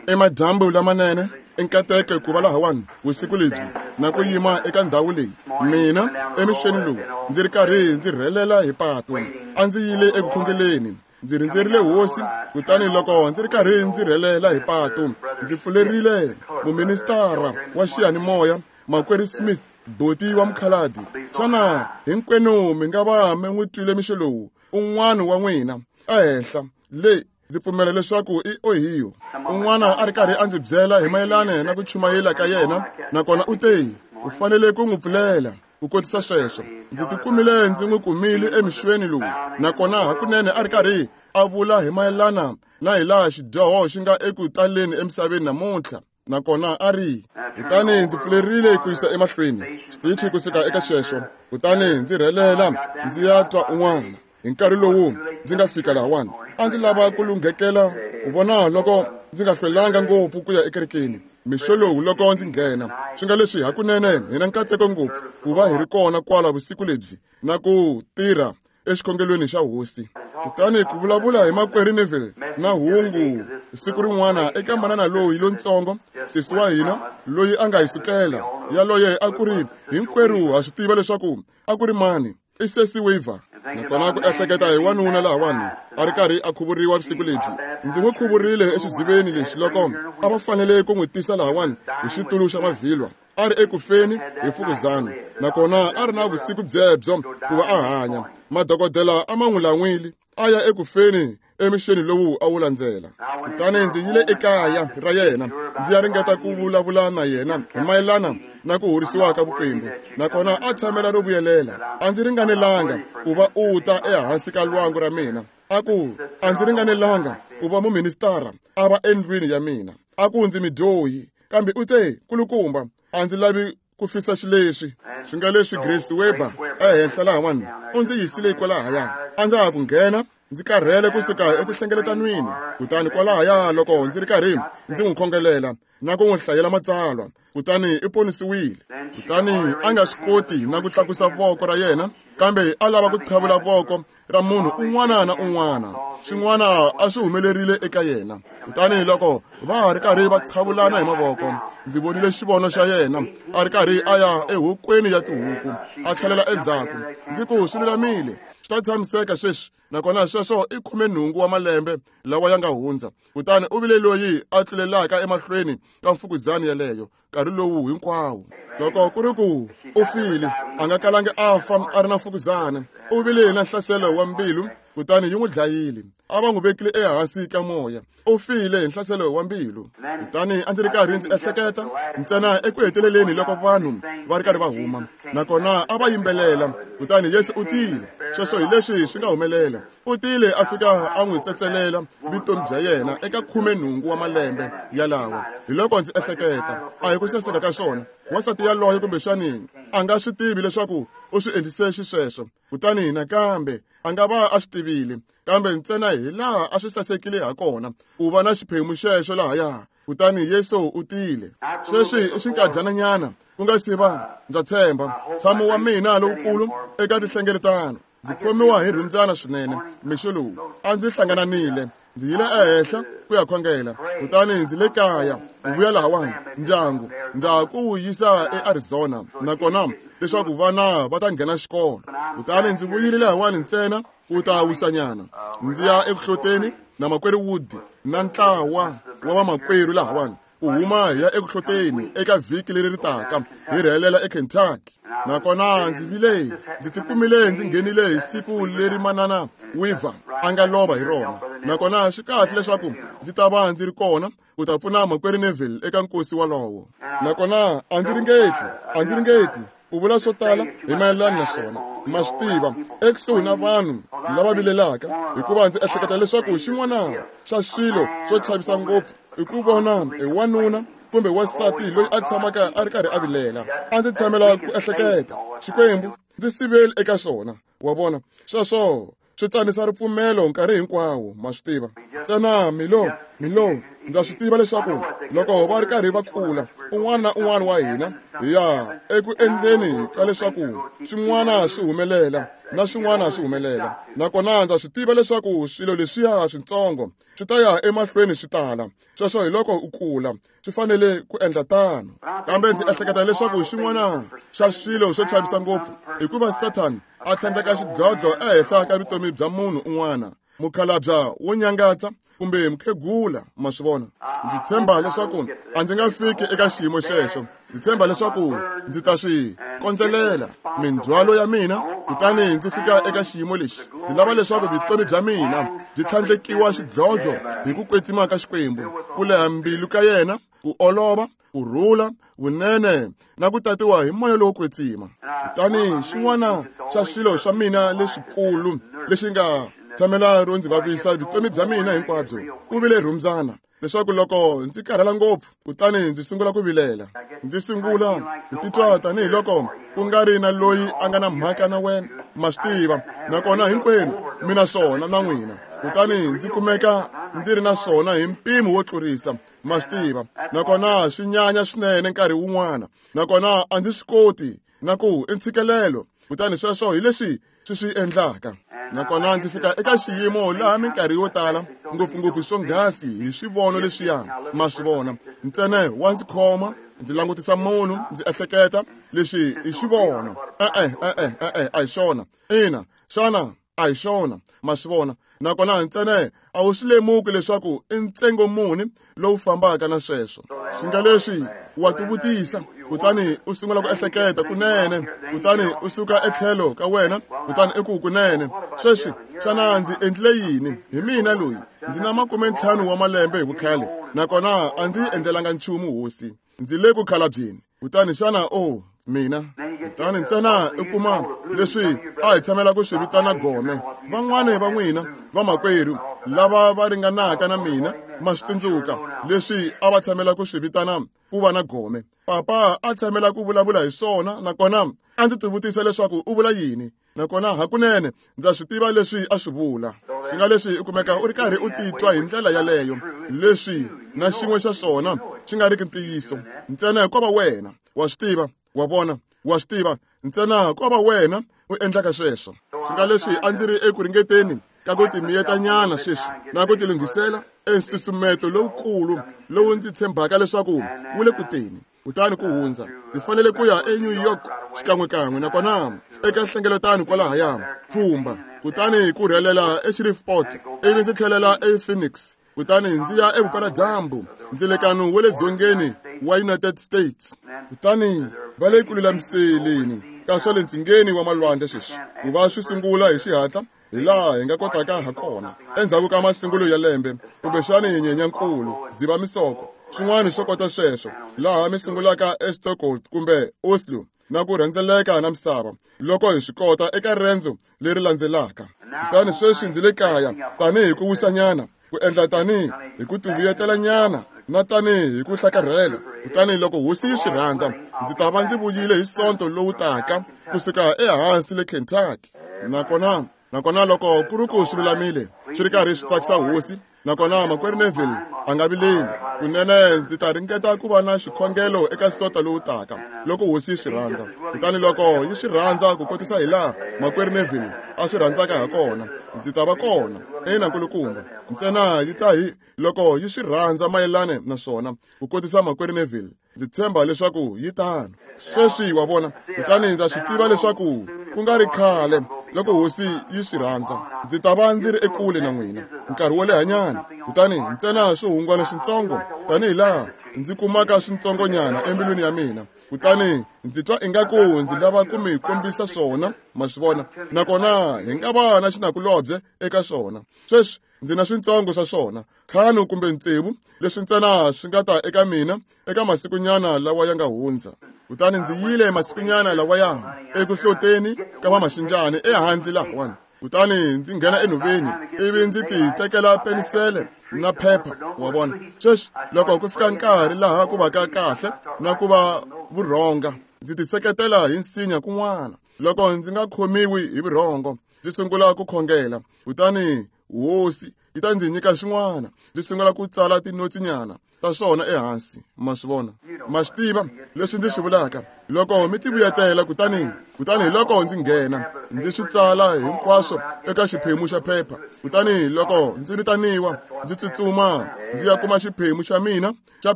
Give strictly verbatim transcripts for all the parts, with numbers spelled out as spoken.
Emadyambu lamanene i nkateko ku va lahawani vusiku lebyi na ku yima eka ndhawu leyi. Mina emixeni lowu ndzi ri karhi ndzi rhelela hi patu, a ndzi yile eku khongeleni, ndzi rindzerile hosi. Kutani loko ndzi ri karhi ndzi rhelela hi patu, ndzi pfulerile muministara wa xiyanimoya Makwerhu Smith, boti wa mukhaladi. Xana hinkwenu mi nga va mi n'wi twile mixo lowu? Un'wana wa n'wina ehenhla le, ndzi pfumela leswaku i Ohio. Un'wana a ri karhi a ndzi byela hi mayelana na ku chumayela ka yena, nakona u te u fanele ku n'wi pfulela ku kotisa sweswo. Ndzi tikumile ndzi n'wi kumile emixweni lowu, nakona hakunene a ri karhi a vula hi mayelana na hi laha xidyoho xi nga eku taleni emisaveni namuntlha. Nakona a ri, kutani ndzi pfulerile ku yisa emahlweni xitichi kusuka eka xexo, kutani ndzi rhelela ndzi ya twa un'wana. Hi nkarhi lowu ndzi nga fika lahawani, a ndzi lava ku lunghekela ku vona loko ndzi nga hlwelanga ngopfu ku ya ekerekeni mixo lowu loko ndzi nghena. Swi nga leswi hakunene hi na nkateko ngopfu ku va hi ri kona kwala vusiku lebyi na ku tirha exikhongelweni xa hosi. Kutani ku vulavula hi Makwerhu Neville na hungu siku rin'wana eka manana loyi lontsongo, sesi wa hina loyi a nga hi sukela yaloye, a ku ri hinkwerhu ha swi tiva leswaku a ku ri mani, i sesi Weaver. Nakona ku ehleketa hi wanuna lahawani a ri karhi a khuvuriwa vusiku lebyi. Ndzi n'wi khuvurile exiziveni lexi loko a va fanele ku n'wi tisa lahawani hi xitulu xa mavhilwa, a ri ekufeni hi mfukuzana, nakona a ri na vusiku byebyo ku va a hanya. Madokodela a ma n'wi lan'wile, a ya ekufeni emixeni lowu a wu landzela. Kutani ndzi yile ekaya ra yena ndzi ya ringeta ku vulavula na yena hi mayelana na ku horisiwa ka vukwembu, nakona a tshamela ro vuyelela. A ndzi ringanelanga ku va u ta ehansi ka lwangu ra mina. A ku a ndzi ringanelanga ku va muministara a va endlwini ya mina. A ku ndzi midyohi, kambe u te kulukumba a ndzi lavi ku fisa xileswi. Swi nga leswi Grace Weber ehenhla lahawani u ndzi yisile kwalahaya. A ndza ha ku nghena ndzi karhele kusuka etinhlengeletanweni. Kutani kwalahaya loko ndzi ri karhi ndzi n'wi khongelela na ku n'wi hlayela matsalwa, kutani i ponisiwile. Kutani a nga swi koti na ku tlakusa voko ra yena, kambe a lava ku tshavula voko ra munhu un'wana na un'wana. Swin'wana a swi humelerile eka yena. Kutani loko va ha ri karhi va tshavulana hi mavoko, ndzi vonile xivono xa yena a ri karhi a ya ehokweni ya tihuku, a tlhelela endzhaku. Ndzi ku swi lulamile, swi ta tshamiseka sweswi. Nakona sweswo i khumenhungu wa malembe lawa ya nga hundza. Kutani u vile loyi a tlulelaka emahlweni ka mfukuzana yeleyo nkarhi lowu hinkwawo. Loko ku ri ku u file, a nga kalangi a fa a ri na mfukuzana. U vile na nhlaselo wa mbilu, kutani yi n'wi dlayile. A va n'wi vekile ehansi ka moya. U file hi nhlaselo wa mbilu. Kutani a ndzi ri karhi ndzi ehleketa ntsena eku heteleleni loko vanhu va ri karhi va huma, nakona a va yimbelela. Kutani Yesu u tile. Sweswo hi leswi swi nga humelela. U tile a fika a n'wi tsetselela vutomi bya yena eka khumenhungu wa malembe yalawa. Hi loko ndzi ehleketa, a hi ku saseka ka swona. Wansati yaloye kumbexani a nga swi tivi leswaku u swi endlise xisweswo. Kutani nakambe a nga va a swi tivile, kambe ntsena hi laha a swi sasekile ha kona ku va na xiphemu xexo lahaya. Kutani Yesu u tile. Sweswi i xinkadyana ku nga si va, ndza tshemba, ntshamo wa mina lowukulu eka tinhlengeletano. Ndzi khomiwa hi rhundzana swinene mixo lowu. A ndzi hlangananile, ndzi yile ehenhla ku ya khongela, kutani ndzi le kaya ku vuya lahawani ndyangu ndza ha ku wu yisa eArizona, nakona leswaku vana va ta nghena xikolo. Kutani ndzi vuyile lahawani ntsena ku ta wisanyana, ndzi ya eku hloteni na Makwerhu Wood na ntlawa wa vamakwerhu lahawani ku huma hi ya eku hloteni eka vhiki leri ri taka hi rhelela eKentucky. Nakona ndzi vile ndzi tikumile ndzi nghenile hi siku leri manana Weaver a nga lova hi rona. Nakona swi kahle leswaku ndzi ta va ndzi ri kona ku ta pfuna Makwerhu Neville eka nkosi walowo. Nakona a ndzi ringeti a ndzi ringeti ku vula swo tala hi mayelana na swona. Ma swi tiva, ekusuhi na vanhu lava vilelaka, hikuva ndzi ehleketa leswaku xin'wana xa swilo swo chavisa ngopfu i ku vona hi wanuna kumbe wansati loyi a tshamaka a ri karhi a vilela. A ndzi tshamela ku ehleketa, Xikwembu ndzi siveli eka swona. Wa vona, sweswo swi tsanisa ripfumelo nkarhi hinkwawo, ma swi tiva. Ntsena milo Milo, ndza swi tiva leswaku loko va ri karhi va kula, un'wana na un'wana wa hina hi ya eku endleni ka leswaku swin'wana swi humelela na swin'wana swi humelela. Nakona ndza swi tiva leswaku swilo leswiya switsongo swi ta ya emahlweni swi tala. Sweswo hi loko u kula, swi fanele ku endla tano. Kambe ndzi ehleketa leswaku xin'wana xa swilo swo chavisa ngopfu hikuva Satan a tlhandleka xidlodlo ehenhla ka vutomi bya munhu un'wana, mukhalabya wo nyangatsa kumbe mukhegula, ma swi vona. Ndzi tshemba leswaku a ndzi nga fiki eka xiyimo xexo. Ndzi tshemba leswaku ndzi ta swi kondzelela mindzhwalo ya mina kutani ndzi fika eka xiyimo lexi. Ndzi lava leswaku vutomi bya mina byi tlhandlekiwa xidlodlo hi ku kwetsima ka Xikwembu, ku leha mbilu ka yena, ku olova, ku rhula, vunene na ku tatiwa hi moya lowo kwetsima. Kutani xin'wana xa swilo swa mina leswikulu lexi nga tshamela ro ndzi vavisa vutomi bya mina hinkwabyo ku vile rhumbyana, leswaku loko ndzi karhala ngopfu kutani ndzi sungula ku vilela, ndzi sungula ku titwa tanihiloko ku nga ri na loyi a nga na mhaka na wena, ma swi tiva, nakona hinkwenu mi na swona na n'wina. Kutani ndzi kumeka ndzi ri na swona hi mpimo wo tlurisa, ma swi tiva, nakona swi nyanya swinene nkarhi wun'wana, nakona a ndzi swi koti na ku i ntshikelelo. Kutani sweswo hi leswi swi swi endlaka. Nakona ndzi fika eka xiyimo laha minkarhi yo tala ngopfungopfu swonghasi hi swivono leswiya, ma swi vona, ntsena wa ndzi khoma, ndzi langutisa munhu, ndzi ehleketa leswi i xivono. E-e, e-e, e-e, a hi xona. Ina, xana a hi xona, ma swi vona. Nakona ntsena a wu swi lemuki leswaku i ntsengo muni lowu fambaka na sweswo. Swi nga leswi wa tivutisa, kutani u sungula ku ehleketa kunene, kutani u suka etlhelo ka wena, kutani i ku kunene, sweswi xana ndzi endlile yini? Hi mina loyi, ndzi na makume ntlhanu wa malembe hi vukhale, nakona a ndzi endlelanga nchumu hosi, ndzi le ku khalabyeni. Kutani xana o mina? Kutani ntsena i kuma leswi a hi tshamela ku swi vitana gome. Van'wani va n'wina vamakwerhu lava va ringanaka na mina ma swi tsundzuka leswi a va tshamela ku swi vitana ku va na gome. Papa a tshamela ku vulavula hi swona, nakona a ndzi tivutisa leswaku u vula yini, nakona hakunene ndza swi tiva leswi a swi vula. Swi nga leswi u kumeka u ri karhi u titwa hi ndlela yaleyo, leswi na xin'we xa swona xi nga riki ntiyiso, ntsena ko va wena wa swi tiva, wa vona, wa swi tiva, ntsena ko va wena u endlaka sweswo. Swi nga leswi a ndzi ri eku ringeteni ka ku timiyetanyana sweswi na ku tilunghisela ensusumeto lowukulu lowu ndzi tshembaka leswaku wu le ku teni. Kutani ku hundza ndzi fanele ku ya eNew York xikan'wekan'we, nakona eka nhlengeletano kwalahaya pfhumba, kutani ku rhelela eShreveport, ivi ndzi tlhelela ePhoenix, kutani ndzi ya evupeladyambu ndzilekano wa le dzongeni wa United States. Kutani va le ku lulamiseleni ka swa le ntsungeni wa malwandle sweswi ku va swi sungula hi xihatla hi laha hi nga kotaka ha kona endzhaku ka masungulo ya lembe, kumbexani Nyenyankulu, Dzivamisoko, swin'wana swo kota sweswo, laha mi sungulaka eStockholm kumbe Oslo na ku rhendzeleka na misava loko hi swi kota eka rendzo leri landzelaka. Kutani sweswi ndzi le kaya tanihi ku wisanyana, ku endla tanihi hi ku tivuyetelanyana na tanihi hi ku hlakarhela. Kutani loko hosi yi swi rhandza, ndzi ta va ndzi vuyile hi Sonto lowu taka kusuka ehansi le Kentucky. Nakona nakona loko ku ri ku swi lulamile, swi ri karhi swi tsakisa hosi, nakona makwerhu Neville a nga vileli, kunene ndzi ta ringeta ku va na xikhongelo eka Sonto lowu taka loko hosi yi swi rhandza. Kutani loko yi swi rhandza ku kotisa hi laha makwerhu Neville a swi rhandzaka ha kona, ndzi ta va kona. Ina nkulukumba, ntsena yi ta hi loko yi swi rhandza mayelana na swona ku kotisa makwerhu Neville. Ndzi tshemba leswaku yi tano. Sweswi wa vona, kutani ndza swi tiva leswaku ku nga ri khale loko hosi yi swi rhandza ndzi ta va ndzi ri ekule na n'wina nkarhi wo lehanyana. Kutani ntsena swihungwana switsongo tanihi laha ndzi kumaka switsongonyana embilwini ya mina, kutani ndzi twa ingaku ndzi lava ku mi kombisa swona, ma swi vona, nakona hi nga va na xinakulobye eka swona. Sweswi ndzi na switsongo swa swona, ntlhanu kumbe tsevu, leswi ntsena swi nga ta eka mina eka masikunyana lawa ya nga hundza. Kutani ndzi yile masikunyana lawaya eku hloteni ka vamaxinjani ehandle lahawani. Kutani ndzi nghena enhoveni ivi ndzi ti tekela penisele na phepha, wa vona. Sweswi loko ku fika nkarhi laha ku vaka kahle na ku va vurhonga, ndzi ti seketela hi nsinya kun'wana. Loko ndzi nga khomiwi hi vurhongo, ndzi sungula ku khongela. Kutani hosi yi ta ndzi nyika xin'wana. Ndzi sungula ku tsala tinotsinyana ta swona ehansi. Ma swi vona? Ma swi tiva leswi ndzi swi vulaka? Loko mi tivuyetela kutani kutani hi loko ndzi nghena ndzi swi tsala hinkwaswo eka xiphemu xa phepha. Kutani loko ndzi vitaniwa ndzi tsutsuma ndzi ya kuma xiphemu xa mina xa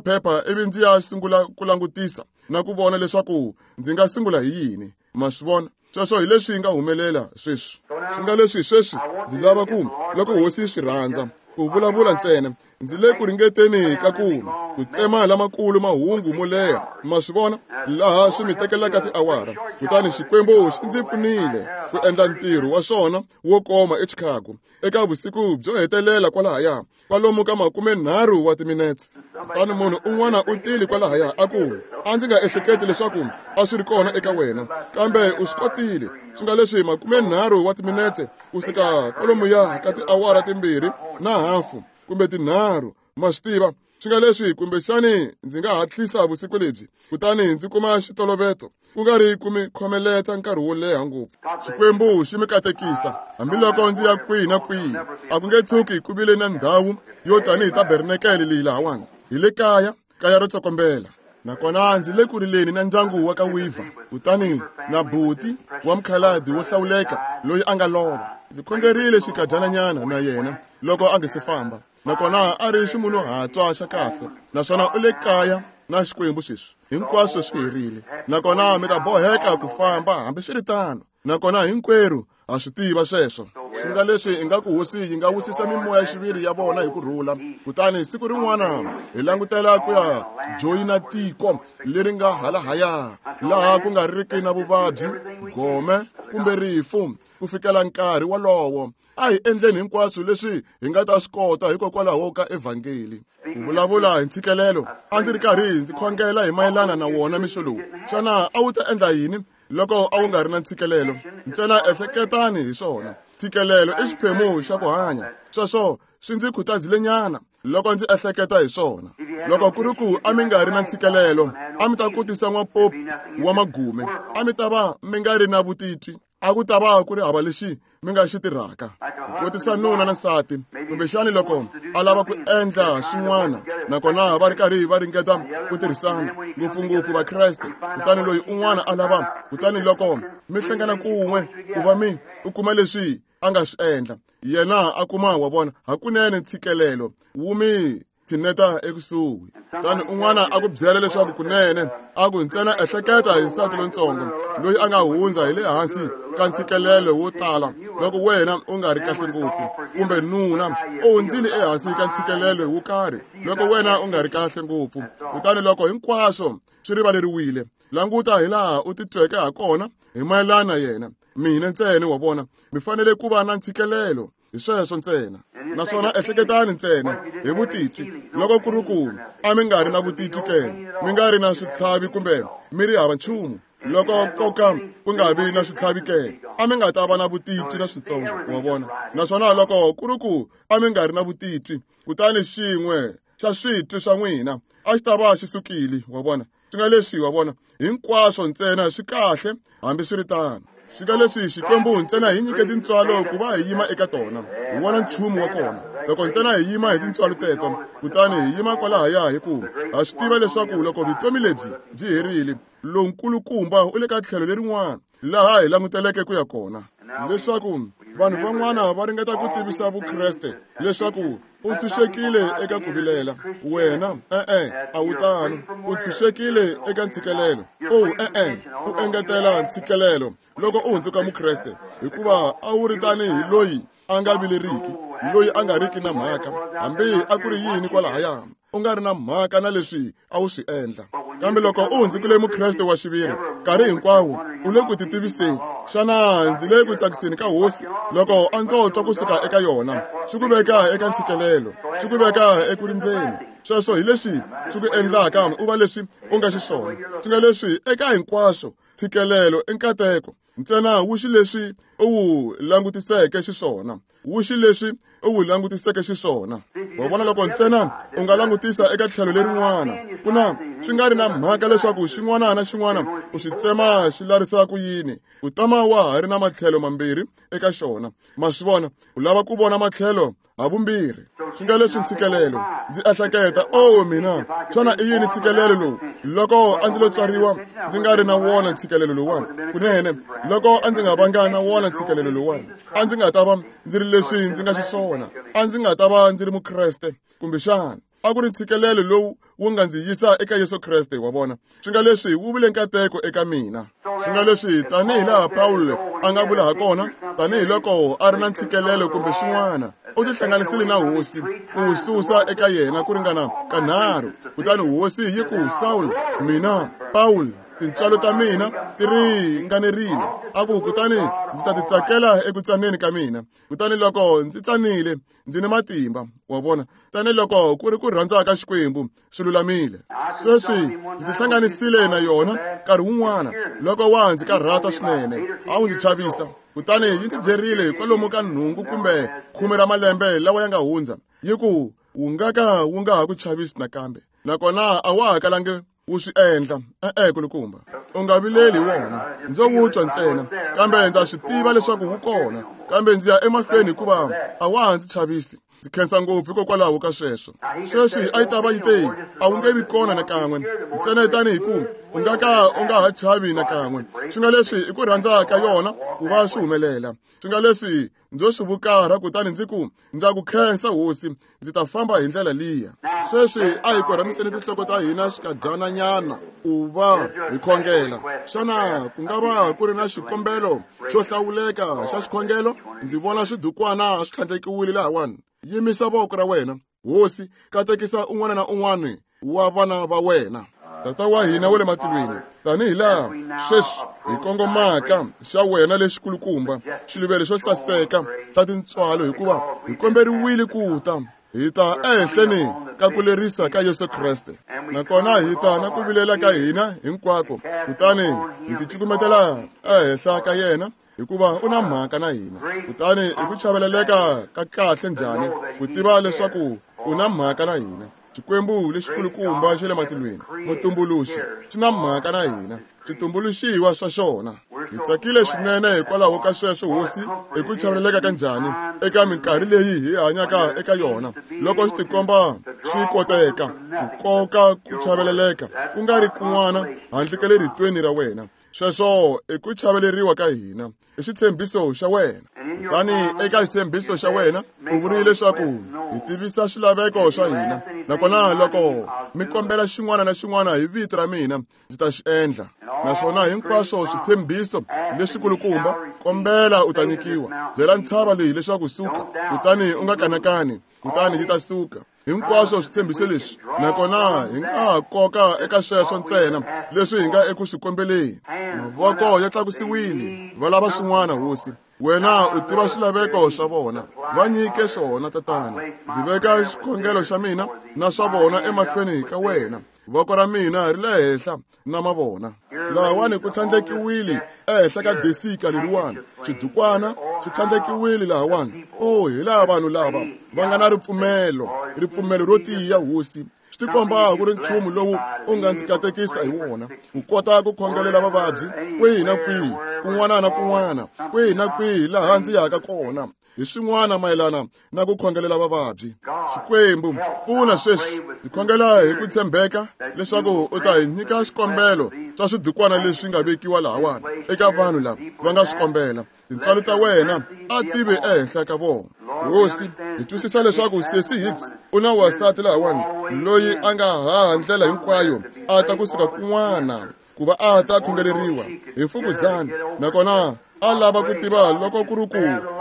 phepha ivi ndzi ya sungula ku langutisa na ku vona leswaku ndzi nga sungula hi yini. Ma swi vona? Sweswo hi leswi nga humelela sweswi. Swi nga leswi sweswi ndzi lava ku loko hosi yi swi rhandza ku vulavula ntsena. Ndzi le ku ringeteni ka ku ku tsema lamakulu mahungu mo leha. Ma swi vona? Laha swi mi tekelaka tiawara. Kutani Xikwembu xi ndzi pfunile ku endla ntirho wa xona wo koma eChicago eka vusiku byo hetelela kwalahaya kwalomu ka makumenharhu wa timinetse. Kutani munhu un'wana u tile kwalahaya a ku, a ndzi nga ehleketi leswaku a swi ri kona eka wena, kambe u swi kotile. Swi nga leswi makumenharhu wa timinetse kusuka kwalomuya ka tiawara timbirhi na hafu kumbe tinharhu. Ma swi tiva? Swi nga leswi kumbexani ndzi nga hatlisa vusiku lebyi kutani ndzi kuma xitoloveto ku nga ri ku mi khomeleta nkarhi wo leha ngopfu. Xikwembu xi mi katekisa hambiloko ndzi ya kwihi na kwihi. A ku nge tshuki ku vile na ndhawu yo tanihi tabernakele leyi lahawani. Hi le kaya, kaya ro tsokombela. Nakona ndzi le ku rileni na ndyangu wa ka Weaver, kutani na buti wa mukhalabye wo hlawuleka loyi a nga lova. Ndzi khongerile xikadyananyana na yena loko a nga se famba. Nakona a ri ximunhuhatswa xa kahle, naswona u le kaya na Xikwembu sweswi. Hinkwaswo swi herile. Nakona mi ta boheka ku famba hambiswiritano. Nakona hinkwerhu ha swi tiva sweswo. Swi nga leswi ingaku hosi yi nga wisisa mimoya xiviri ya vona hi ku rhula. Kutani siku rin'wana hi langutela ku ya joyina tiko leri nga halahaya, laha ku nga riki na vuvabyi, gome kumbe rifu ku fikela nkarhi wolowo. A hi endleni hinkwaswo leswi hi nga ta swi kota hikokwalaho ka evhangeli. Ku vulavula hi ntshikelelo, a ndzi ri karhi ndzi khongela hi mayelana na wona mixo lowu. Xana a wu ta endla yini loko a wu nga ri na ntshikelelo? Ntsena ehleketani hi swona. Ntshikelelo i xiphemu xa ku hanya. Sweswo swi ndzi khutazilenyana loko ndzi ehleketa hi swona. Loko ku ri ku a mi nga ri na ntshikelelo, a mi ta kotisa n'wapopi wa magume, a mi ta va mi nga ri na vutitwi, a ku ta va ku ri hava lexi mi nga xi tirhaka. Ku kotisa nuna na nsati, kumbexani loko a lava ku endla swin'wana, nakona va ri karhi va ringeta ku tirhisana, ngopfungopfu Vakreste, kutani loyi un'wana a lava, kutani loko mi hlangana kun'we ku va mi u kuma leswi a nga swi endla, yena a kuma wa vona hakunene ntshikelelo wu mi tshineta ekusuhi. Kutani un'wana a ku byela leswaku kunene a ku ntsena ehleketa hi nsati lontsongo loyi a nga hundza hi le hansi ka ntshikelelo wo tala loko wena u nga ri kahle ngopfu, kumbe nuna u hundzile ehansi ka ntshikelelo wo karhi loko wena u nga ri kahle ngopfu. Kutani loko hinkwaswo swi rivaleriwile, languta hi laha u titweke ha kona hi mayelana yena. Mina ntsena wa vona mi fanele ku va na ntshikelelo hi sweswo ntsena. Naswona ehleketani ntsena hi vutitwi. Loko ku ri ku a mi nga ri na vutitwi ke, mi nga ri na switlhavi kumbe mi ri hava nchumu, loko koka ku nga vi na switlhavi ke, a mi nga ta va na vutitwi na switsongo, wa vona. Naswona loko ku ri ku a mi nga ri na vutitwi, kutani xin'we xa switwi swa n'wina a xi ta va xi sukile, wa vona. Swi nga leswi, wa vona, hinkwaswo ntsena swi kahle hambiswiritano. Swi nga leswi Xikwembu ntsena hi nyike tintswalo ku va hi yima eka tona, hi vona nchumu wa kona. Loko ntsena hi yima hi tintswalo teto, kutani hi yima kwalahaya hi ku ha swi tiva leswaku loko vutomi lebyi byi herile, lonkulukumba u le ka tlhelo lerin'wana laha hi languteleke ku ya kona. Leswaku vanhu van'wana va ringeta ku tivisa Vukreste leswaku u ntshunxekile eka ku vilela. Wena e-e a wu tano. U ntshunxekile eka ntshikelelo. O e-e u engetela ntshikelelo loko u hundzuka Mukreste, hikuva a wu ri tanihi loyi a nga vileriki, loyi a nga riki na mhaka hambi a ku ri yini kwalahaya, u nga ri na mhaka na leswi a wu swi endla. Kambe loko u hundzukile Mukreste wa xiviri, nkarhi hinkwawo u le ku titiviseni. Xana ndzi le ku tsakiseni ka hosi loko a ndzo twa kusuka eka yona? Swi ku veka eka ntshikelelo, swi ku veka eku rindzeni. Sweswo hi leswi swi ku endlaka u va leswi u nga xiswona. Swi nga leswi eka hinkwaswo ntshikelelo i nkateko ntsena wu xi leswi u wu langutiseke xiswona. Wu xi leswi u wu langutiseke xiswona. Wa vona loko ntsena u nga langutisa eka tlhelo lerin'wana, ku na swi nga ri na mhaka leswaku xin'wana na xin'wana u xi tsema xi larisa ku yini, u tama wa ha ri na matlhelo mambirhi eka xona. Ma swi vona, u lava ku vona matlhelo havumbirhi. Swi nga leswi ntshikelelo. Ndzi ehleketa, oh mina, xana i yini ntshikelelo lowu? Loko a ndzi lo tswariwa ndzi nga ri na wona ntshikelelo lowuwani, kunene loko a ndzi nga vanga na wona ntshikelelo lowuwani, a ndzi nga ta va ndzi ri leswi ndzi nga xiswona, a ndzi nga ta va ndzi ri mukreste kumbexana. A ku ri ntshikelelo lowu wu nga ndzi yisa eka Yesu Kreste, wa vona. Swi nga leswi wu vile nkateko eka mina. Swi nga leswi tanihi laha Pawulo a nga vula ha kona, tanihiloko a ri na ntshikelelo kumbe xin'wana, u tihlanganisile na hosi ku wu susa eka yena ku ringana kanharhu. Kutani hosi yi ku, Sawulo, mina Pawulo, tintswalo ta mina ti ringanerile. A ku, kutani ndzi ta ti tsakela eku tsaneni ka mina. Kutani loko ndzi tsanile, ndzi ni matimba. Wa vona, tsane loko ku ri ku rhandza ka Xikwembu swi lulamile. Sweswi ndzi tihlanganisile na yona nkarhi wun'wana loko wa ndzi karhata swinene, a wu ndzi chavisa. Kutani yi ndzi byerile kwalomu ka nhungu kumbe khume ra malembe lawa ya nga hundza, yi ku, wu nga ka wu nga ha ku chavisi nakambe, nakona a wa ha kalangi wu swi endla. E-e, kulukumba, u nga vileli hi wona, ndzo wu twa ntsena, kambe ndza swi tiva leswaku wu kona, kambe ndzi ya emahlweni hikuva a wa ha ndzi chavisi. Ndzi khensa ngopfu hikokwalaho ka sweswo. Sweswi a yi ta va yi te, a wu nge vi kona nakan'we, ntsena tanihi ku u nga ka u nga ha chavi nakan'we. Swi nga leswi i ku rhandza ka yona ku va swi humelela. Swi nga leswi ndzo swi vukarha, kutani ndzi ku, ndza ku khensa hosi, ndzi ta famba hi ndlela liya. Sweswi a hi korhamiseni tinhloko ta hina xikadyananyana ku va hi khongela. Xana ku nga va ku ri na xikombelo xo hlawuleka xa xikhongelo? Ndzi vona swidukwana swi tlhandlekiwile lahawani. Yimisa voko ra wena. Hosi, katekisa un'wana na un'wana wa vana va wena. Tata wa hina wa le matilweni, tanihi laha sweswi hi kongomaka xa wena lexikulukumba, xiluvelo xo saseka xa tintswalo, hikuva hi komberiwile ku ta, hi ta ehenhleni ka ku lerisa ka Yesu Kreste, nakona hi ta na ku vilela ka hina hinkwako, kutani hi ticukumetela ehenhla ka yena, hikuva u na mhaka na hina. Kutani hi ku chaveleleka ka kahle njhani ku tiva leswaku u na mhaka na hina. Xikwembu lexikulukumba xa le matilweni, mutumbuluxi, xi na mhaka na hina, switumbuluxiwa swa xona. Hi tsakile swinene hikwalaho ka sweswo, hosi, hi ku chaveleleka ka njhani eka minkarhi leyi hi hanyaka eka yona, loko swi tikomba swi koteka ku koka ku chaveleleka ku nga ri kun'wana handle ka le ritweni ra wena. Sweswo i ku chaveleriwa ka hina, i xitshembiso xa wena. Kutani eka xitshembiso xa wena u vurile leswaku hi tivisa swilaveko swa hina, nakona loko mi kombela xin'wana na xin'wana hi vito ra mina, ndzi ta xi endla. Naswona hinkwaswo switshembiso leswikulukumba, kombela u ta nyikiwa. Byela ntshava leyi leswaku suka, kutani u nga kanakani, kutani yi ta suka. Hinkwaswo switshembiso leswi, nakona hi nga ha koka eka sweswo ntsena leswi hi nga eku swi kombeleni. Mavoko ya tlakusiwile, va lava swin'wana, hosi. Wena u tiva swilaveko swa vona, va nyike swona, tatana. Ndzi veka xikhongelo xa mina na swa vona emahlweni ka wena. Voko ra mina ri le henhla na mavona. Lahawani ku tlhandlekiwile ehenhla ka desika leriwani, xidukwana xi tlhandlekiwile lahawani. Oh, hi laha vanhu lava va nga na ripfumelo, ripfumelo ro tiya, hosi. Swi tikomba ku ri nchumu lowu u nga ndzi katekisa hi wona, ku kota ku khongelela vavabyi kwihi na kwihi, kun'wana na kun'wana, kwihi na kwihi laha ndzi yaka kona, hi swin'wana mayelana na ku khongelela vavabyi. Xikwembu, pfuna sweswi. Ndzi khongela hi ku tshembeka leswaku u ta hi nyika xikombelo swa swidukwana leswi nga vekiwa lahawani eka vanhu lava va nga swi kombela. Tintswalo ta wena a tive ehenhla ka vona. Hosi, hi twisisa leswaku Sesi Hicks u na wansati lahawani loyi a nga haha ndlela hinkwayo a ta kusuka kun'wana ku va a ta khongeleriwa hi mfukuzana, nakona a lava ku tiva loko ku ri ku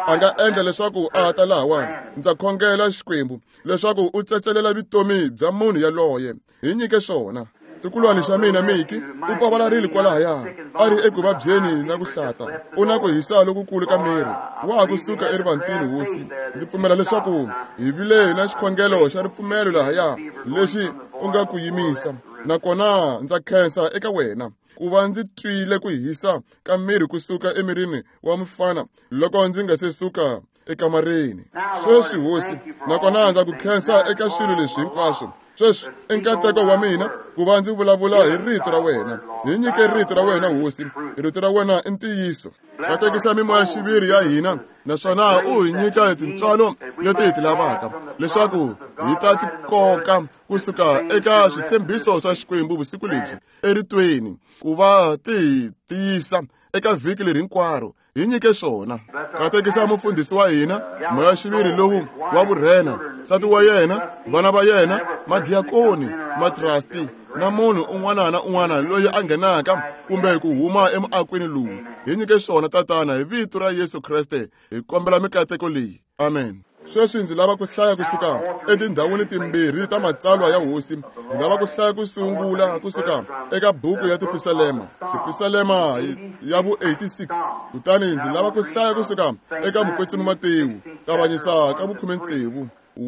a nga endla leswaku a ta lahawani. Ndza khongela, Xikwembu, leswaku u tsetselela vutomi bya munhu yaloye. Hi nyike swona. Tikulwani xa mina Miki u pavalarile kwalahaya, a ri eku vabyeni na ku hlata, u na ku hisa lokukulu ka miri, wa ha kusuka erivantini. Hosi, ndzi pfumela leswaku hi vile na xikhongelo xa ripfumelo lahaya lexi u nga ku yimisa, nakona ndza khensa eka wena ku va ndzi twile ku hisa ka miri kusuka emirini wa mufana loko ndzi nga se suka ekamareni. Sweswi hosi, nakona ndza ku khensa eka swilo leswi hinkwaswo. Sweswi i nkateko wa mina ku va ndzi vulavula hi rito ra wena. Hi nyike rito ra wena hosi, rito ra wena i ntiyiso. Katekisa mimoya xiviri ya hina, naswona u hi nyika tintswalo leti hi ti lavaka leswaku hi ta ti koka kusuka eka switshembiso swa Xikwembu vusiku lebyi eritweni, ku va ti hi tiyisa eka vhiki leri hinkwaro. Hi nyike swona. Katekisa mufundhisi wa hina, moya xiviri lowu wa vurhena, nsati wa yena, vana va yena, madiakoni, matrasti na munhu un'wana na un'wana loyi a nghenaka kumbe ku huma emuakweni lowu. Hi nyike swona tatana, hi vito ra Yesu Kreste hi kombela mikateko leyi. Amen. Sweswi ndzi lava ku hlaya kusuka etindhawini timbirhi ta matsalwa ya hosi. Ndzi lava ku hlaya ku sungula kusuka eka buku ya Tipisalema, Tipisalema ya vu eighty-six. Kutani ndzi lava ku hlaya kusuka eka Mukwetsimi Matewu, kavanyisa ka vukhume tsevu,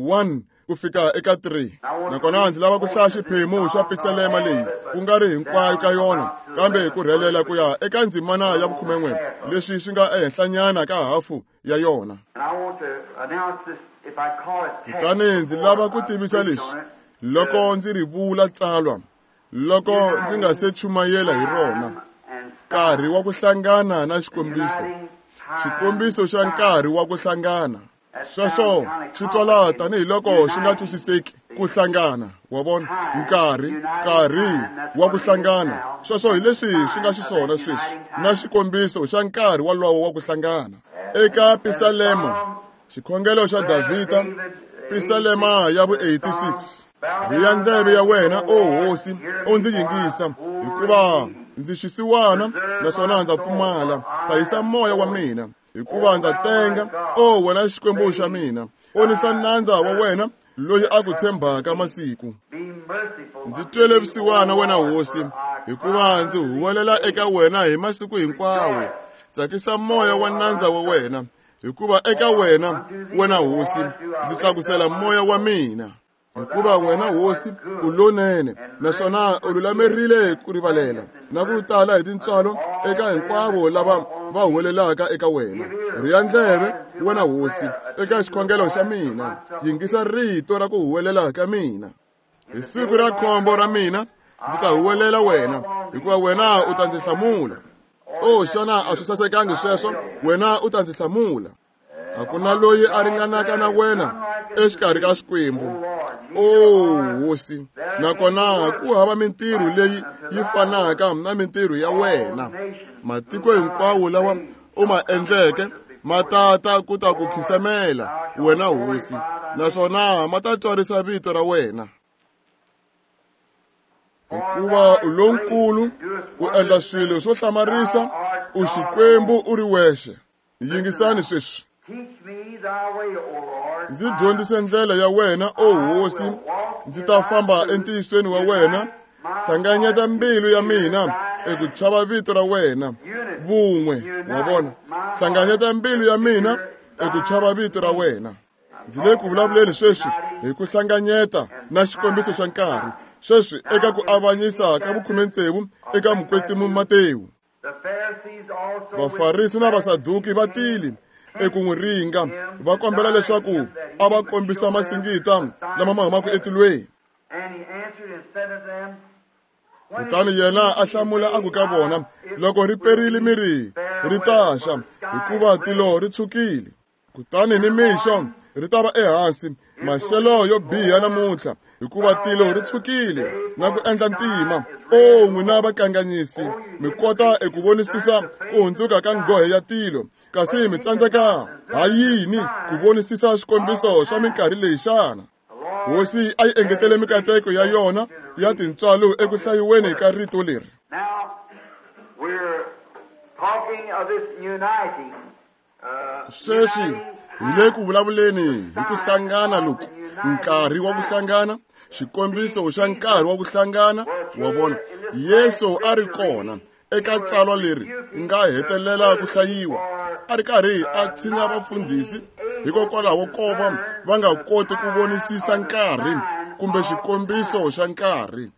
one ku fika eka three. Nakona ndzi lava ku hlaya xiphemu xa Pisalema leyi, ku nga ri hinkwayo ka yona, kambe ku rhelela ku ya eka ndzimana ya vukhumen'we, leswi swi nga ehenhlanyana ka hafu ya yona. Kutani ndzi lava ku tivisa leswi loko ndzi ri vula tsalwa, loko ndzi nga se chumayela hi rona, nkarhi wa ku hlangana na xikombiso, xikombiso xa nkarhi wa ku hlangana. Sweswo swi twala tanihiloko swi nga twisiseki ku hlangana, wa vona, nkarhi, nkarhi wa ku hlangana. Sweswo hi leswi swi nga xiswona sweswi, na xikombiso xa nkarhi wolowo wa ku hlangana. Eka Pisalema, xikhongelo xa Davhida, Pisalema ya vu eighty-six. Rhiya ndleve ya wena, o hosi, u ndzi yingisa, hikuva ndzi xisiwana naswona ndza pfumala. Hlayisa moya wa mina, hikuva ndza tenga, o wena Xikwembu xa mina. Onisa nandza wa wena loyi a ku tshembaka masiku. Ndzi twele vusiwana wena hosi, hikuva ndzi huwelela eka wena hi masiku hinkwawo. Tsakisa moya wa nandza wa wena, hikuva eka wena, wena hosi, ndzi tlakusela moya wa mina. Hikuva wena hosi u lonene, naswona u lulamerile ku rivalela na ku tala hi tintswalo eka hinkwavo lava va huwelelaka eka wena. Rhiya ndleve, wena hosi, eka xikhongelo xa mina, yingisa rito ra ku huwelela ka mina. Hi siku ra khombo ra mina ndzi ta huwelela wena, hikuva wena u ta ndzi hlamula. O xana a swi sasekangi sweswo? Wena u ta ndzi hlamula. A ku na loyi a ringanaka na wena exikarhi ka Xikwembu, o hosi, nakona ku hava mintirho leyi yi fanaka na mintirho ya wena. Matiko hinkwawo lawa u ma endleke ma tata ku ta ku khisamela wena hosi, naswona ma ta twarisa vito ra wena. Hikuva u lonkulu, u endla swilo swo hlamarisa, u Xikwembu u ri wexe. Yingisani sweswi. Ndzi dyondzise ndlela ya wena, o hosi, ndzi ta famba entiyisweni wa wena. Hlanganyeta mbilu ya mina eku chava vito ra wena. Vun'we, wa vona, hlanganyeta mbilu ya mina eku chava vito ra wena. Ndzi le ku vulavuleni sweswi hi ku hlanganyeta na xikombiso xa nkarhi sweswi eka ku avanyisa ka vukhume tsevu eka Mukwetsimi Matewu. Vafarisi na Vasaduki va tile eku n'wi ringa, va kombela leswaku a va kombisa masingita lama ma humaka etilweni. Kutani yena a hlamula a ku ka vona, loko ri perile mi ri, ri ta xa, hikuva tilo ri tshukile. Kutani ni mixo ri ta va ehansi, maxelo yo biha namuntlha, hikuva tilo ri tshukile na ku endla ntima. O n'wina vakanganyisi, mi kota eku vonisisa ku hundzuka ka nghohe ya tilo, kasi mi tsandzeka ha yini ku vonisisa xikombiso xa minkarhi leyi xana? Hosi a yi engetele mikateko ya yona ya tintswalo eku hlayiweni ka rito leri. Sweswi hi le ku vulavuleni hi ku hlangana loku, nkarhi wa ku hlangana, xikombiso xa nkarhi wa ku hlangana. Wa vona, Yesu a ri kona eka tsalwa leri nga hetelela ku hlayiwa, a ri karhi a tshinya vafundhisi hikokwalaho ko va va nga koti ku vonisisa nkarhi kumbe xikombiso xa nkarhi.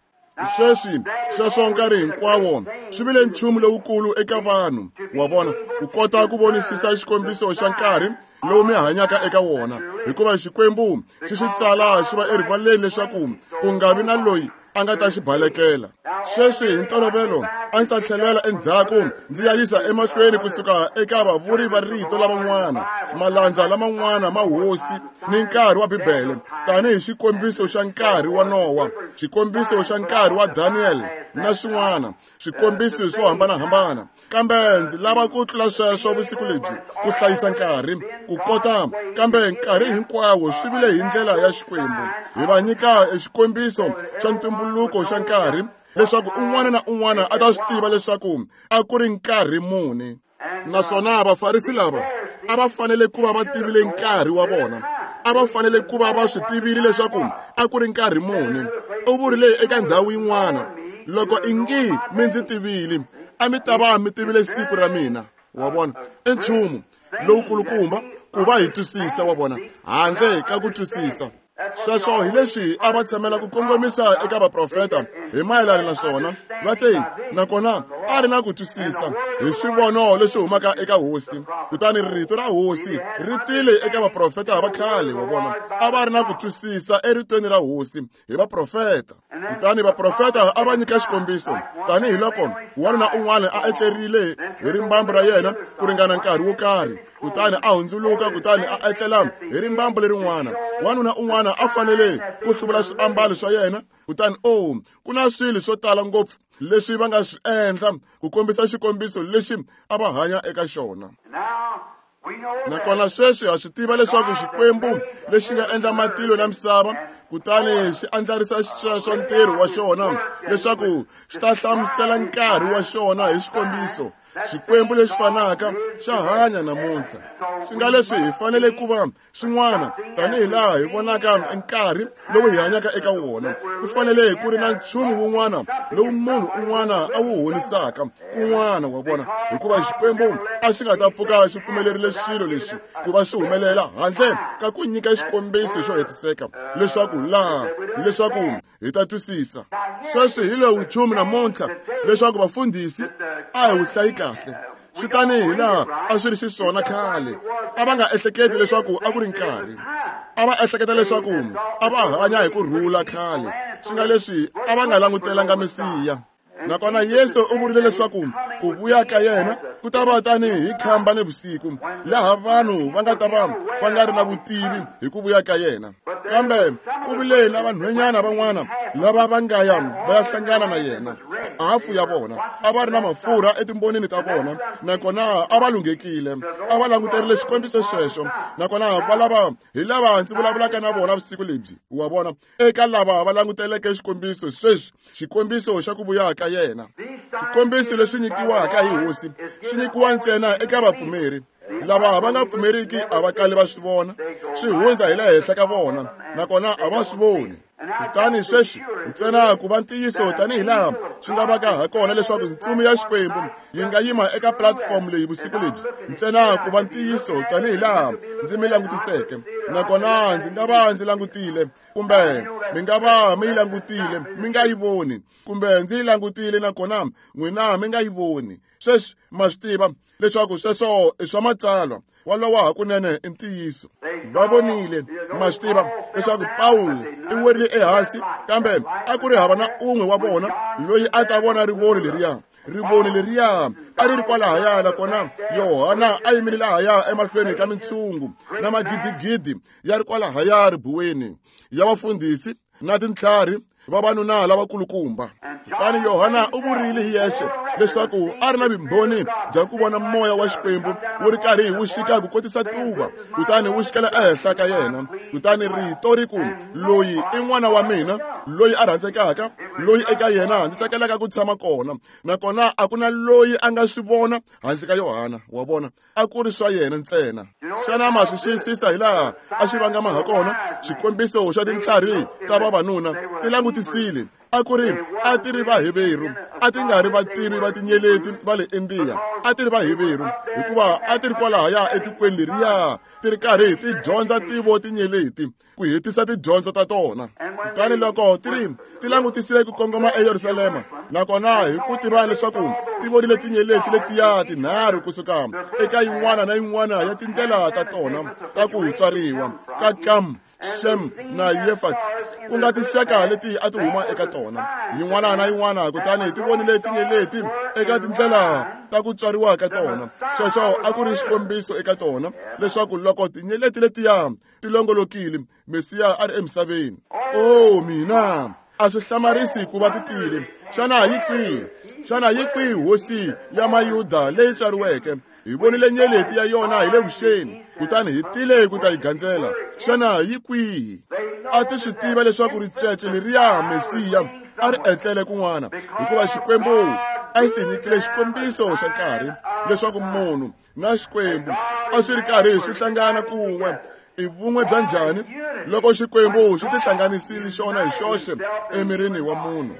Sweswi sweswo nkarhi hinkwawo swi vile nchumu lowukulu eka vanhu, wa vona, ku kota ku vonisisa xikombiso xa nkarhi lowu mi hanyaka eka wona, hikuva Xikwembu xi xi tsala xi va erivaleni leswaku ku nga vi na loyi a nga ta xi balekela. Sweswi hi ntolovelo a ndzi ta tlhelela endzhaku ndzi ya yisa emahlweni kusuka eka vavuri va rito lavan'wana, malandza laman'wana ma hosi ni nkarhi wa Bibele, tanihi xikombiso xa nkarhi wa Nowa, xikombiso xa nkarhi wa Daniel na swin'wana, swikombiso swo hambanahambana. Kambe ndzi lava ku tlula sweswo vusiku lebyi, ku hlayisa nkarhi, ku kota, kambe nkarhi hinkwawo swi vile hi ndlela ya Xikwembu. Hi va nyika xikombiso xa ntumbuluko xa nkarhi, leswaku un'wana na un'wana a ta swi tiva leswaku a ku ri nkarhi muni. Naswona Vafarisi lava a va fanele ku va va tivile nkarhi wa vona, a va fanele ku va va swi tivile leswaku a ku ri nkarhi muni. U vurile eka ndhawu yin'wana, loko ingi mi ndzi tivile, a mi ta va mi tivile siku ra mina. Wa vona, i nchumu lowukulukumba ku va hi twisisa, wa vona, handle ka ku twisisa. Sweswo hi leswi a va tshamela ku kongomisa eka vaprofeta hi mayelana na swona. Va te, nakona a ri na ku twisisa hi swivono leswi humaka eka hosi. Kutani rito ra hosi ri tile eka vaprofeta va khale, wa vona. A va ri na ku twisisa eritweni ra hosi hi vaprofeta. Kutani vaprofeta a va nyika xikombiso, tanihiloko wanuna un'wana a etlerile hi rimbambu ra yena ku ringana nkarhi wo karhi, kutani a hundzuluka kutani a etlela hi rimbambu lerin'wana. Wanuna un'wana a fanele ku hluvula swiambalo swa yena, kutani oh, ku na swilo swo tala ngopfu leswi va nga swi endla ku kombisa xikombiso lexi a va hanya eka xona. Nakona sweswi ha swi tiva leswaku Xikwembu lexi nga endla matilo na misava, kutani xi andlarisa xisweswo ntirho wa xona leswaku xi ta hlamusela nkarhi wa xona hi xikombiso. Xikwembu lexi fanaka xa hanya namuntlha. Swi nga leswi hi fanele ku va swin'wana, tanihi laha hi vonaka nkarhi lowu hi hanyaka eka wona. Ku fanele ku ri na nchumu wun'wana lowu munhu un'wana a wu honisaka kun'wana, wa vona, hikuva Xikwembu a xi nga ta pfuka xi pfumelerile swilo leswi ku va swi humelela handle ka ku nyika xikombiso xo hetiseka leswaku laha leswaku hi ta twisisa. Sweswi hi lowu nchumu namuntlha leswaku vafundhisi a hi wu hlayi kahle. Swi tanihi laha a swi ri xiswona khale. A va nga ehleketi leswaku a ku ri nkarhi. A va ehleketa leswaku a va hanya hi ku rhula khale, swi nga leswi a va nga langutelanga Mesiya. Nakona Yesu u vurile leswaku ku vuya ka yena ku ta va tanihi hi khamba nivusiku, laha vanhu va nga ta va va nga ri na vutivi hi ku vuya ka yena. Kambe ku vile na vanhwanyana van'wana lava va nga ya va ya hlangana na yena. Hafu ya vona a va ri na mafurha etimbonini ta vona, nakona a va lunghekile, a va languterile xikombiso xexo. Nakona va lava hi lava ndzi vulavulaka na vona vusiku lebyi, wa vona, eka lava va languteleke xikombiso sweswi, xikombiso xa ku vuya ka yena. Xikombiso lexi nyikiwaka hi hosi xi nyikiwa ntsena eka vapfumeri. Lava va nga pfumeriki a va kali va swi vona, swi hundza hi le henhla ka vona, nakona a va swi voni. Kutani sweswi ntsena ku va ntiyiso tanihi laha swi nga vaka ha kona leswaku ntsumi ya Xikwembu yi nga yima eka platform leyi vusiku lebyi, ntsena ku va ntiyiso tanihi laha ndzi mi langutiseke, nakona ndzi nga va ndzi langutile, kumbe mi nga va mi yi langutile mi nga yi voni, kumbe ndzi yi langutile nakona n'wina mi nga yi voni. Sweswi ma swi tiva leswaku sweswo i swa matsalwa, walowo hakunene i ntiyiso. Va vonile, ma swi tiva leswaku Pawulo i werile ehansi, kambe a ku ri hava na un'we wa vona loyi a ta vona rivoni leriya. Rivoni leriya a ri ri kwalahaya, nakona Yohana a yimile lahaya emahlweni ka mintshungu na magidigidi ya ri kwalahaya ribuweni ya vafundhisi na tintlhari vavanuna lavakulukumba. Kutani Yohana u vurile hi yexe leswaku a ri na vumbhoni bya ku vona moya wa Xikwembu wu ri karhi wu xika ku kotisa tuva, kutani wu xikela ehenhla ka yena. Kutani rito ri ku, loyi i n'wana wa mina loyi a rhandzekaka, loyi eka yena ndzi tsakelaka ku tshama kona. Nakona a ku na loyi a nga swi vona handle ka Yohana, wa vona, a ku ri swa yena ntsena. Xana ma swi xiyisisa hi laha a xi vangama ha kona? Xikombiso xa tintlhari ta vavanuna ti langutisile, A ku ri a ti ri Vaheveru, a ti nga ri vativi va tinyeleti va le Indiya, a ti ri Vaheveru hikuva a ti ri kwalahaya etikweni leriya ti ri karhi ti dyondza tivo tinyeleti ku hetisa tidyondzo ta tona. Kutani loko ti ri ti langutisile ku kongoma eYerusalema, nakona hi ku tiva leswaku ti vonile tinyeleti letiya tinharhu kusuka eka yin'wana na yin'wana ya tindlela ta tona ta ku tswariwa ka Kam, Shem na Yefat, ku nga tinxaka leti a ti huma eka tona, yin'wana na yin'wana. Kutani ti vonile tinyeleti eka tindlela ta ku tswariwa ka tona. Sweswo a ku ri xikombiso eka tona leswaku loko tinyeleti letiya ti longolokile, Mesiya a ri emisaveni. Oh mina, a swi hlamarisi ku va ti tile. Xana yi kwihi? Xana yi kwihi hosi ya Mayuda leyi tswariweke? Hi vonile nyeleti ya yona hi le vuxeni, kutani hi tile ku ta yi gandzela. Xana yi kwihi? A ti swi tiva leswaku ricece leriya Mesiya a ri etlele kun'wana, hikuva Xikwembu a xi ti nyikile xikombiso xa nkarhi leswaku munhu na Xikwembu a swi ri karhi swi hlangana kun'we. I vun'we bya njhani loko Xikwembu xi tihlanganisile xona hi xoxe emirini wa munhu?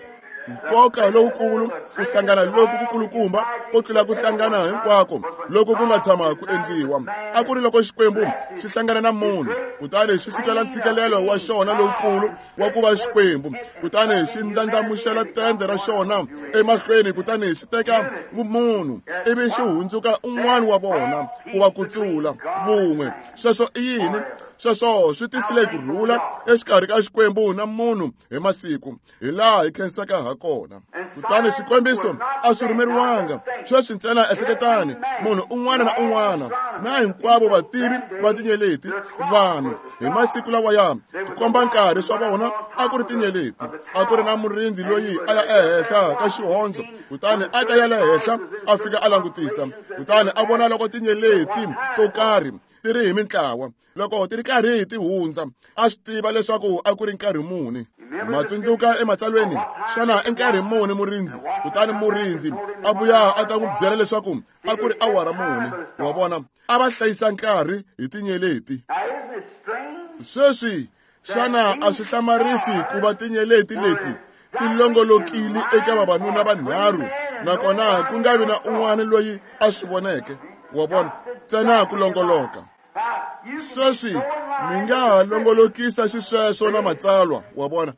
Nkoka lowukulu, ku hlangana loku kukulukumba ko tlula ku hlangana hinkwako loko ku nga tshama ku endliwa, a ku ri loko Xikwembu xi hlangana na munhu, kutani xi sukela ntshikelelo wa xona lowukulu wa ku va Xikwembu, kutani xi ndlandlamuxela tende ra xona emahlweni, kutani xi teka vumunhu ivi xi hundzuka un'wana wa vona ku va kutsula vun'we. Sweswo i yini? Sweswo swi tisile ku rhula exikarhi ka Xikwembu na munhu hi masiku, hi laha hi khensaka ha kona. Kutani swikombiso a swi rhumeriwanga. Sweswi ntsena ehleketani, munhu un'wana na un'wana na hinkwavo vativi va tinyeleti, vanhu hi masiku lawaya tikomba nkarhi swa vona a ku ri tinyeleti. A ku ri na murindzi loyi a ya ehenhla ka xihondzo, kutani a ta ya le henhla a fika a langutisa, kutani a vona loko tinyeleti to karhi ti ri hi mintlawa. Loko ti ri karhi ti hundza, a swi tiva leswaku a ku ri nkarhi muni. Ma tsundzuka ematsalweni, xana i nkarhi muni murindzi? Kutani murindzi a vuya a ta n'wi byela leswaku a ku ri awara muni. Wa vona, a va hlayisa nkarhi hi tinyeleti. Sweswi xana a swi hlamarisi ku va tinyeleti leti ti longolokile eka vavanuna vanharhu, nakona ku nga vi na un'wana loyi a swi voneke? Wa vona, ntsena ku longoloka. Sweswi mi nga ha longolokisa xisweswo na matsalwa. Wa vona,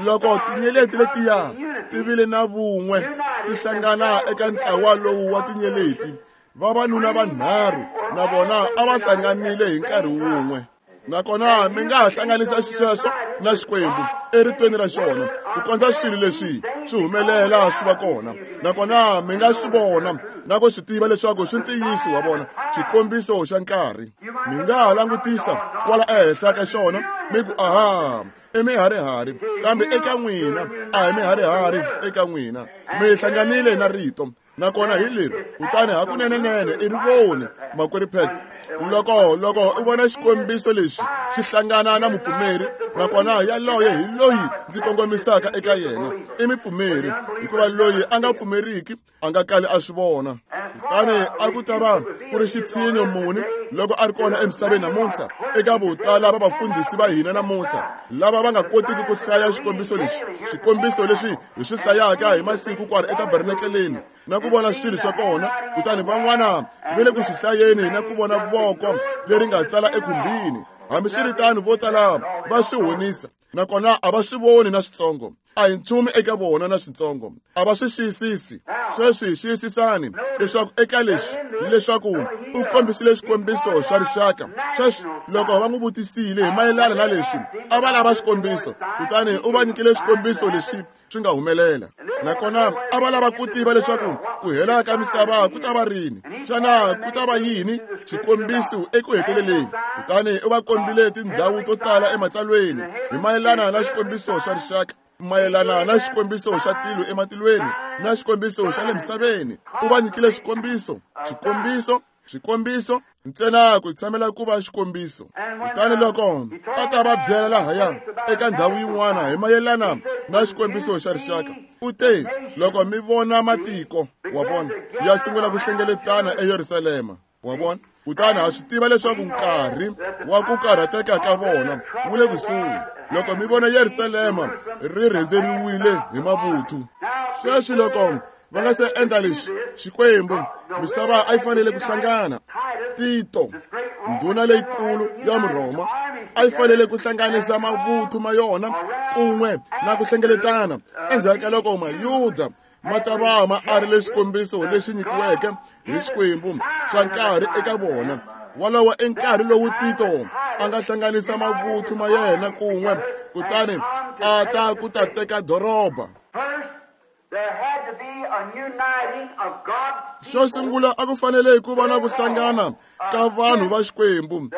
loko tinyeleti letiya ti vile na vun'we, ti hlangana eka ntlawa lowu wa tinyeleti, vavanuna vanharhu na vona a va hlanganile hi nkarhi wun'we. Nakona mi nga ha hlanganisa xisweswo na Xikwembu eritweni ra xona ku kondza swilo leswi swi humelela swi va kona, nakona mi nga swi vona na ku swi tiva leswaku swi ntiyiso. Wa vona, xikombiso xa nkarhi. Mi nga ha langutisa kwala ehenhla ka xona mi ku, aha, i miharihari, kambe eka n'wina a hi miharihari eka n'wina. Mi hlanganile na rito, nakona hi leri. Kutani hakunenenene i ri voni, makwerhu Pat. Loko loko u vona xikombiso lexi xi hlangana na mupfumeri, nakona yaloye hi loyi ndzi kongomisaka eka yena, i mupfumeri, hikuva loyi a nga pfumeriki a nga kali a swi vona. Kutani a ku ta va ku ri xitshinyo muni loko a ri kona emisaveni namuntlha eka votala va vafundhisi va hina namuntlha lava va nga kotiki ku hlaya xikombiso lexi, xikombiso lexi hi swi hlayaka hi masiku kwala etabernakeleni na ku vona swilo swa kona, kutani van'wana va le ku swi hlayeni na ku vona voko leri nga tsala ekhumbini. Hambiswiritano vo tala va swi honisa, nakona a va swi voni na switsongo. A hi nchumu eka vona na switsongo, a va swi xiyisisi. Sweswi xiyisisani leswaku eka leswi leswaku u kombisile xikombiso xa rixaka. Sweswi loko va n'wi vutisile hi mayelana na leswi, a va lava xikombiso, kutani u va nyikile xikombiso lexi swi nga humelela. Nakona a va lava ku tiva leswaku ku hela ka misava ku ta va rini, xana ku ta va yini xikombiso eku heteleleni. Kutani u va kombile tindhawu to tala ematsalweni hi mayelana na xikombiso xa rixaka, mayelana na xikombiso xa tilo ematilweni na xikombiso xa le misaveni. U va nyikile xikombiso, xikombiso, xikombiso ntsena ku tshamela ku va xikombiso. Kutani loko a ta va byela lahaya eka ndhawu yin'wana hi mayelana na xikombiso xa rixaka, u te, loko mi vona matiko, wa vona, ya sungula ku hlengeletana eYerusalema, wa vona, kutani ha swi tiva leswaku nkarhi wa ku karhateka ka vona wu le kusuhi. Loko mi vona Yerusalema ri rhendzeriwile hi mavuthu. Sweswi loko va nga se endla leswi, Xikwembu misava a yi fanele ku hlangana. Tito, ndhuna leyikulu ya Murhoma, a yi fanele ku hlanganisa mavuthu ma yona kun'we na ku hlengeletana endzhaku ka loko Mayuda ma ta va ma arile xikombiso lexi nyikiweke hi Xikwembu xa nkarhi eka vona. Walowo i nkarhi lowu Tito a nga hlanganisa mavuthu ma yena kun'we kutani a ta ku ta teka doroba. Xo sungula a ku fanele ku va na ku hlangana ka vanhu va Xikwembu,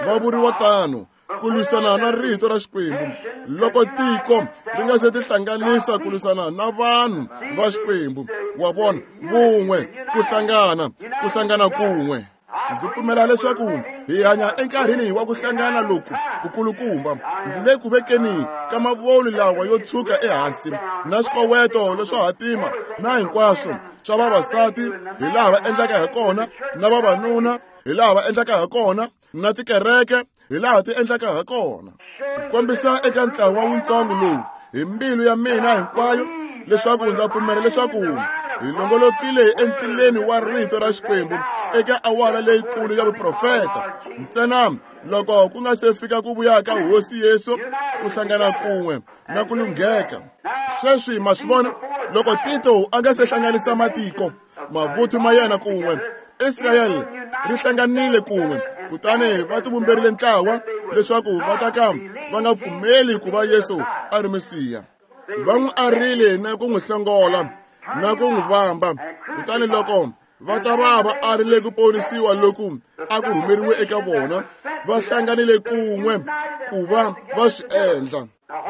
va vuriwa tano, ku lwisana na rito ra Xikwembu. Loko tiko ri nga se tihlanganisa ku lwisana na vanhu va Xikwembu, wa vona, vun'we, ku hlangana, ku hlangana kun'we. Ndzi pfumela leswaku hi hanya enkarhini wa ku hlangana loku kukulukumba. Ndzi le ku vekeni ka mavolu lawa yo tshuka ehansi na swikoweto leswo hatima na hinkwaswo swa vavasati hi laha va endlaka hi kona, na vavanuna hi laha va endlaka hi kona, na tikereke hi laha ti endlaka hi kona. Ku kombisa eka ntlawa wutsongo lowu hi mbilu ya mina hinkwayo leswaku ndza pfumela leswaku hi longolokile entileni wa rito ra Xikwembu eka awara leyikulu ya vuprofeta. Ntsena loko ku nga se fika ku vuya ka Hosi Yesu, ku hlangana kun'we na ku lungheka. Sweswi ma swi vona, loko Tito a nga se hlanganisa matiko, mavuthu ma yena kun'we, Israyele ri hlanganile kun'we, kutani va tivumberile ntlawa leswaku va ta ka va nga pfumeli ku va Yesu a ri Mesiya. Va n'wi arile na ku n'wi hlongola na ku n'wi vamba. Kutani loko va ta va va arile ku ponisiwa loku a ku rhumeriwe eka vona, va hlanganile kun'we ku va va swi endla.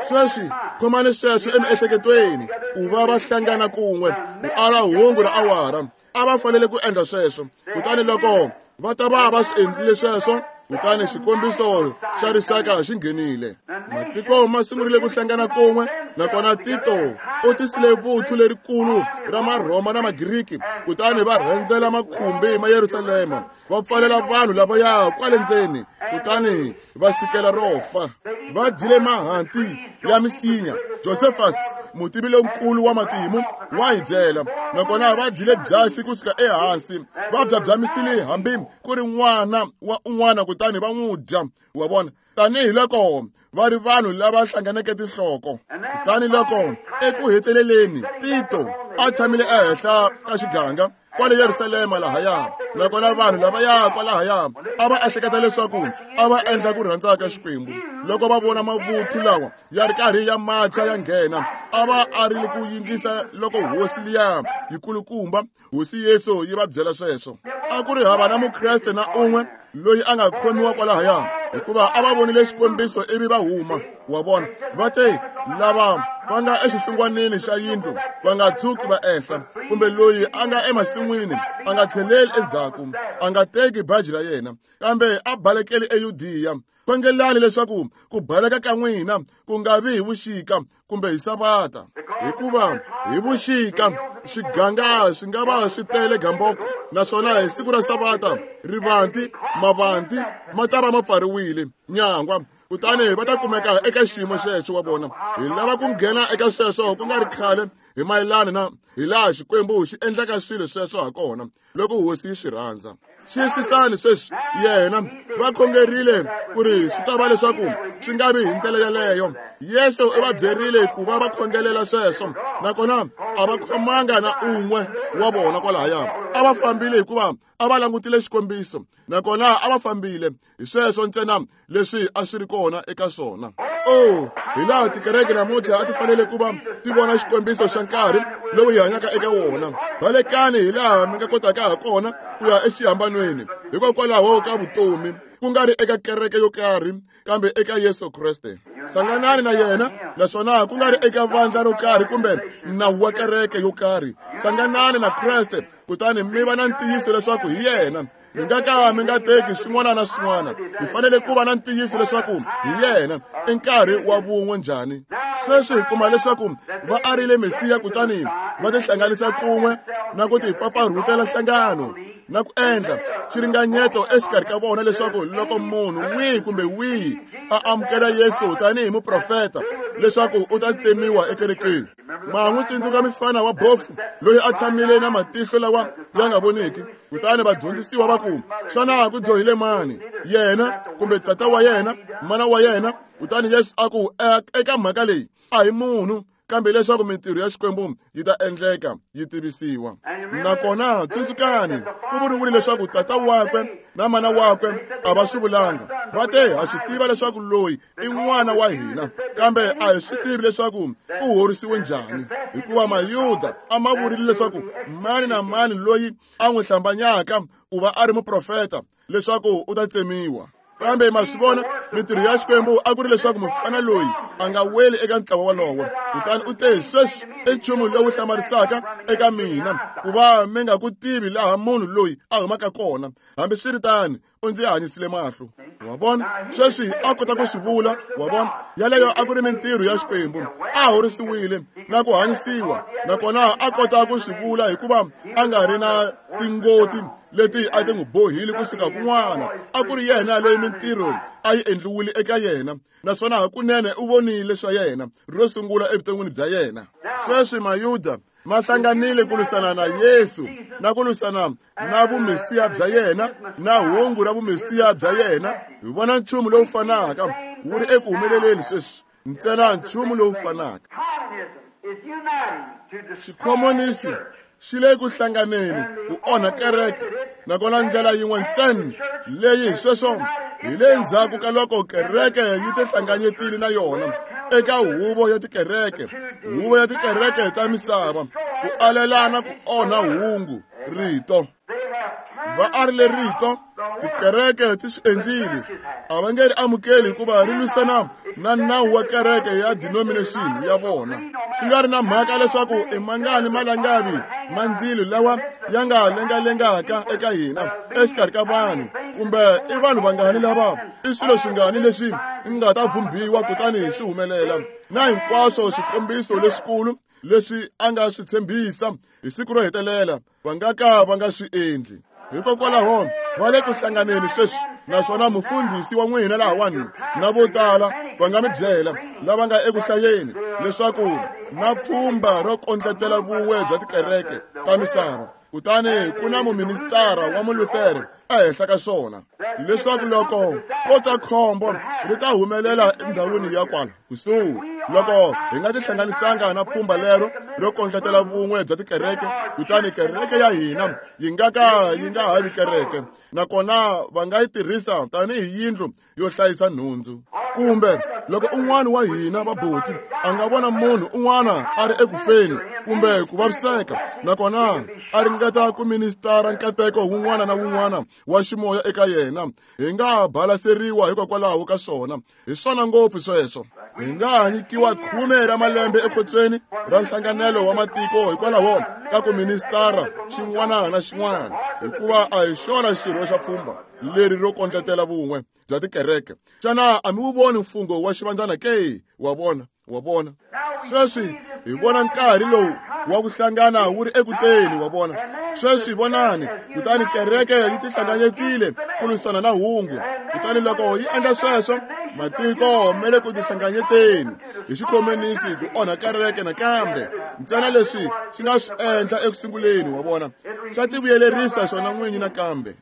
Sweswi khomani sweswo emiehleketweni, ku va va hlangana kun'we ku ala hungu ra awara. A va fanele ku endla sweswo. Kutani loko va ta va va swi endlile sweswo, kutani xikombiso xa rixaka xi nghenile. Matiko ma sungurile ku hlangana kun'we, nakona Tito u tisile vuthu lerikulu ra Marhoma na Magiriki, kutani va rhendzela makhumbi ma Yerusalema, va pfalela vanhu lavaya kwale ndzeni, kutani va sikela ro fa. Va dyile mahanti ya misinya. Josephus, mutivi lonkulu wa matimu, wa hi byela. Nakona va dyile byasi kusuka ehansi, va byabyamisile hambi ku ri n'wana wa un'wana, kutani va n'wi dya. Wa vona, tanihiloko va ri vanhu lava hlanganeke tinhloko. Kutani loko eku heteleleni Tito a tshamile ehenhla ka xiganga kwale Yerusalema lahaya, nakona vanhu lavaya kwalahaya a va ehleketa leswaku a va endla ku rhandza ka Xikwembu. Loko va vona mavuthu lawa ya ri karhi ya macha ya nghena, a va arile ku yingisa loko hosi liya yikulukumba, Hosi Yesu, yi va byela sweswo. A ku ri hava na Mukreste na un'we loyi a nga khomiwa kwalahaya, hikuva a va vonile xikombiso ivi va huma. Wa vona, va te lava va nga exihlungwanini xa yindlu va nga tshuki va ehla, kumbe loyi a nga emasin'wini a nga tlheleli endzhaku, a nga teki baji ra yena, kambe a balekeli eYudiya. Khongelani leswaku ku baleka ka n'wina ku nga vi hi vuxika kumbe hi Savata, hikuva hi vuxika swiganga swi nga va swi tele gamboko, naswona hi siku ra Savata rivanti mavanti ma ta va ma pfariwile nyangwa, kutani va ta kumeka eka xiyimo xexo. Wa vona, hi lava ku nghena eka sweswo ku nga ri khale hi mayelana na hi laha Xikwembu xi endlaka swilo sweswo ha kona loko Hosi yi swi rhandza. Xiyisisani sweswi, yena va khongerile ku ri swi ta va leswaku swi nga vi hi ndlela yaleyo. Yesu u va byerile ku va va khongelela sweswo, nakona a va khomanga na un'we wa vona kwalahaya. A va fambile hikuva a va langutile xikombiso, nakona a va fambile hi sweswo ntsena leswi a swi ri kona eka swona. Oh, hi laha tikereke namuntlha a ti fanele ku va ti vona xikombiso xa nkarhi lowu hi hanyaka eka wona. Balekani hi laha mi nga kotaka ha kona ku ya exihambanweni, hikokwalaho ka vutomi, ku nga ri eka kereke yo karhi, kambe eka Yesu Kreste. Hlanganani na yena naswona ku nga ri eka vandla ro karhi kumbe nawu wa kereke yo karhi. Hlanganani na Kreste kutani mi va na ntiyiso leswaku hi yena. Mi nga ka mi nga teki swin'wana na swin'wana. Mi fanele ku va na ntiyiso leswaku hi yena. I nkarhi wa vun'we njhani? Sweswi hi kuma leswaku va arile Mesiya kutani va tihlanganisa kun'we na ku tipfapfarhutela nhlangano na ku endla xiringanyeto exikarhi ka vona leswaku loko munhu wihi kumbe wihi a amukela Yesu tanihi muprofeta leswaku u ta tsemiwa ekerekeni. Ma n'wi tsundzuka mufana wa bofu loyi a tshamile na matihlo lawa ya nga voniki. Kutani vadyondzisiwa va ku, xana ku dyohile mani, yena kumbe tata wa yena, mana wa yena? Kutani Yesu a ku, eka mhaka leyi a hi munhu, kambe leswaku mintirho ya Xikwembu yi ta endleka yi tivisiwa. Nakona tsundzukani, ku vuriwile leswaku tata wakwe na mana wakwe a va swi vulanga. Va te, ha swi tiva leswaku loyi i n'wana wa hina, kambe a hi swi tivi leswaku u horisiwe njhani, hikuva Mayuda a ma vurile leswaku mani na mani loyi a n'wi hlambanyaka ku va a ri muprofeta leswaku u ta tsemiwa. Kambe ma swi vona, mintirho ya Xikwembu a ku ri leswaku mufana loyi a nga weli eka ntlawa wolowo. Kutani u te, sweswi i nchumu lowu hlamarisaka eka mina ku va mi nga ku tivi laha munhu loyi a humaka kona, hambiswiritano u ndzi hanyisile mahlo. Wa vona, sweswi a kota ku swi vula. Wa vona, yaleyo a ku ri mintirho ya Xikwembu. A horisiwile na ku hanyisiwa, nakona a kota ku swi vula hikuva a nga ri na tingoti leti a ti n'wi bohile kusuka kun'wana. A ku ri yena loyi mintirho a yi endliwile eka yena, naswona hakunene u vonile swa yena ro sungula evuton'wini bya yena. Sweswi Mayuda ma hlanganile ku lwisana na Yesu na ku lwisana na vumesiya bya yena na hungu ra vumesiya bya yena. Hi vona nchumu lowu fanaka wu ri eku humeleleni sweswi, ntsena nchumu lowu fanaka. Xikhomonisi xi le ku hlanganeni ku onha kereke, nakona ndlela yin'we ntsena leyi hi sweswo hi le ndzhaku ka loko kereke yi tihlanganyetile na yona eka huvo ya tikereke, huvo ya tikereke ta misava, ku alelana ku onha hungu rito. Va arile rito, tikereke ti swi endlile. A va nge ri amukeli hikuva ri lwisana na nawu wa kereke ya denomination ya vona. Swi nga ri na mhaka leswaku i mangani malangavi ma ndzilo lawa ya nga lengalengaka eka hina exikarhi ka vanhu, kumbe i vanhu vangani lava, i swilo swingani leswi nga ta vhumbiwa kutani swi humelela, na hinkwaswo swikombiso leswikulu leswi a nga swi tshembisa hi siku ro hetelela, va nga ka va nga swi endli. Hikokwalaho va le ku hlanganeni sweswi, naswona mufundhisi wa n'wina lahawani na vo tala va nga mi byela lava nga eku hlayeni leswaku na pfhumba ro kondletela vun'we bya tikereke ta misava, kutani ku na muministara wa Muluthere ehenhla ka swona, leswaku loko ko ta khombo ri ta humelela endhawini ya kwala kusuhi. Loko hi nga tihlanganisanga na pfhumba lero ro kondletela vun'we bya tikereke, kutani kereke ya hina yi nga ka yi nga ha vi kereke, nakona va nga yi tirhisa tanihi yindlu yo hlayisa nhundzu. Kumbe loko un'wana wa hina vabuti a nga vona munhu un'wana a ri ekufeni kumbe ku vaviseka, nakona a ringeta ku ministara nkateko wun'wana na wun'wana wa ximoya eka yena, hi nga balaseriwa hikokwalaho ka swona. Hi swona ngopfu sweswo. Hi nga nyikiwa khume ra malembe ekhotsweni ra nhlanganelo wa matiko hikwalaho ka ku ministara xin'wana na xin'wana, hikuva a hi xona xirho xa pfhumba leri ro kondletela vun'we bya tikereke. Xana a mi wu voni mfungho wa xivandzana ke? Wa vona, wa vona. Sweswi hi vona nkarhi lowu wa ku hlangana wu ri ekuteni. Wa vona, sweswi vonani. Kutani kereke yi tihlanganyetile ku lwisana na hungu. Kutani loko yi endla sweswo, matiko ma le ku tihlanganyeteni hi xikhomonisi ku onha kereke nakambe. Ntsena leswi swi nga swi endla ekusunguleni, wa vona, swa tivuyelerisa swona n'winyi nakambe.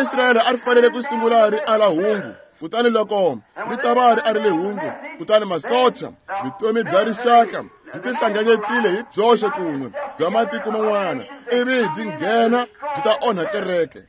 Israyele a ri fanele ku sungula ri ala hungu, kutani loko ri ta va ri arile hungu, kutani masocha, vutomi bya rixaka byi tihlanganyetile hi byoxe kun'we bya matiko man'wana, ivi byi nghena byi ta onha kereke.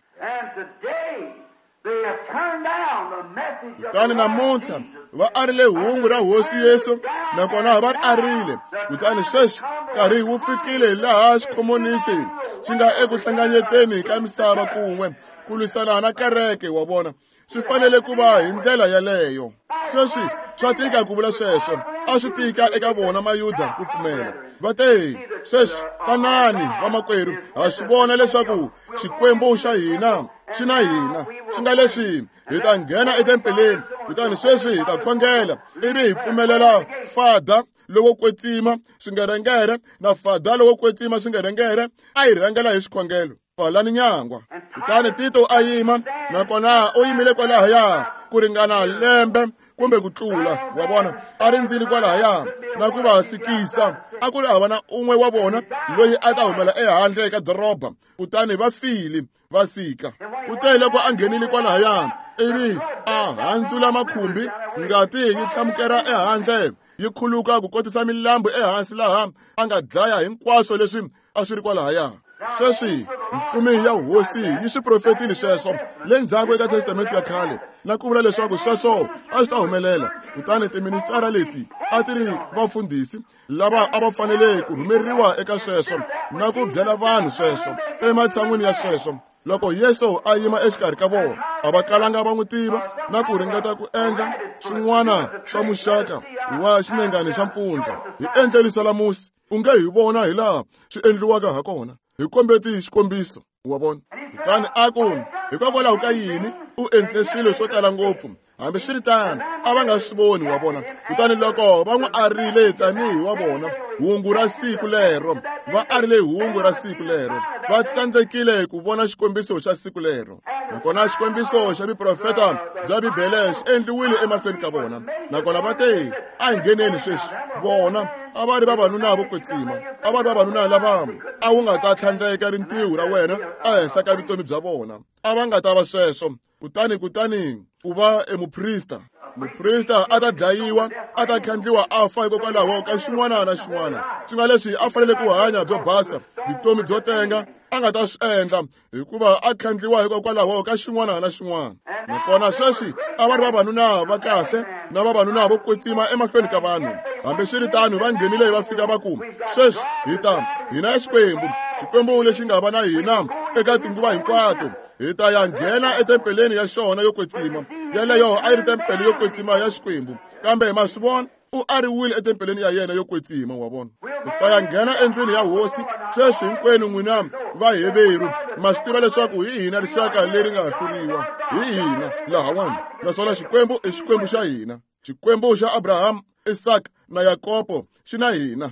Kutani namuntlha va arile hungu ra Hosi Yesu, nakona va ri arile. Kutani sweswi nkarhi wu fikile laha xikhomonisi xi nga eku hlanganyeteni ka misava kun'we ku lwisana na kereke. Wa vona, swi fanele ku va hi ndlela yaleyo. Sweswi Swa tika ku vula sweswo. A swi tika eka vona Mayuda ku pfumela. Va te, sweswi tanani vamakwerhu, ha swi vona leswaku Xikwembu xa hina xi na hina. Xi nga leswi hi ta nghena etempeleni, kutani sweswi hi ta khongela ivi hi pfumelela fada lowo kwetsima swingerengere na fada lowo kwetsima swingerengere a hi rhangela hi xikhongelo. Pfalani nyangwa. Kutani Tito a yima, nakona u yimile kwalahaya ku ringana lembe kumbe ku tlula, wa vona, a rindzile kwalahaya na ku va sikisa. A ku ri hava na un'we wa vona loyi a ta humela ehandle ka doroba, kutani va file va sika. Kute loko a nghenile kwalahaya ivi a handzula makhumbi, ngati yi tlhamukela ehandle yi khuluka ku kotisa milambu ehansi laha a nga dlaya hinkwaswo leswi a swi ri kwalahaya. Sweswi ntsumi ya hosi yi swi profetile sweswo le ndzhaku eka testamente ya khale, na ku vula leswaku sweswo a swi ta humelela. Kutani tiministara leti a ti ri vafundhisi lava a va fanele ku rhumeriwa eka sweswo na ku byela vanhu sweswo. Ematshan'wini ya sweswo, loko Yesu a yima exikarhi ka vona, a va kalanga va n'wi tiva na ku ringeta ku endla swin'wana swa muxaka wa xinengani xa mpfundla. Hi endle lisalamusi, u nge hi vona hi laha swi endliwaka ha kona. Hi kombeti xikombiso, wa vona. Kutani a ku, hikokwalaho ka yini u endle swilo swo tala ngopfu? Hambiswiritano a va nga swi voni, wa vona. Kutani loko va n'wi arile tanihi wa vona hungu ra siku lero, va arile hungu ra siku lero, va tsandzekile ku vona xikombiso xa siku lero. Nakona xikombiso xa vuprofeta bya Bibele xi endliwile emahlweni ka vona. Nakona va te, a hi ngheneni sweswi. Vona a va ri vavanuna vo kwetsima, a va ri vavanuna lava a wu nga ta tlhandleka rintiho ra wena ehenhla ka vutomi bya vona. A va nga ta va sweswo. Kutani kutani ku va emuprista, muprista a ta dlayiwa, a ta khandliwa a fa hikokwalaho ka xin'wana na xin'wana. Swi nga leswi a fanele ku hanya byo basa, vutomi byo tenga, a nga ta swi endla hikuva a khandliwa hikokwalaho ka xin'wana na xin'wana. Nakona sweswi a va ri vavanuna va kahle na vavanuna vo kwetsima emahlweni ka vanhu. Hambiswiritano va nghenile va fika va ku, sweswi hi ta hina Xikwembu, Xikwembu lexi nga va na hina eka tinguva hinkwato, hi ta ya nghena etempeleni ya xona yo kwetsima. Yeleyo a yi ri tempele yo kwetsima ya Xikwembu, kambe ma swi vona u ariwile etempeleni ya yena yo kwetsima, wa vona. U ta ya nghena endlwini ya hosi. Sweswi hinkwenu n'wina Vaheveru ma swi tiva leswaku hi hina rixaka leri nga hluriwa, hi hina lahawani. Naswona Xikwembu i Xikwembu xa hina, Xikwembu xa Abraham, Isaka na Yakobo xi na hina.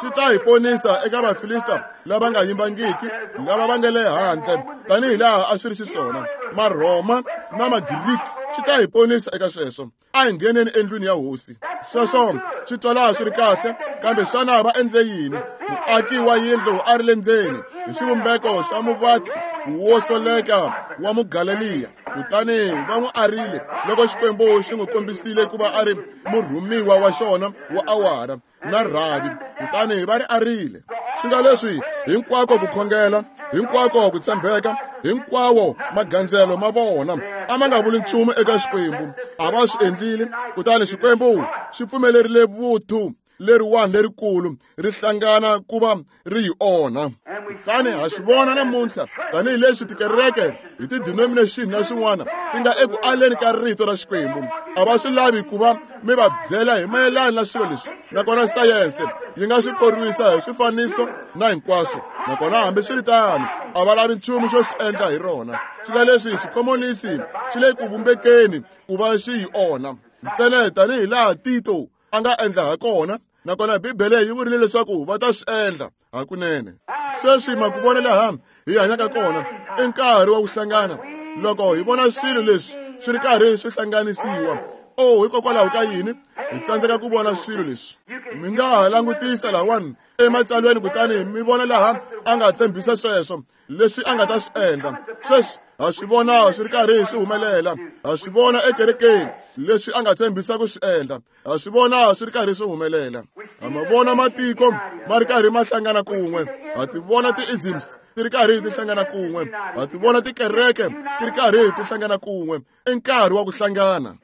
Xi ta hi ponisa eka Vafilista lava nga yimbangiki, lava va nga le handle tanihi laha a swi ri xiswona, Marhoma na Magiriki. Xi ta hi ponisa eka sweswo. A hi ngheneni endlwini ya hosi. Sweswo swi twala swi ri kahle, kambe xana va endle yini? Muaki wa yindlu a ri le ndzeni hi xivumbeko xa muvatli wo soleka wa Mugaleliya. Kutani va n'wi arile loko Xikwembu xi n'wi kombisile ku va a ri murhumiwa wa xona wa awara na rhavi. Kutani va ri arile. Swi nga leswi hinkwako ku khongela, hinkwako ku tshembeka, hinkwawo magandzelo ma vona a ma nga vuli nchumu eka Xikwembu. A va swi endlile. Kutani Xikwembu xi pfumelerile vuthu leriwani lerikulu ri hlangana ku va ri yi onha. Kutani ha swi vona namuntlha tanihileswi tikereke hi ti-denomination na swin'wana ti nga eku aleni ka rito ra Xikwembu. A va swi lavi ku va mi va byela hi mayelana na swilo leswi. Nakona sayense yi nga swi korwisa hi swifaniso na hinkwaswo. Nakona hambiswiritano a va lavi nchumu xo swi endla hi rona. Swi nga leswi xikhomonisi xi le ku vumbekeni ku va xi yi onha ntsena tanihi laha Tito a nga endla ha kona. Nakona Bibele yi vurile leswaku va ta swi endla hakunene. Sweswi ma ku vona laha hi hanyaka kona i nkarhi wa ku hlangana. Loko hi vona swilo leswi swi ri karhi swi hlanganisiwa, oh, hikokwalaho ka yini hi tsandzeka ku vona swilo leswi? Mi nga ha langutisa lahawani ematsalweni kutani mi vona laha a nga tshembisa sweswo leswi a nga ta swi endla. Sweswi ha swi vona swi ri karhi swi humelela. Ha swi vona ekerekeni leswi a nga tshembisa ku swi endla. Ha swi vona swi ri karhi swi humelela. Ha ma vona matiko ma ri karhi ma hlangana kun'we. Ha ti vona ti-isms ti ri karhi ti hlangana kun'we. Ha ti vona tikereke ti ri karhi ti hlangana kun'we. I nkarhi wa ku hlangana,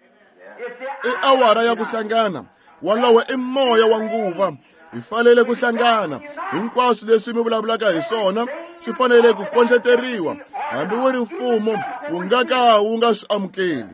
i awara ya ku hlangana. Walowo i moya wa nguva. Hi fanele ku hlangana. Hinkwaswo leswi mi vulavulaka hi swona swi fanele ku kondleteriwa, hambi wu ri mfumo wu nga ka wu nga swi amukeli.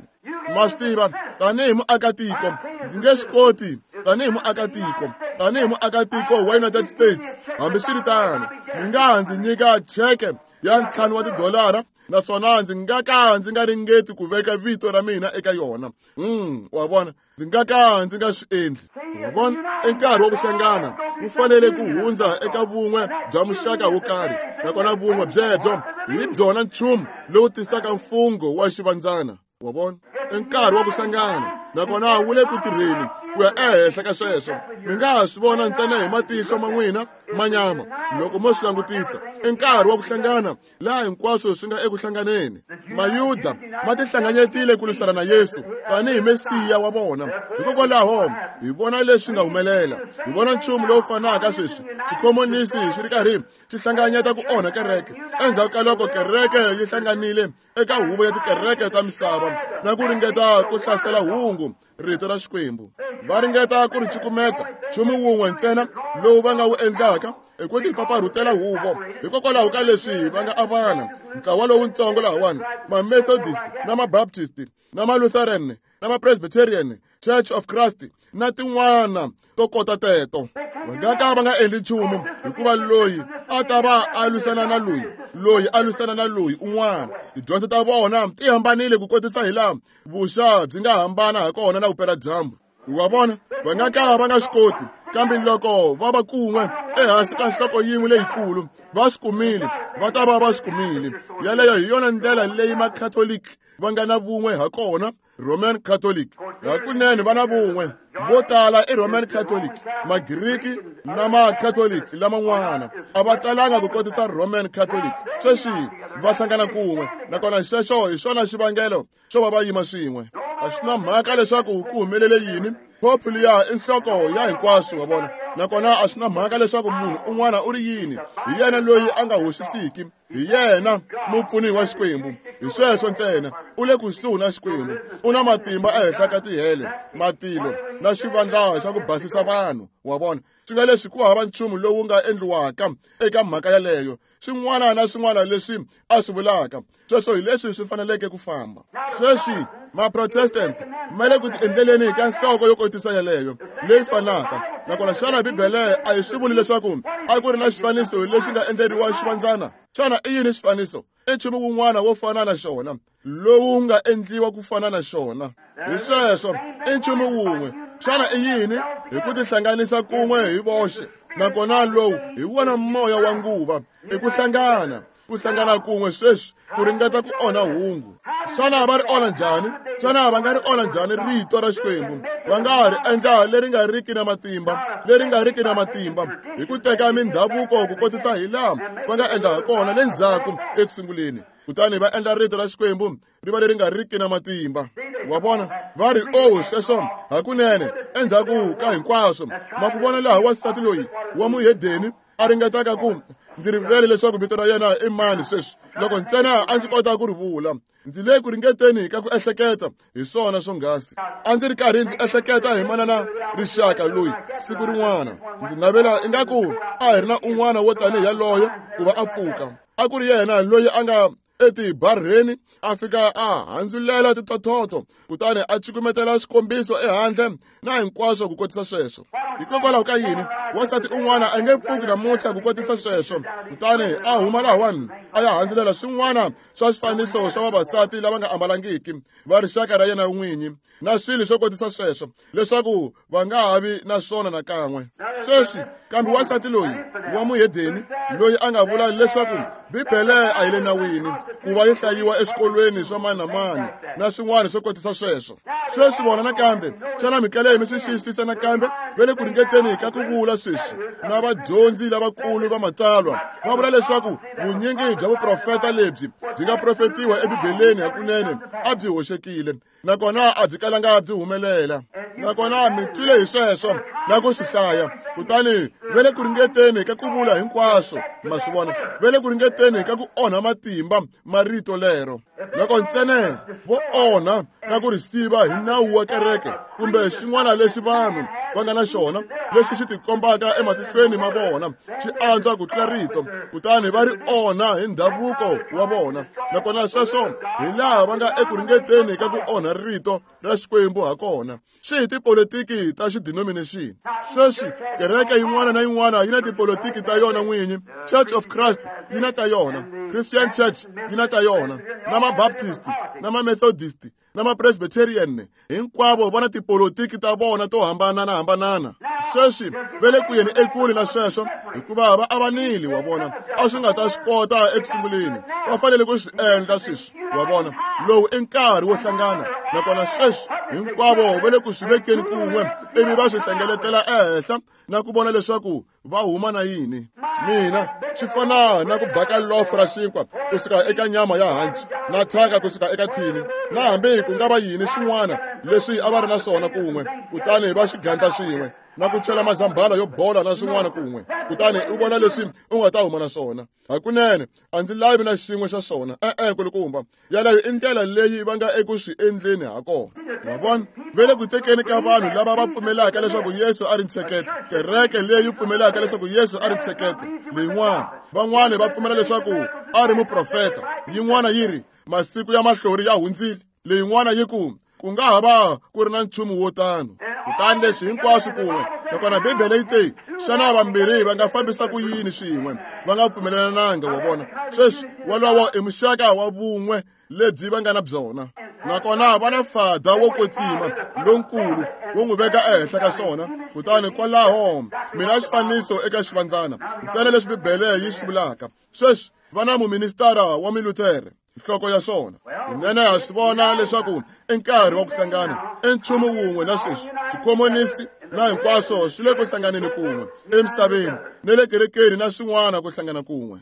Ma swi tiva tanihi muakatiko Ndzi nge swi koti tanihi muakatiko, tanihi muakatiko wa United States. Hambiswiritano, mi nga ndzi nyika cheke ya ntlhanu wa tidolara, naswona ndzi nga ka ndzi nga ringeti ku veka vito ra mina eka yona. Mm, wa vona, ndzi nga ka ndzi nga swi endli. Wa vona, i nkarhi wa ku hlangana, ku fanele ku hundza eka vun'we bya muxaka wo karhi, nakona vun'we byebyo hi byona nchumu lowu tisaka mfungho wa xivandzana. Wa vona, i nkarhi wa ku hlangana, nakona wu le ku tirheni ku ya ehenhla ka sweswo. Mi nga ha swi vona ntsena hi matihlo ma n'wina ma nyama loko mo swi langutisa. I nkarhi wa ku hlangana laha hinkwaswo swi nga eku hlanganeni. Mayuda ma tihlanganyetile ku lwisana na Yesu tanihi Mesiya wa vona. Hikokwalaho hi vona leswi nga humelela. Hi vona nchumu lowu fanaka sweswi. Xikhomonisi xi ri karhi xi hlanganyeta ku onha kereke. Endzhaku ka loko kereke yi hlanganile eka huvo ya tikereke ta misava na ku ringeta ku hlasela hungu, rito ra Xikwembu, va ringeta ku ri cukumeta. Nchumu wun'we ntsena lowu va nga wu endlaka i ku tipfapfarhutela huvo. Hikokwalaho ka leswi va nga avana ntlawa lowutsongo lahawani, ma-Methodist na ma-Baptist na ma-Lutheran na ma-Presbyterian, Church of Christ na tin'wana to kota teto. Va nga ka va nga endli nchumu, hikuva loyi a ta va a lwisana na loyi, loyi a lwisana na loyi un'wana. Tidyondzo ta vona ti hambanile ku kotisa hi laha vuxa byi nga hambana ha kona na vupeladyambu. Wa vona, va nga ka va nga swi koti, kambe loko va va kun'we ehansi ka nhloko yin'we leyikulu, va swi kumile, va ta va va swi kumile. Yaleyo hi yona ndlela leyi Makhatoliki va nga na vun'we ha kona. Roman Catholic hakunene va na vun'we. Vo tala i Roman Catholic, Magiriki na Macatholic laman'wana a va talanga ku kotisa Roman Catholic. Sweswi va hlangana kun'we, nakona xexo hi xona xivangelo xo va va yima swin'we. A swi na mhaka leswaku ku humelele yini, Pope liya i nhloko ya hinkwaswo, wa vona. Nakona a swi na mhaka leswaku munhu un'wana u ri yini, hi yena loyi a nga hoxisiki, hi yena mupfuni wa Xikwembu. Hi sweswo ntsena, u le kusuhi na Xikwembu, u na matimba ehenhla ka tihele, matilo na xivandla xa ku basisa vanhu. Wa vona, swi nga leswi ku hava nchumu lowu nga endliwaka eka mhaka yaleyo. Swin'wana na swin'wana leswi a swi vulaka, sweswo hi leswi swi faneleke ku famba. Sweswi ma-Protestant ma le ku tiendleleni ka nhloko yo kotisa yaleyo leyi fanaka. Nakona xana Bibele a yi swi vuli leswaku a ku ri na xifaniso lexi nga endleriwa xivandzana? Xana i yini xifaniso? I nchumu wun'wana wo fana na xona, lowu nga endliwa ku fana na xona. Hi sweswo, i nchumu wun'we. Xana i yini? Hi ku tihlanganisa kun'we hi voxe. Nakona lowu hi wona moya wa nguva, i ku hlangana, ku hlangana kun'we sweswi ku ringeta ku onha hungu. Xana va ri onha njhani? Xana va nga ri onha njhani rito ra Xikwembu? Va nga ri endla leri nga riki na matimba, leri nga riki na matimba, hi ku teka mindhavuko ku kotisa hi laha va nga endla ha kona le ndzhaku eku sunguleni. Kutani va endla rito ra Xikwembu ri va leri nga riki na matimba. Wa vona, va ri o sweswo hakunene endzhaku ka hinkwaswo. Ma ku vona laha wansati loyi wa muhedeni a ringetaka ku ndzi rivele leswaku vito ra yena i mani sweswi, loko ntsena a ndzi kota ku ri vula. Ndzi le ku ringeteni ka ku ehleketa hi swona swonghasi. A ndzi ri karhi ndzi ehleketa hi manana rixaka loyi siku rin'wana. Ndzi navela ingaku a hi ri na un'wana wo tanihi yaloye ku va a pfuka. A ku ri yena loyi a nga etibarheni a fika a handzulela titototo, kutani a cukumetela swikombiso ehandle na hinkwaswo ku kotisa sweswo. Hikokwalaho ka yini wansati un'wana a nge pfuki namuntlha ku kotisa sweswo, kutani a huma lahawani a ya handzulela swin'wana swa swifaniso swa vavasati lava nga ambalangiki va rixaka ra yena n'winyi na swilo swo kotisa sweswo, leswaku va nga ha vi na swona nakan'we. Sweswi kambe wansati loyi wa muhedeni loyi a nga vula leswaku Bibele a yi le nawini ku va yi hlayiwa eswikolweni swa mani na mani na swin'wana swo kotisa sweswo. Sweswi vona nakambe, xana mikele mi swi xiyisisa nakambe? Va le ku ringeteni ka ku vula sweswi na vadyondzi lavakulu va matsalwa va vula leswaku vunyingi bya vuprofeta lebyi byi nga profetiwa eBibeleni hakunene a byi hoxekile, nakona a byi kalanga byi humelela. Nakona mi twile hi sweswo na ku swi hlaya. Kutani va le ku ringeteni ka ku vula hinkwaswo, ma swi vona, va le ku ringeteni ka ku onha matimba ma rito lero. Loko ntsena vo onha na ku ri siva hi nawu wa kereke kumbe xin'wana lexi vanhu va nga na xona lexi xi tikombaka ematihlweni ma vona xi antswa ku tlula rito, kutani va ri onha hi ndhavuko wa vona. Nakona sweswo hi laha va nga eku ringeteni ka ku onha rito ra Xikwembu ha kona. Swi hi tipolitiki ta xidenomination. Sweswi kereke yin'wana na yin'wana yi na tipolitiki ta yona n'winyi. Church of Christ yi na ta yona, Christian Church yi na ta yona, na ma-Baptist na ma-Methodist na ma-Presbyterian, hinkwavo va na tipolitiki ta vona to hambanana-hambanana. Sweswi va le ku yeni ekule na sweswo hikuva va avanile, wa vona. A swi nga ta swi kota eku sunguleni, va fanele ku swi endla sweswi, wa vona. Lowu i nkarhi wo hlangana, nakona sweswi hinkwavo va le ku swi vekeni kun'we ivi va swi hlengeletela ehenhla na ku vona leswaku va huma na yini. Mina swi fana na ku baka lofo ra xinkwa kusuka eka nyama ya hanci na thyaka kusuka eka thini, na hambi ku nga va yini swin'wana leswi a va ri na swona kun'we, kutani va swi gandla swin'we na ku chela mazambhala yo bola na swin'wana kun'we, kutani u vona leswi u nga ta huma na swona. Hakunene a ndzi lavi na xin'we xa swona, e-e kulukumba. Yaleyo i ndlela leyi va nga eku swi endleni ha kona. Ma vona, va le ku tekeni ka vanhu lava va pfumelaka leswaku Yesu a ri ntsheketo, kereke leyi pfumelaka leswaku Yesu a ri ntsheketo leyin'wana. Van'wani va pfumela leswaku a ri muprofeta, yin'wana yi ri masiku ya mahlori ya hundzile, leyin'wana yi ku ku nga ha va ku ri na nchumu wo tano. Kutani leswi hinkwaswo kun'we, nakona Bibele yi te, xana vambirhi va nga fambisa ku yini swin'we va nga pfumelelananga? Wa vona, sweswi wolowo i muxaka wa vun'we lebyi va nga na byona. Nakona va na fada wo kwetsima lonkulu wo n'wi veka ehenhla ka swona. Kutani kwalaho mina xifaniso eka xivandzana ntsena leswi Bibele yi swi vulaka. Sweswi va na muministara wa Milutere nhloko ya swona. Kunene ha swi vona leswaku i nkarhi wa ku hlangana, i nchumu wun'we na sweswi. Xikhomonisi na hinkwaswo swi le ku hlanganeni kun'we emisaveni ne le kerekeni na swin'wana ku hlangana kun'we.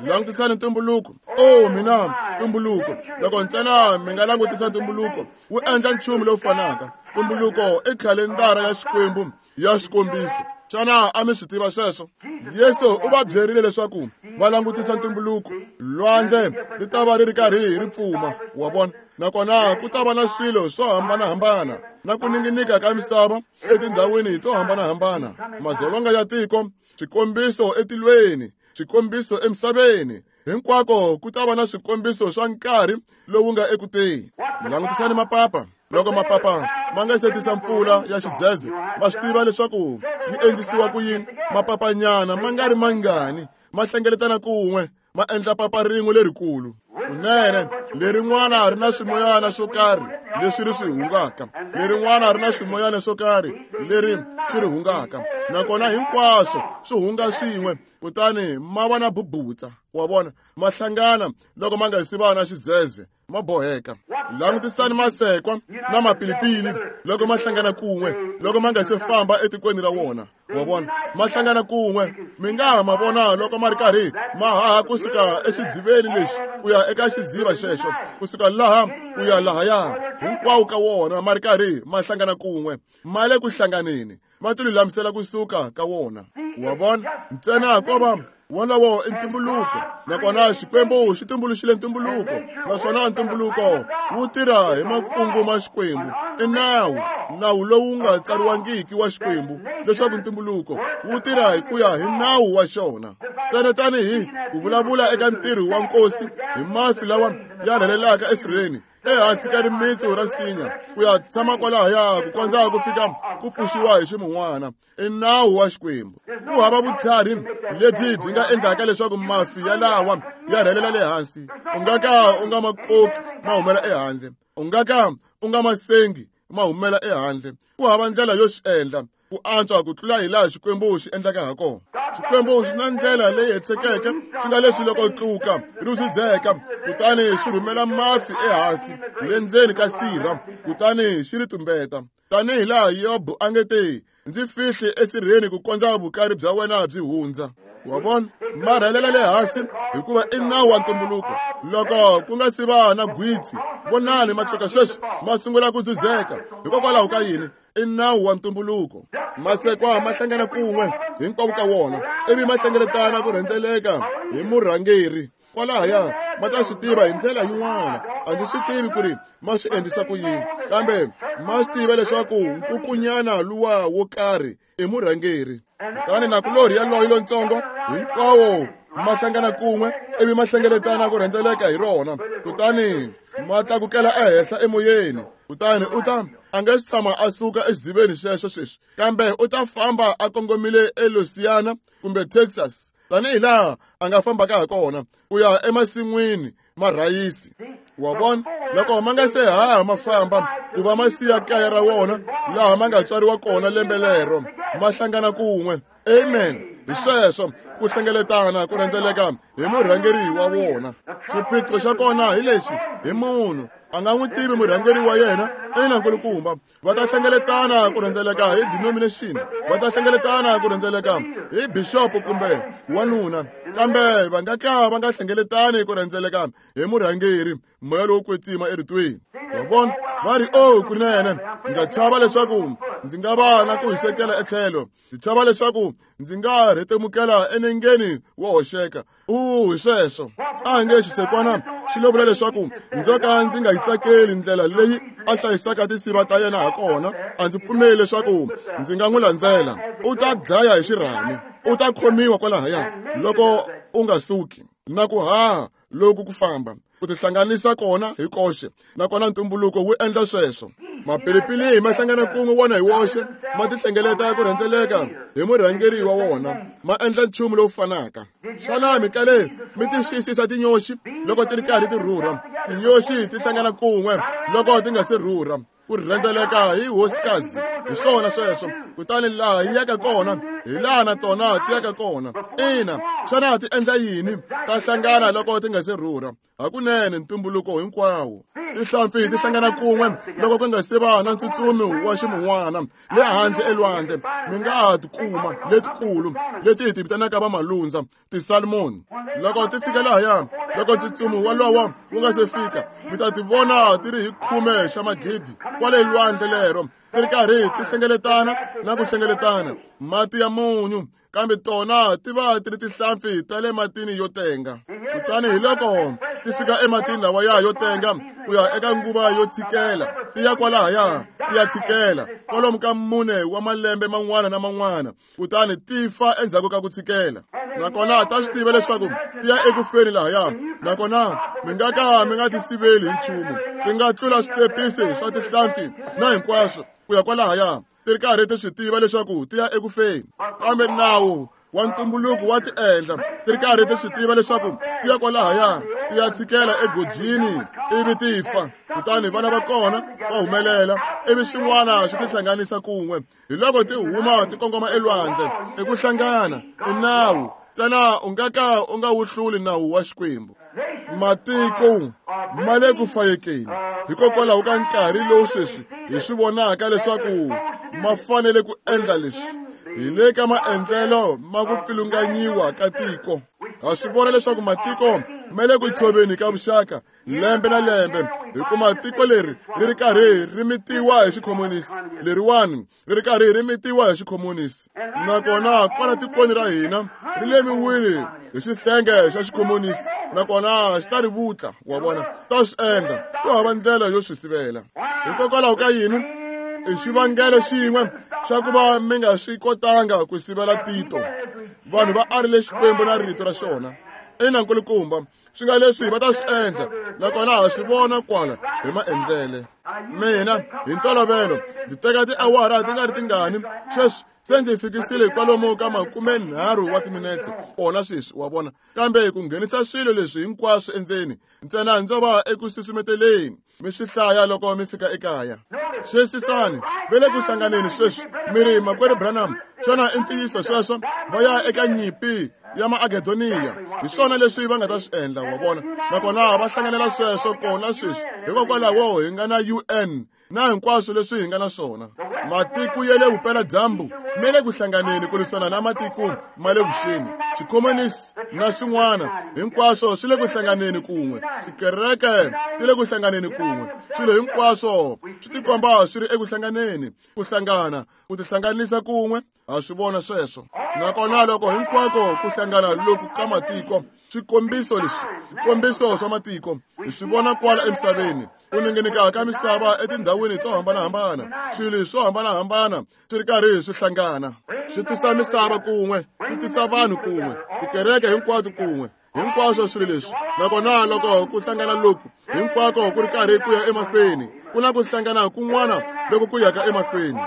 Langutisani ntumbuluko. O mina ntumbuluko, loko ntsena mi nga langutisa ntumbuluko wu endla nchumu lowu fanaka. Ntumbuluko i khalendara ya Xikwembu ya xikombiso. Xana a mi swi tiva sweswo? Yesu u va byerile leswaku va langutisa ntumbuluko. Lwandle ri ta va ri ri karhi ri pfuma, wa vona, nakona ku ta va na swilo swo hambanahambana na ku ninginika ka misava etindhawini to hambanahambana, madzolonga ya tiko, swikombiso etilweni, swikombiso emisaveni. Hinkwako ku ta va na swikombiso swa nkarhi lowu nga eku teni. Langutisani mapapa. Loko mapapa ma nga se tisa mpfula ya xidzedze, va swi tiva leswaku yi endlisiwa ku yini. Mapapanyana ma nga ri mangani ma hlengeletana kun'we ma endla papa rin'we lerikulu. Kunene lerin'wana ri na swimoyana swo karhi leswi ri swi hungaka, lerin'wana ri na swimoyana swo karhi leri swi ri hungaka, nakona hinkwaswo swi hunga swin'we, kutani ma va na bubutsa, wa vona, ma hlangana loko ma nga si va na xidzedze, ma boheka. Langutisani masekwa na mapilipili loko ma hlangana kun'we, loko ma nga se famba etikweni ra wona, wa vona, ma hlangana kun'we. Mi nga ha ma vona loko ma ri karhi ma haha kusuka exidziveni lexi ku ya eka xidziva xexo, kusuka laha ku ya lahaya, hinkwawo ka wona ma ri karhi ma hlangana kun'we, ma le ku hlanganeni, ma ti lulamisela kusuka ka wona, wa vona. Ntsena ko va wolowo i ntumbuluko, nakona Xikwembu xi tumbuluxile ntumbuluko, naswona ntumbuluko wu tirha hi makungu ma Xikwembu. I nawu, nawu lowu nga tsariwangiki wa Xikwembu, leswaku ntumbuluko wu tirha hi ku ya hi nawu wa xona. Ntsena tanihi ku vulavula eka ntirho wa nkosi hi mafi lawa ya rhelelaka esirheni ehansi ka rimitsu ra sinya ku ya tshama kwalahaya ku kondza ku fika ku pfuxiwa hi ximun'wana. I nawu wa Xikwembu. Ku hava vutlhari lebyi byi nga endlaka leswaku mafi yalawa ya rhelela le hansi. U nga ka u nga ma koki ma humela ehandle, u nga ka u nga ma sengi ma humela ehandle. Ku hava ndlela yo swi endla ku antswa ku tlula hi laha Xikwembu xi endlaka ha kona. Xikwembu xi na ndlela leyi hetisekeke, xi nga leswi loko tluka ri swi kutani xi rhumela mafi ehansi le ndzeni ka sirha, kutani xi ri tumbeta. Tanihi laha Yobo a nge te, ndzi fihli esirheni ku kondza vukari bya wena byi hundza. Wa vona, ma rhelela le hansi hikuva i nawu wa ntumbuluko. Loko ku nga si va na gwitsi, vonani matluka sweswi ma sungula ku dzudzeka. Hikokwalaho ka yini? I nawu wa ntumbuluko. Masekwa ma hlangana kun'we hinkwavo ka wona, ivi ma hlengeletana ku rhendzeleka hi murhangeri. Kwalahaya ma ta swi tiva hi ndlela yin'wana. A ndzi swi tivi ku ri ma swi endlisa ku yini, kambe ma swi tiva leswaku nkukunyana luwa wo karhi i murhangeri. Kutani nakulorhi yaloye lontsongo hinkwawo ma hlangana kun'we ivi ma hlengeletana ku rhendzeleka hi rona, kutani ma tlakukela ehenhla emoyeni. Kutani u ta a nga si tshama a suka exiziveni xexo sweswi, kambe u ta famba a kongomile eLouisiana kumbe Texas tanihi laha a nga fambaka ha kona ku ya emasin'wini ma rhayisi. Wa vona, loko ma nga se haha ma famba ku va ma siya kaya ra wona laha ma nga tswariwa kona lembe lero, ma hlangana kun'we. Amen. Hi sweswo ku hlengeletana ku rhendzeleka hi murhangeri wa wona. Xiphiqo xa kona hi lexi, hi munhu a nga n'wi tivi murhangeri wa yena. Ina nkulukumba, va ta hlengeletana ku rhendzeleka hi denomination, va ta hlengeletana ku rhendzeleka hi bishop kumbe wanuna, kambe va nga ka va nga hlengeletani ku rhendzeleka hi murhangeri, moya lowo kwetsima eritweni. Wa vona, va ri o kunene ndza chava leswaku ndzi nga va na ku hisekela etlhelo, ndzi chava leswaku ndzi nga rhetemukela enengeni wo hoxeka. U hi sweswo a nge xisekwana xi lo vula leswaku ndzo ka ndzi nga yi tsakeli ndlela leyi a hlayisaka tinsiva ta yena ha kona, a ndzi pfumeli leswaku ndzi nga n'wi landzela. U ta dlaya hi xirhami, u ta khomiwa kwalahaya loko u nga suki. Na ku haha loku ku famba ku tihlanganisa kona hi koxe, nakona ntumbuluko wu endla sweswo. Mapilipili ma hlangana kun'we wona hi woxe, ma tihlengeleta ku rhendzeleka hi murhangeri wa wona, ma endla nchumu lowu fanaka. Xana mi kale mi ti xiyisisa tinyoxi loko ti ri karhi ti rhurha? Tinyoxi ti hlangana kun'we loko ti nga se rhurha ku rhendzeleka hi hosikazi. Hi swona sweswo. Kutani laha yi yaka kona hi laha na tona ti yaka kona. Ina, xana ti endla yini? Ta hlangana loko ti nga se rhurha. Hakunene ntumbuluko hinkwawo. Tihlampfi ti hlangana kun'we loko ku nga se va na ntsutsumi wa ximun'wana le handle elwandle. Mi nga ha ti kuma letikulu leti hi ti vitanaka vamalundza, ti-salmon. Loko ti fika lahaya, loko ntsutsumi walowo wu nga se fika, mi ta ti vona ti ri hi khume xa magidi kwale lwandle lero, ti ri karhi ti hlengeletana na ku hlengeletana mati ya munyu, kambe tona ti va ti ri tihlampfi ta le matini yo tenga. Kutani hi loko ti fika ematini lawaya yo tenga ku ya eka nguva yo tshikela, ti ya kwalahaya ti ya tshikela kwalomu ka mune wa malembe man'wana na man'wana, kutani ti fa endzhaku ka ku tshikela. Nakona ta swi tiva leswaku ti ya ekufeni lahaya, nakona mi nga ka mi nga ti siveli hi nchumu. Ti nga tlula switepisi swa tihlampfi na hinkwaswo ku ya kwalahaya, ti ri karhi ti swi tiva leswaku ti ya ekufeni, kambe nawu wa ntumbuluko wa ti endla ti ri karhi ti swi tiva leswaku ti ya kwalahaya ti ya tshikela egojini ivi ti fa. Kutani vana va kona va humelela ivi swin'wana swi tihlanganisa kun'we, hi loko ti huma ti kongoma elwandle. I ku hlangana, i nawu ntsena, u nga ka u nga wu hluli nawu wa Xikwembu. Matiko ma le ku fayekeni hikokwalaho ka nkarhi lowu sweswi hi swi vonaka leswaku ma fanele ku endla leswi. Hi le ka maendlelo ma ku pfilunganyiwa ka tiko. Ha swi vona leswaku matiko ma le ku tshoveni ka vuxaka lembe na lembe, hikuva tiko leri ri ri karhi ri mitiwa hi xikhomunisi, leriwani ri ri karhi ri mitiwa hi xikhomunisi. Nakona kwala tikweni ra hina ri lemiwile hi xihlenge xa xikhomunisi, nakona xi ta ri vutla. Wa vona, ta swi endla, ku hava ndlela yo swi sivela. Hikokwalaho ka yini? I xivangelo xin'we xa ku va mi nga swi kotanga ku sivela Tito. Vanhu va arile Xikwembu na rito ra xona. Ina nkulukumba, swi nga leswi va ta swi endla, nakona ha swi vona kwala hi maendlele. Mina hi ntolovelo ndzi teka tiawara ti nga ri tingani sweswi se ndzi fikisile kwalomu ka makumenharhu wa timinetse kona sweswi, wa vona. Kambe ku nghenisa swilo leswi hinkwaswo endzeni ntsena ndzo va eku susumeteleni, mi swi hlaya loko mi fika ekaya. Sweswisani ve le ku hlanganeni sweswi. Mi ri, makwerhu Branham, xana i ntiyiso sweswo? Va ya eka nyimpi ya Maagedoniya. Hi swona leswi va nga ta swi endla, wa vona. Nakona va hlanganela sweswo kona sweswi. Hikokwalaho hi nga na U N na hinkwaswo leswi hi nga na swona. Matiko ya le vupeladyambu ma le ku hlanganeni ku lwisana na matiko ma le vuxeni, xikhomunisi na swin'wana hinkwaswo swi le ku hlanganeni kun'we. Tikereke ti le ku hlanganeni kun'we. Swilo hinkwaswo swi tikomba swi ri eku hlanganeni, ku hlangana, ku tihlanganisa kun'we. Ha swi vona sweswo. Nakona loko hinkwako ku hlangana loku ka matiko, swikombiso leswi, swikombiso swa matiko, hi swi vona kwala emisaveni, ku ninginika ka misava etindhawini to hambanahambana, swilo swo hambanahambana swi ri karhi swi hlangana, swi tisa misava kun'we, swi tisa vanhu kun'we, tikereke hinkwato kun'we, hinkwaswo swilo leswi. Nakona loko ku hlangana loku hinkwako ku ri karhi ku ya emahlweni, ku na ku hlangana kun'wana loko ku yaka emahlweni.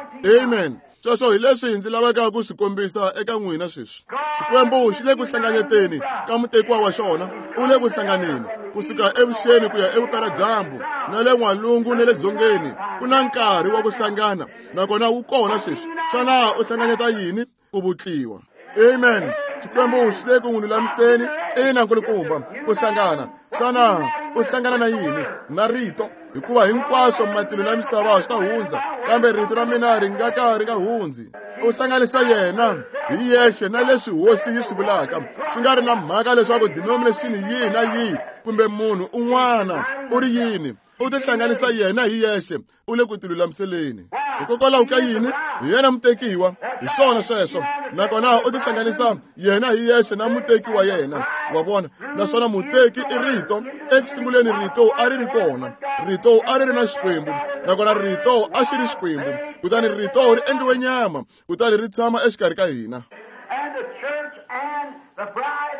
Amen. Sweswo hi leswi ndzi lavaka ku swi kombisa eka n'wina sweswi. Xikwembu xi le ku hlanganyeteni ka mutekiwa wa xona, u le ku hlanganeni kusuka evuxeni ku ya evupeladyambu, na le n'walungu na le dzongeni. Ku na nkarhi wa ku hlangana, nakona wu kona sweswi. Xana u hlanganyeta yini? Ku vutliwa. Amen. Xikwembu xi le ku n'wi lulamiseni. Ina, nkulukumba, ku hlangana. Xana u hlangana na yini? Na rito. Hikuva hinkwaswo matilo na misava swi ta hundza, kambe rito ra mina ri nga ka ri nga hundzi. U hlanganisa yena hi yexe na leswi hosi yi swi vulaka, swi nga ri na mhaka leswaku denomination yihi na yihi kumbe munhu un'wana u ri yini. U tihlanganisa yena hi yexe, u le ku tilulamiseleni. Hikokwalaho ka yini? Hi yena mutekiwa, hi swona sweswo. Nakona u tihlanganisa yena hi yexe na muteki wa yena. Wa vona? Naswona muteki i rito. Eku sunguleni rito a ri ri kona, rito a ri ri na Xikwembu, nakona rito a xi ri Xikwembu. Kutani rito ri endliwe nyama, kutani ri tshama exikarhi ka hina.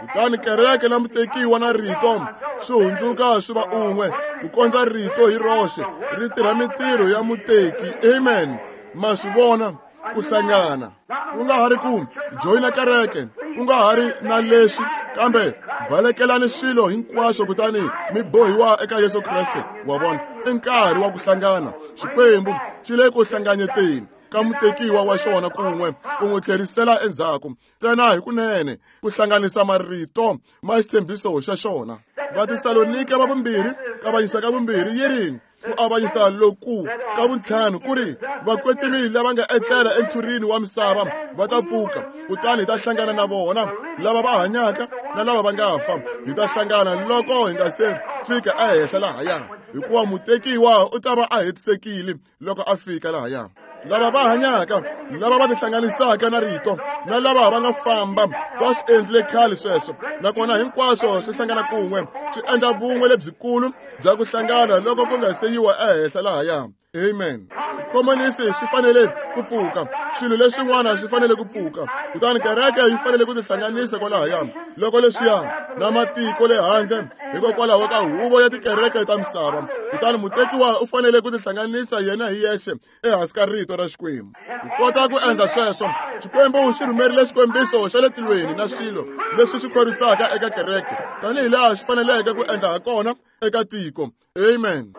Kutani kereke na mutekiwa na rito swi hundzuka swi va un'we, ku kondza rito hi roxe ri tirha mintirho ya muteki. Amen. Ma swi vona? Ku hlangana, ku nga ha ri ku joyina kereke, ku nga ha ri na leswi, kambe balekelani swilo hinkwaswo kutani mi bohiwa eka Yesu Kreste. Wa vona? I nkarhi wa ku hlangana. Xikwembu xi le ku hlanganyeteni ka mutekiwa wa xona kun'we, ku n'wi tlherisela endzhaku ntsena hi kunene, ku hlanganisa marito ma xitshembiso xa xona. Vatesalonike va vumbirhi, kavanyisa ka vumbirhi yi ri, ku avanyisa loku ka vuntlhanu ku ri, vakwetsimi lava nga etlela entshurini wa misava va ta pfuka, kutani hi ta hlangana na vona lava va hanyaka na lava va nga fa. Hi ta hlangana loko hi nga se fika ehenhla lahaya, hikuva mutekiwa u ta va a hetisekile loko a fika lahaya. Lava va hanyaka, lava va tihlanganisaka na rito, na lava va nga famba, va swi endlile khale sweswo. Nakona hinkwaswo swi hlangana kun'we, swi endla vun'we lebyikulu bya ku hlangana loko ku nga se yiwa ehenhla lahaya. Amen. Swikhomonisi swi fanele ku pfuka, swilo leswin'wana swi fanele ku pfuka, kutani kereke yi fanele ku tihlanganisa kwalahaya. Loko leswiya na matiko le handle, hikokwalaho ka huvo ya tikereke ta misava, kutani mutekiwa u fanele ku tihlanganisa yena hi yexe ehansi ka rito ra Xikwembu. Ku kota ku endla sweswo, Xikwembu xi rhumerile xikombiso xa le tilweni na swilo leswi swi khorwisaka eka kereke, tanihi laha xi faneleke ku endla ha kona eka tiko. Amen.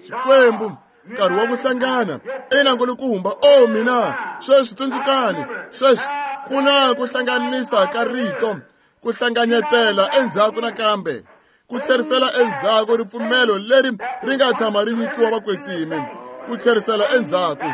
Xikwembu, nkarhi wa ku hlangana. Ina, nkulukumba. O mina, sweswi tsundzukani, sweswi ku na ku hlanganisa ka rito, ku hlanganyetela endzhaku nakambe, ku tlherisela endzhaku ripfumelo leri ri nga tshama ri nyikiwa vakwetsimi, ku tlherisela endzhaku,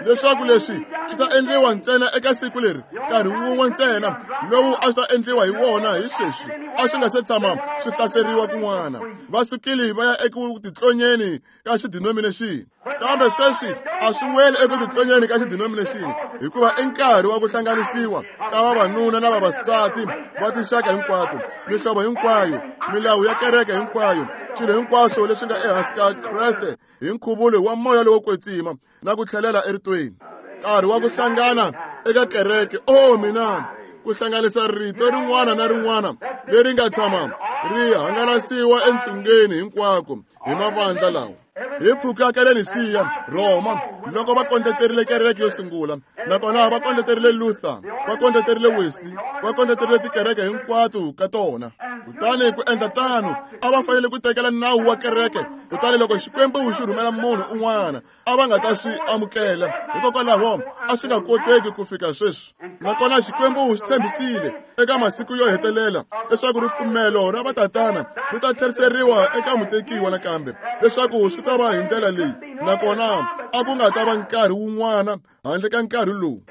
leswaku leswi swi ta endliwa ntsena eka siku leri, nkarhi wun'we ntsena lowu a swi ta endliwa hi wona hi sweswi, a swi nga se tshama swi hlaseriwa kun'wana. Va sukile va ya eku titlonyeni ka xidenomination, kambe sweswi a swi weli eku titlonyeni ka xidenomination, hikuva i nkarhi wa ku hlanganisiwa ka vavanuna na vavasati va tinxaka hinkwato, mihlovo hinkwayo, milawu ya kereke hinkwayo, swilo hinkwaswo leswi nga ehansi ka Kreste hi nkhuvulo wa moya lowo kwetsima na ku tlhelela eritweni. Nkarhi wa ku hlangana eka kereke. O mina, ku hlanganisa rito rin'wana na rin'wana leri nga tshama ri hangalasiwa entsungeni hinkwako hi mavandla lawa. Hi pfuka ka le Nisiya, Roma, loko va kondleterile kereke yo sungula, nakona va kondleterile Luther, va kondleterile Wesley, va kondleterile tikereke hinkwato ka tona. Kutani ku endla tano, a va fanele ku tekela nawu wa kereke. Kutani loko Xikwembu xi rhumela munhu un'wana, a va nga ta swi amukela, hikokwalaho a swi nga koteki ku fika sweswi. Nakona Xikwembu xi tshembisile eka masiku yo hetelela leswaku ripfumelo ra vatatana ri ta tlheriseriwa eka mutekiwa nakambe, leswaku swi ta va hi ndlela leyi. Nakona a ku nga ta va nkarhi wun'wana handle ka nkarhi lowu.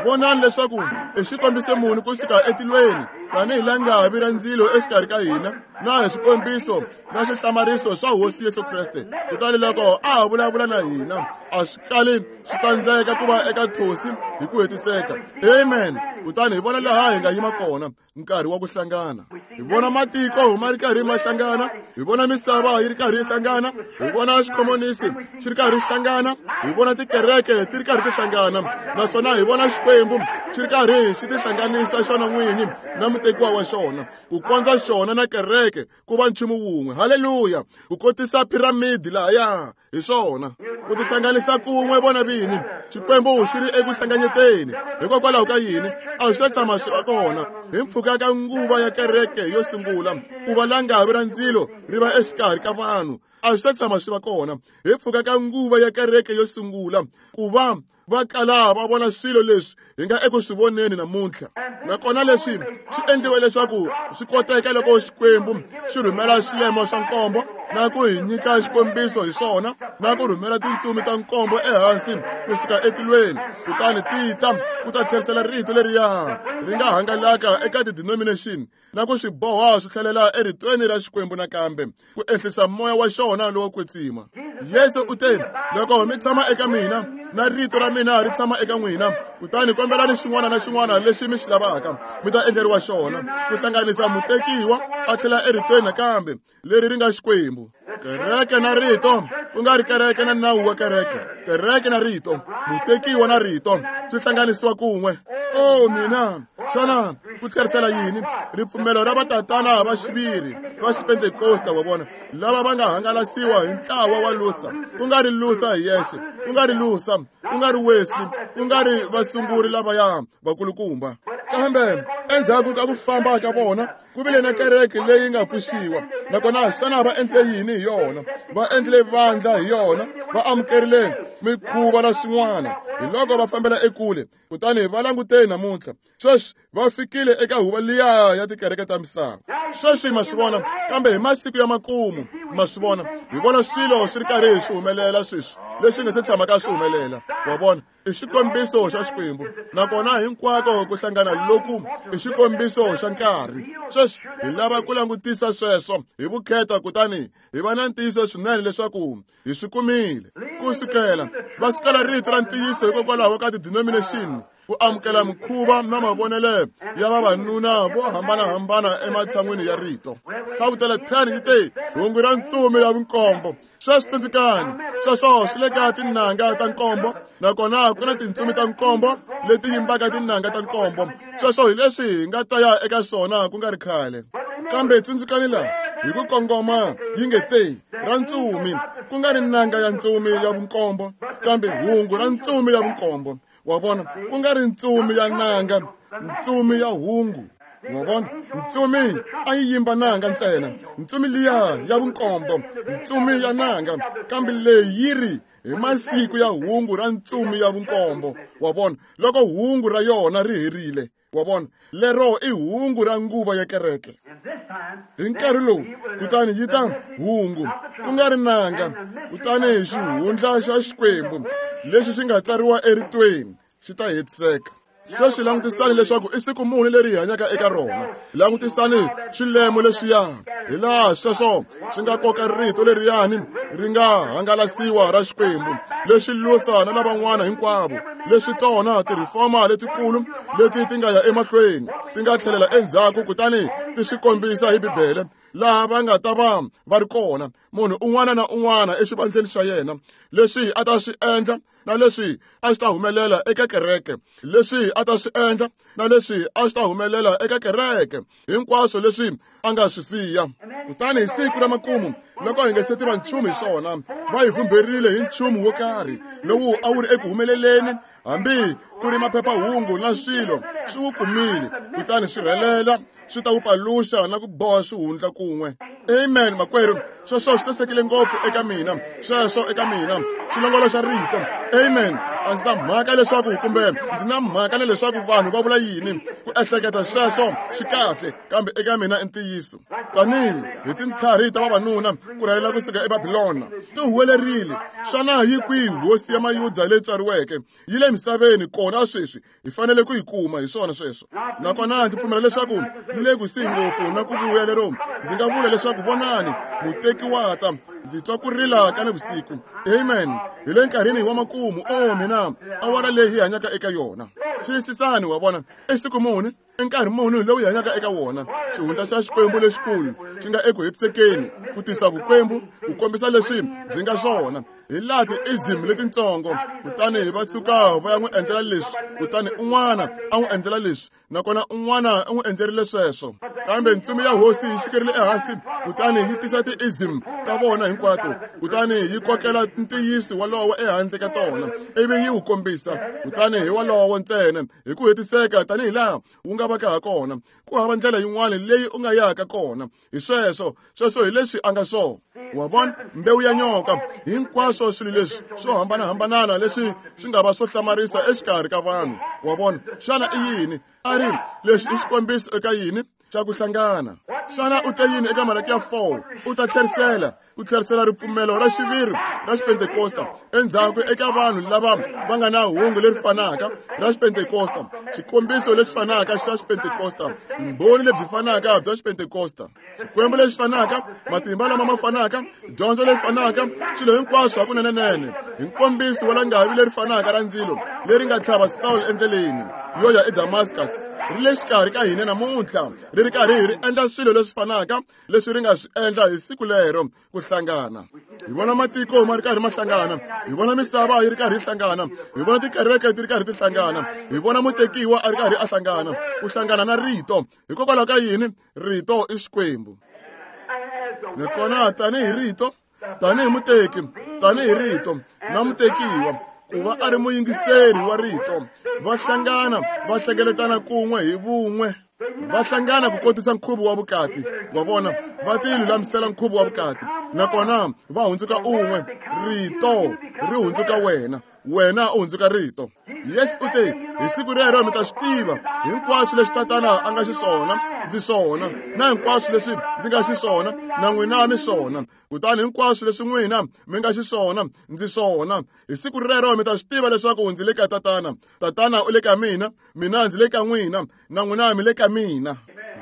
Vonani leswaku i xikombiso muni kusuka etilweni tanihi langavi ra ndzilo exikarhi ka hina na hi swikombiso na swihlamariso swa Hosi Yesu Kreste. Kutani loko a ha vulavula na hina a swi kali swi tsandzeka ku va eka thosi hi ku hetiseka. Amen. Kutani hi vona laha hi nga yima kona nkarhi wa ku hlangana. Hi vona matiko ma ri karhi ma hlangana, hi vona misava yi ri karhi yi hlangana, hi vona xikhomonisi xi ri karhi xi hlangana, hi vona tikereke ti ri karhi ti hlangana, naswona hi vona Xikwembu xi ri karhi xi tihlanganisa xona n'winyi na mutekiwa wa xona ku kondza xona na kereke ku va nchumu wun'we. Haleluya! Ku kotisa piramidi lahaya hi swona ku tihlanganisa kun'we vona vini. Xikwembu xi ri eku hlanganyeteni. Hikokwalaho ka yini a swi tshama swi va kona hi mpfhuka ka nguva ya kereke yo sungula ku va langavi ra ndzilo ri va exikarhi ka vanhu. A swi tshama swi va kona hi mpfhuka ka nguva ya kereke yo sungula ku va va kala va vona swilo leswi hi nga eku swi voneni namuntlha. Nakona leswi swi endliwe leswaku swi koteka loko Xikwembu xi rhumela swilemo swa nkombo na ku hi nyika xikombiso hi swona na ku rhumela tintsumi ta nkombo ehansi kusuka etilweni, kutani ti ta ku ta tlherisela rito leriya ri nga hangalaka eka ti-denomination na ku swi boha swi tlhelela eritweni ra Xikwembu nakambe ku ehlisa moya wa xona lowo kwetsima. Yesu u te, loko mi tshama eka mina na rito ra mina ri tshama eka n'wina, kutani kombelani xin'wana na xin'wana lexi mi xi lavaka mi ta endleriwa xona. Ku hlanganisa mutekiwa a tlhela eritweni nakambe leri ri nga Xikwembu. Kereke na rito, ku nga ri kereke na nawu wa kereke. Kereke na rito, mutekiwa na rito swi hlanganisiwa kun'we. Oh mina, xana ku tlherisela yini? Ripfumelo ra vatatana va xiviri va xipentekosta wa vona lava va nga hangalasiwa hi ntlawa wa Luther, ku nga ri Luther hi yexe, ku nga ri Luther, ku nga ri Wesley, ku nga ri vasunguri lavaya vakulukumba. Kambe endzhaku ka ku famba ka vona ku vile na kereke leyi nga pfuxiwa. Nakona xana va endle yini hi yona? Va endle vandla hi yona, va amukerile mikhuva na swin'wana. Hi loko va fambela ekule, kutani va languteni namuntlha. Sweswi va fikile eka huvo liya ya tikereke ta misava. Sweswi ma swi vona, kambe hi masiku ya makumu ma swi vona, hi vona swilo swi ri karhi swi humelela sweswi leswi nga se tshamaka swi humelela. Wa vona, i xikombiso xa Xikwembu, nakona hinkwako ku hlangana loku i xikombiso xa nkarhi. Sweswi hi lava ku langutisa sweswo hi vukheta, kutani hi va na ntiyiso swinene leswaku hi swi kumile. Ku sukela va sukela rito ra ntiyiso hikokwalaho ka ti-denomination, ku amukela mikhuva na mavonelo ya vavanuna vo hambanahambana ematshan'wini ya rito. Hlavutelo ten yi te hungu ra ntsumi ya vunkombo. Sweswi tsundzukani, sweswo swi le ka tinanga ta nkombo, nakona ku na tintsumi ta nkombo leti yimbaka tinanga ta nkombo. Sweswo hi leswi hi nga ta ya eka swona ku nga ri khale. Kambe tsundzukani laha hi ku kongoma yi nge te ra ntsumi, ku nga ri nanga ya ntsumi ya vunkombo, kambe hungu ra ntsumi ya vunkombo. Wa vona, ku nga ri ntsumi ya nanga, ntsumi ya hungu. Wa vona, ntsumi a yi yimba nanga ntsena, ntsumi liya ya vunkombo, ntsumi ya nanga, kambe leyi yi ri hi masiku ya hungu ra ntsumi ya vunkombo. Wa vona, loko hungu ra yona ri herile. Wa vona, lero i hungu ra nguva ya kereke hi nkarhi lowu, kutani yi ta hungu ku nga ri nanga, kutani xihundla xa Xikwembu lexi xi nga tsariwa eritweni xi ta hetiseka. Sweswi langutisani leswaku i siku muni leri hi hanyaka eka rona. Langutisani swilemo leswiya, hi laha sweswo swi nga koka rito leriyani ri nga hangalasiwa ra Xikwembu, leswi Luther na lavan'wana hinkwavo, leswi tona ti-reformer letikulu leti ti nga ya emahlweni ti nga tlhelela endzhaku kutani ti swi kombisa hi Bibele laha va nga ta va va ri kona, munhu un'wana na un'wana exivandleni xa yena, leswi a ta swi endla na leswi a swi ta humelela eka kereke, leswi a ta swi endla na leswi a swi ta humelela eka kereke, hinkwaswo leswi a nga swi siya. Kutani hi siku ra makumu, loko hi nga se tiva nchumu hi swona, va hi vhumberile hi nchumu wo karhi lowu a wu ri eku humeleleni, hambi ku ri maphephahungu na swilo swi wu kumile, kutani swi rhelela swi ta wu paluxa na ku boha swihundla kun'we. Amen, makwerhu. Sweswo swi sasekile ngopfu eka mina, sweswo eka mina xilongolo xa rito. Amen. A ndzi na mhaka leswaku kumbe ndzi na mhaka na leswaku vanhu va vula yini, ku ehleketa sweswo swi kahle, kambe eka mina i ntiyiso. Tanihi hi tintlhari ta vavanuna ku rhelela kusuka eBabilona, ti huwelerile, xana yi kwihi hosi ya Mayuda leyi tswariweke? Yi le misaveni kona sweswi, hi fanele ku yi kuma. Hi swona sweswo. Nakona ndzi pfumela leswaku yi le kusuhi ngopfu na ku vuya lero ndzi nga vula leswaku vonani, muteki wa ta. Ndzi twa ku rila ka nivusiku. Amen. Hi le nkarhini wa makumu. O mina, awara leyi hi hanyaka eka yona! Xiyisisani, wa vona, i siku muni, i nkarhi muni lowu hi hanyaka eka wona. Xihundla xa Xikwembu lexikulu xi nga eku hetisekeni ku tisa vukwembu, ku kombisa leswi byi nga swona hi laha ti-ism letitsongo. Kutani va suka va ya n'wi endlela leswi, kutani un'wana a n'wi endlela leswi, nakona un'wana u n'wi endlerile sweswo. Kambe ntsumi ya Hosi yi xikerile ehansi, kutani yi tisa ti-ism ta vona hinkwato, kutani yi kokela ntiyiso walowo ehandle ka tona, ivi yi wu kombisa. Kutani hi walowo ntsena hi ku hetiseka tanihi laha wu nga vaka ha kona. Ku hava ndlela yin'wana leyi u nga yaka kona. Hi sweswo, sweswo hi leswi a nga swona. Wa vona, mbewu ya nyoka, hinkwaswo swilo leswi swo hambanahambanana leswi swi nga va swo hlamarisa exikarhi ka vanhu. Wa vona, xana i yini a ri leswi? I xikombiso eka yini? Xa ku hlangana. Xana u te yini eka Malaki ya four? U ta tlherisela ku tlherisela ripfumelo ra xiviri ra Xipentekosta endzhaku eka vanhu lava va nga na hungu leri fanaka ra Xipentekosta, xikombiso lexi fanaka xa Xipentekosta, vumbhoni lebyi fanaka bya Xipentekosta, Xikwembu lexi fanaka, matimba lama ma fanaka, dyondzo leyi fanaka, swilo hinkwaswo hakunenenene, hi nkombiso wa langavi leri fanaka ra ndzilo leri nga tlhava Saul endleleni yo ya eDamascus, ri le xikarhi ka hina namuntlha, ri ri karhi ri endla swilo leswi fanaka leswi ri nga swi endla hi siku lero. Ku hlangana, hi vona matiko ma ri karhi ma hlangana, hi vona misava yi ri karhi yi hlangana, hi vona tikereke ti ri karhi ti hlangana, hi vona mutekiwa a ri karhi a hlangana, ku hlangana na rito. Hikokwalaho ka yini? Rito i Xikwembu. Nakona tanihi rito, tanihi muteki, tanihi rito na mutekiwa ku va a ri muyingiseri wa rito, va hlangana, va hlengeletana kun'we hi vun'we, va hlangana ku kotisa nkhuvo wa vukati. Wa vona, va ti lulamisela nkhuvo wa vukati, nakona va hundzuka un'we. Rito ri hundzuka wena, wena u hundzuka rito. Yesu u te, hi siku rero mi ta swi tiva, hinkwaswo leswi Tatana a nga xiswona, ndzi swona, na hinkwaswo leswi ndzi nga xiswona, na n'wina mi swona. Kutani hinkwaswo leswi n'wina mi nga xiswona, ndzi swona. Hi siku rero mi ta swi tiva leswaku ndzi le ka Tatana, Tatana u le ka mina, mina ndzi le ka n'wina, na n'wina mi le ka mina.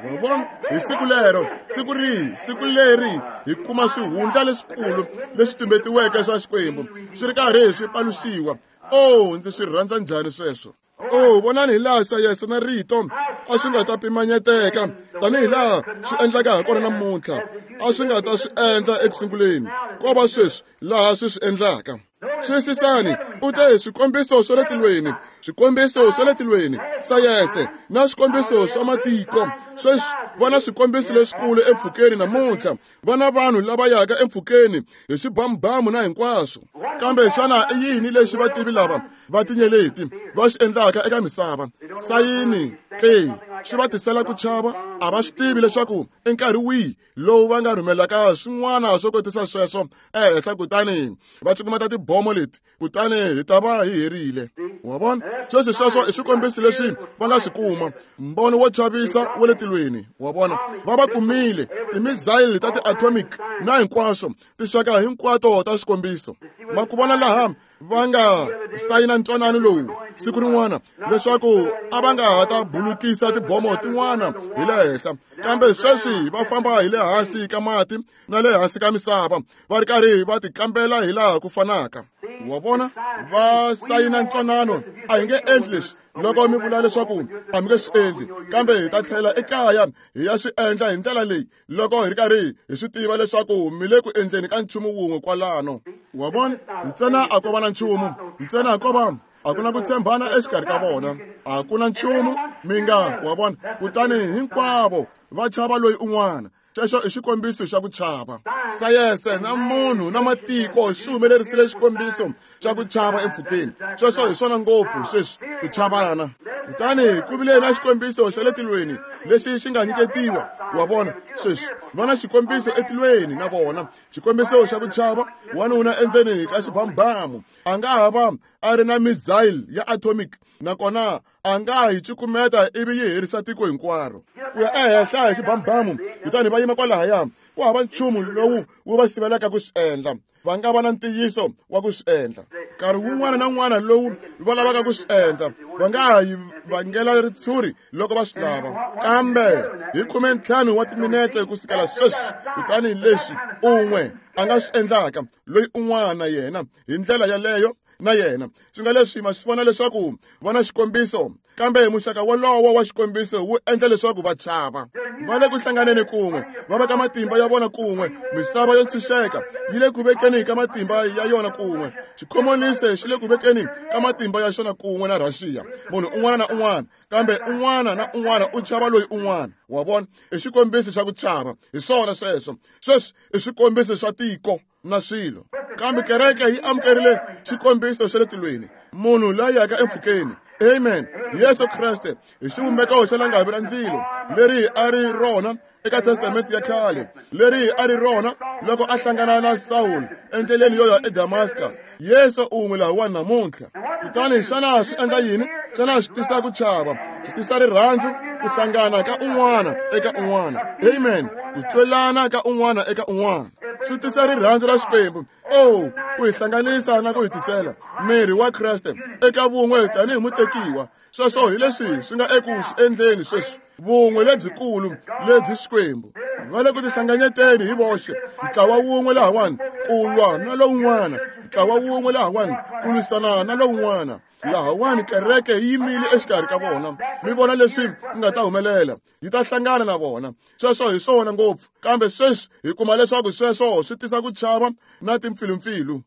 Wa vona, hi siku lero. Siku rihi? Siku leri hi kuma swihundla leswikulu leswi tumbetiweke swa Xikwembu swi ri karhi swi paluxiwa. O, ndzi swi rhandza njhani sweswo! O, vonani hi laha sayense na rito a swi nga ta pimanyeteka tanihi laha swi endlaka ha kona namuntlha. A swi nga ta swi endla ekusunguleni, ko va sweswi laha swi swi endlaka. Xiyisisani, u te swikombiso swa le tilweni, swikombiso swa le tilweni, sayense na swikombiso swa matiko. Sweswi vona swikombiso leswikulu empfhukeni namuntlha. Vona vanhu lava yaka empfhukeni hi swibamubamu na hinkwaswo. Kambe xana i yini lexi vativi lava va tinyeleti va xi endlaka eka misava? Sayini ke swi va tisela ku chava. A va swi tivi leswaku i nkarhi wihi lowu va nga rhumelaka swin'wana swo kotisa sweswo ehenhla, kutani va cukumeta tibomo leti, kutani hi ta va hi herile. Wa vona, sweswi sweswo i swikombiso leswi va nga swi kuma, mbono wo chavisa wa le tilweni. Wa vona, va va kumile timizayili ta ti-atomic na hinkwaswo, tinxaka hinkwato ta swikombiso. Ma ku vona laha va nga sayina ntwanano lowu siku rin'wana leswaku a va nga ha ta bulukisa tibomo tin'wana hi le henhla, kambe sweswi va famba hi le hansi ka mati na le hansi ka misava, va ri karhi va ti kambela hi laha ku fanaka. Wa vona, va sayina ntwanano, a hi nge endli leswi loko mi vula leswaku a mi nge swi endli, kambe hi ta tlhela ekaya hi ya swi endla hi ndlela leyi loko hi ri karhi hi swi tiva leswaku mi le ku endleni ka nchumu wun'we kwalano. Wa vona, ntsena a ko va na nchumu, ntsena ko va a ku na ku tshembana exikarhi ka vona, a ku na nchumu mi nga. Wa vona, kutani hinkwavo va chava loyi un'wana. Xexo i xikombiso xa ku chava. Sayense na munhu na matiko swi humelerisile xikombiso xa ku chava empfhukeni. Sweswo hi swona ngopfu sweswi, ku chavana. Kutani ku vile na xikombiso xa le tilweni lexi xi nga nyiketiwa. Wa vona, sweswi va na xikombiso etilweni na vona, xikombiso xa ku chava wanuna endzeni ka xibamubamu. A nga ha va a ri na missile ya atomic, nakona a nga hi cukumeta ivi yi herisa tiko hinkwaro. Ku ya ehenhla hi xibamubamu, kutani va yima kwalahaya. Ku hava nchumu lowu wu va sivelaka ku swi endla. Va nga va na ntiyiso wa ku swi endla. Nkarhi wun'wana na wun'wana lowu va lavaka ku swi endla, va nga ha yi vangela ritshuri loko va swi lava. Kambe hi khume ntlhanu wa timinetse ku sukela sweswi, kutani leswi un'we a nga swi endlaka, loyi un'wana na yena hi ndlela yaleyo na yena. Swi nga leswi ma swi vona leswaku va na xikombiso, kambe muxaka wolowo wa xikombiso wu endla leswaku va chava. Va le ku hlanganeni kun'we, va veka matimba ya vona kun'we. Misava yo ntshunxeka yi le ku vekeni ka matimba ya yona kun'we. Xikhomonisi xi le ku vekeni ka matimba ya xona kun'we na Russia. Munhu un'wana na un'wana, kambe un'wana na un'wana u chava loyi un'wana. Wa vona, i xikombiso xa ku chava. Hi swona sweswo. Sweswi i swikombiso swa tiko na swilo. Kambe kereke yi amukerile xikombiso xa le tilweni, munhu la yaka empfhukeni. Amen. Yesu Kreste hi xivumbeko xa langavi ra ndzilo leri a ri rona eka Testamente ya khale, leri a ri rona loko a hlangana na Saul endleleni yo ya eDamascus. Yesu un'we lahawani namuntlha. Kutani xana swi endla yini? Xana swi tisa ku chava? Swi tisa rirhandzu, ku hlangana ka un'wana eka un'wana. Amen. Ku twelana ka un'wana eka un'wana. Swi tisa rirhandzu ra Xikwembu. Oh, ku hi hlanganisa na ku hi tisela miri wa Kreste eka vun'we tanihi mutekiwa. Sweswo hi leswi swi nga eku swi endleni sweswi, vun'we lebyikulu lebyi Xikwembu. Va le ku tihlanganyeteni hi voxe, ntlawa wun'we lahawani ku lwa na lowun'wana, ntlawa wun'we lahawani ku lwisana na lowun'wana. Lahawani kereke yi yimile exikarhi ka vona. Mi vona leswi nga ta humelela, yi ta hlangana na vona. Sweswo hi swona ngopfu. Kambe sweswi hi kuma leswaku sweswo swi tisa ku chava na timpfilumpfilu.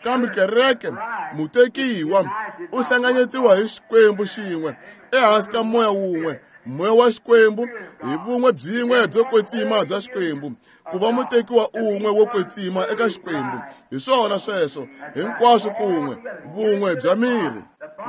Kambe kereke, mutekiwa, u hlanganyetiwa hi Xikwembu xin'we ehansi ka moya wun'we, moya wa Xikwembu, hi vun'we byin'we byo kwetsima bya Xikwembu, ku va mutekiwa un'we wo kwetsima eka Xikwembu. Hi swona sweswo, hinkwaswo kun'we, vun'we bya miri.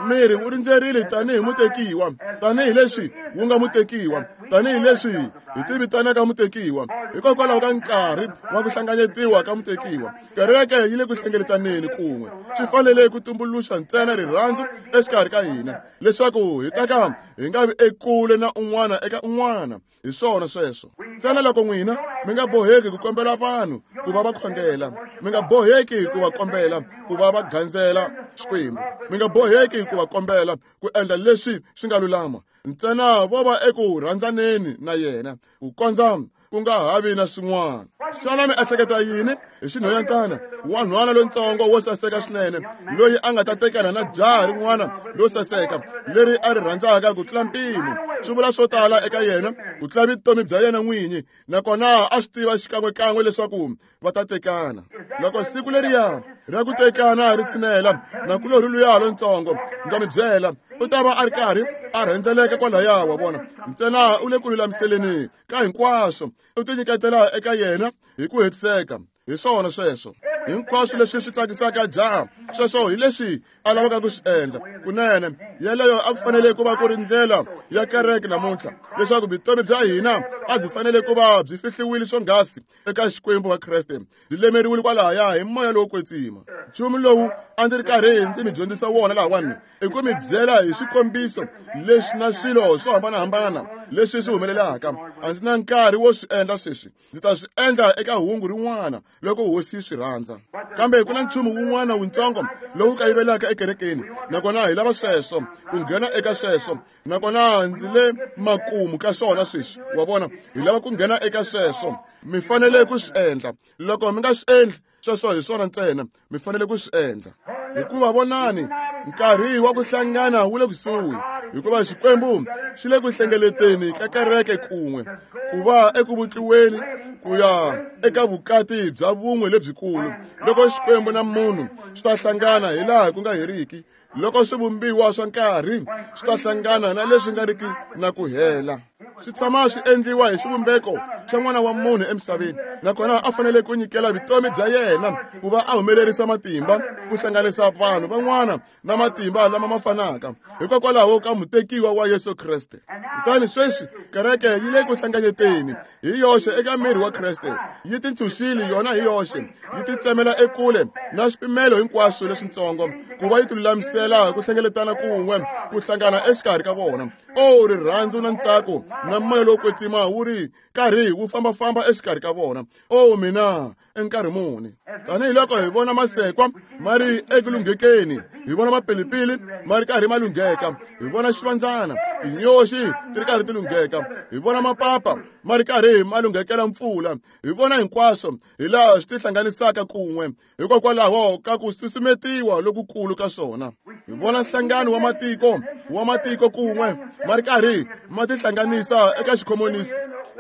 Miri wu rindzerile tanihi mutekiwa, tanihi leswi wu nga mutekiwa, tanihi leswi hi tivitanaka mutekiwa. Hikokwalaho ka nkarhi wa ku hlanganyetiwa ka mutekiwa, kereke yi le ku hlengeletaneni kun'we. Swi fanele ku tumbuluxa ntsena rirhandzu exikarhi ka hina, leswaku hi ta ka hi nga vi ekule na un'wana eka un'wana. Hi swona sweswo. Ntsena loko n'wina mi nga boheki ku kombela vanhu ku va va khongela, mi nga boheki ku va kombela ku va va gandzela Xikwembu, mi nga boheki ku va kombela ku endla leswi swi nga lulama, ntsena vo va eku rhandzaneni na yena ku kondza ku nga ha vi na swin'wana. Xana mi ehleketa yini hi xinhwanyatana wa nhwana lontsongo wo saseka swinene loyi a nga ta tekana na jaha rin'wana lo saseka leri a ri rhandzaka ku tlula mpimo? Swi vula swo tala eka yena ku tlula vutomi bya yena n'winyi, nakona a swi tiva xikan'wekan'we leswaku va ta tekana. Loko siku leriya ra ku tekana ri tshinela, nakulorhi luya lontsongo, ndza mi byela, u ta va a ri karhi a rhendzeleka kwalaya. Wa vona, ntsena u le ku lulamiseleni ka hinkwaswo, u tinyiketela eka yena hi ku hetiseka. Hi swona sweswo. Hinkwaswo leswi swi tsakisaka jaha, sweswo hi leswi a lavaka ku swi endla. Kunene yeleyo a ku fanele ku va ku ri ndlela ya kereke namuntlha, leswaku vutomi bya hina a byi fanele ku va byi fihliwile swonghasi eka Xikwembu wa Kreste, byi lemeriwile kwalahaya hi moya lowo kwetsima. Nchumu lowu a ndzi ri karhi ndzi mi dyondzisa wona lahawani i ku mi byela hi swikombiso leswi na swilo swo hambanahambana leswi swi humelelaka. A ndzi na nkarhi wo swi endla sweswi, ndzi ta swi endla eka hungu rin'wana loko hosi yi swi rhandza. Kambe ku na nchumu wun'wana wuntsongo lowu kayivelaka ekerekeni, nakona hi lava sweswo, ku nghena eka sweswo, nakona ndzi le makumu ka swona sweswi. Wa vona, hi lava ku nghena eka sweswo. Mi fanele ku swi endla. Loko mi nga swi endli, sweswo hi swona ntsena mi fanele ku swi endla. Hikuva vonani, nkarhi wa ku hlangana wu le kusuhi, hikuva Xikwembu xi le ku hlengeleteni ka kereke kun'we, ku va eku vutliweni ku ya eka vukati bya vun'we lebyikulu, loko Xikwembu na munhu swi ta hlangana hi laha ku nga heriki, loko swivumbiwa swa nkarhi swi ta hlangana na leswi nga riki na ku hela. Swi tshama swi endliwa hi xivumbeko xa n'wana wa munhu emisaveni, nakona a fanele ku nyikela vutomi bya yena ku va a humelerisa matimba ku hlanganisa vanhu van'wana na matimba lama ma fanaka hikokwalaho ka mutekiwa wa Yesu Kreste. Kutani sweswi kereke yi le ku hlanganyeteni hi yoxe eka miri wa Kreste, yi tintshunxile yona hi yoxe, yi titsemela ekule na swipimelo hinkwaswo leswitsongo ku va yi tilulamisela ku hlengeletana kun'we ku hlangana exikarhi ka vona. O rirhandzu na ntsako na moya lowo kwetsima wu ri karhi wu fambafamba exikarhi ka vona. O mina enkarhi muni! Tanihiloko hi vona masekwa ma ri eku lunghekeni, hi vona mapilipili ma ri karhi ma lungheka, hi vona xivandzana tinyoxi ti ri karhi ti lungheka, hi vona mapapa ma ri karhi ma lunghekela mpfula, hi vona hinkwaswo hi laha swi tihlanganisaka kun'we hikokwalaho ka ku susumetiwa lokukulu ka swona. Hi vona nhlangano wa matiko wa matiko kun'we ma ri karhi ma tihlanganisa eka xikhomonisi,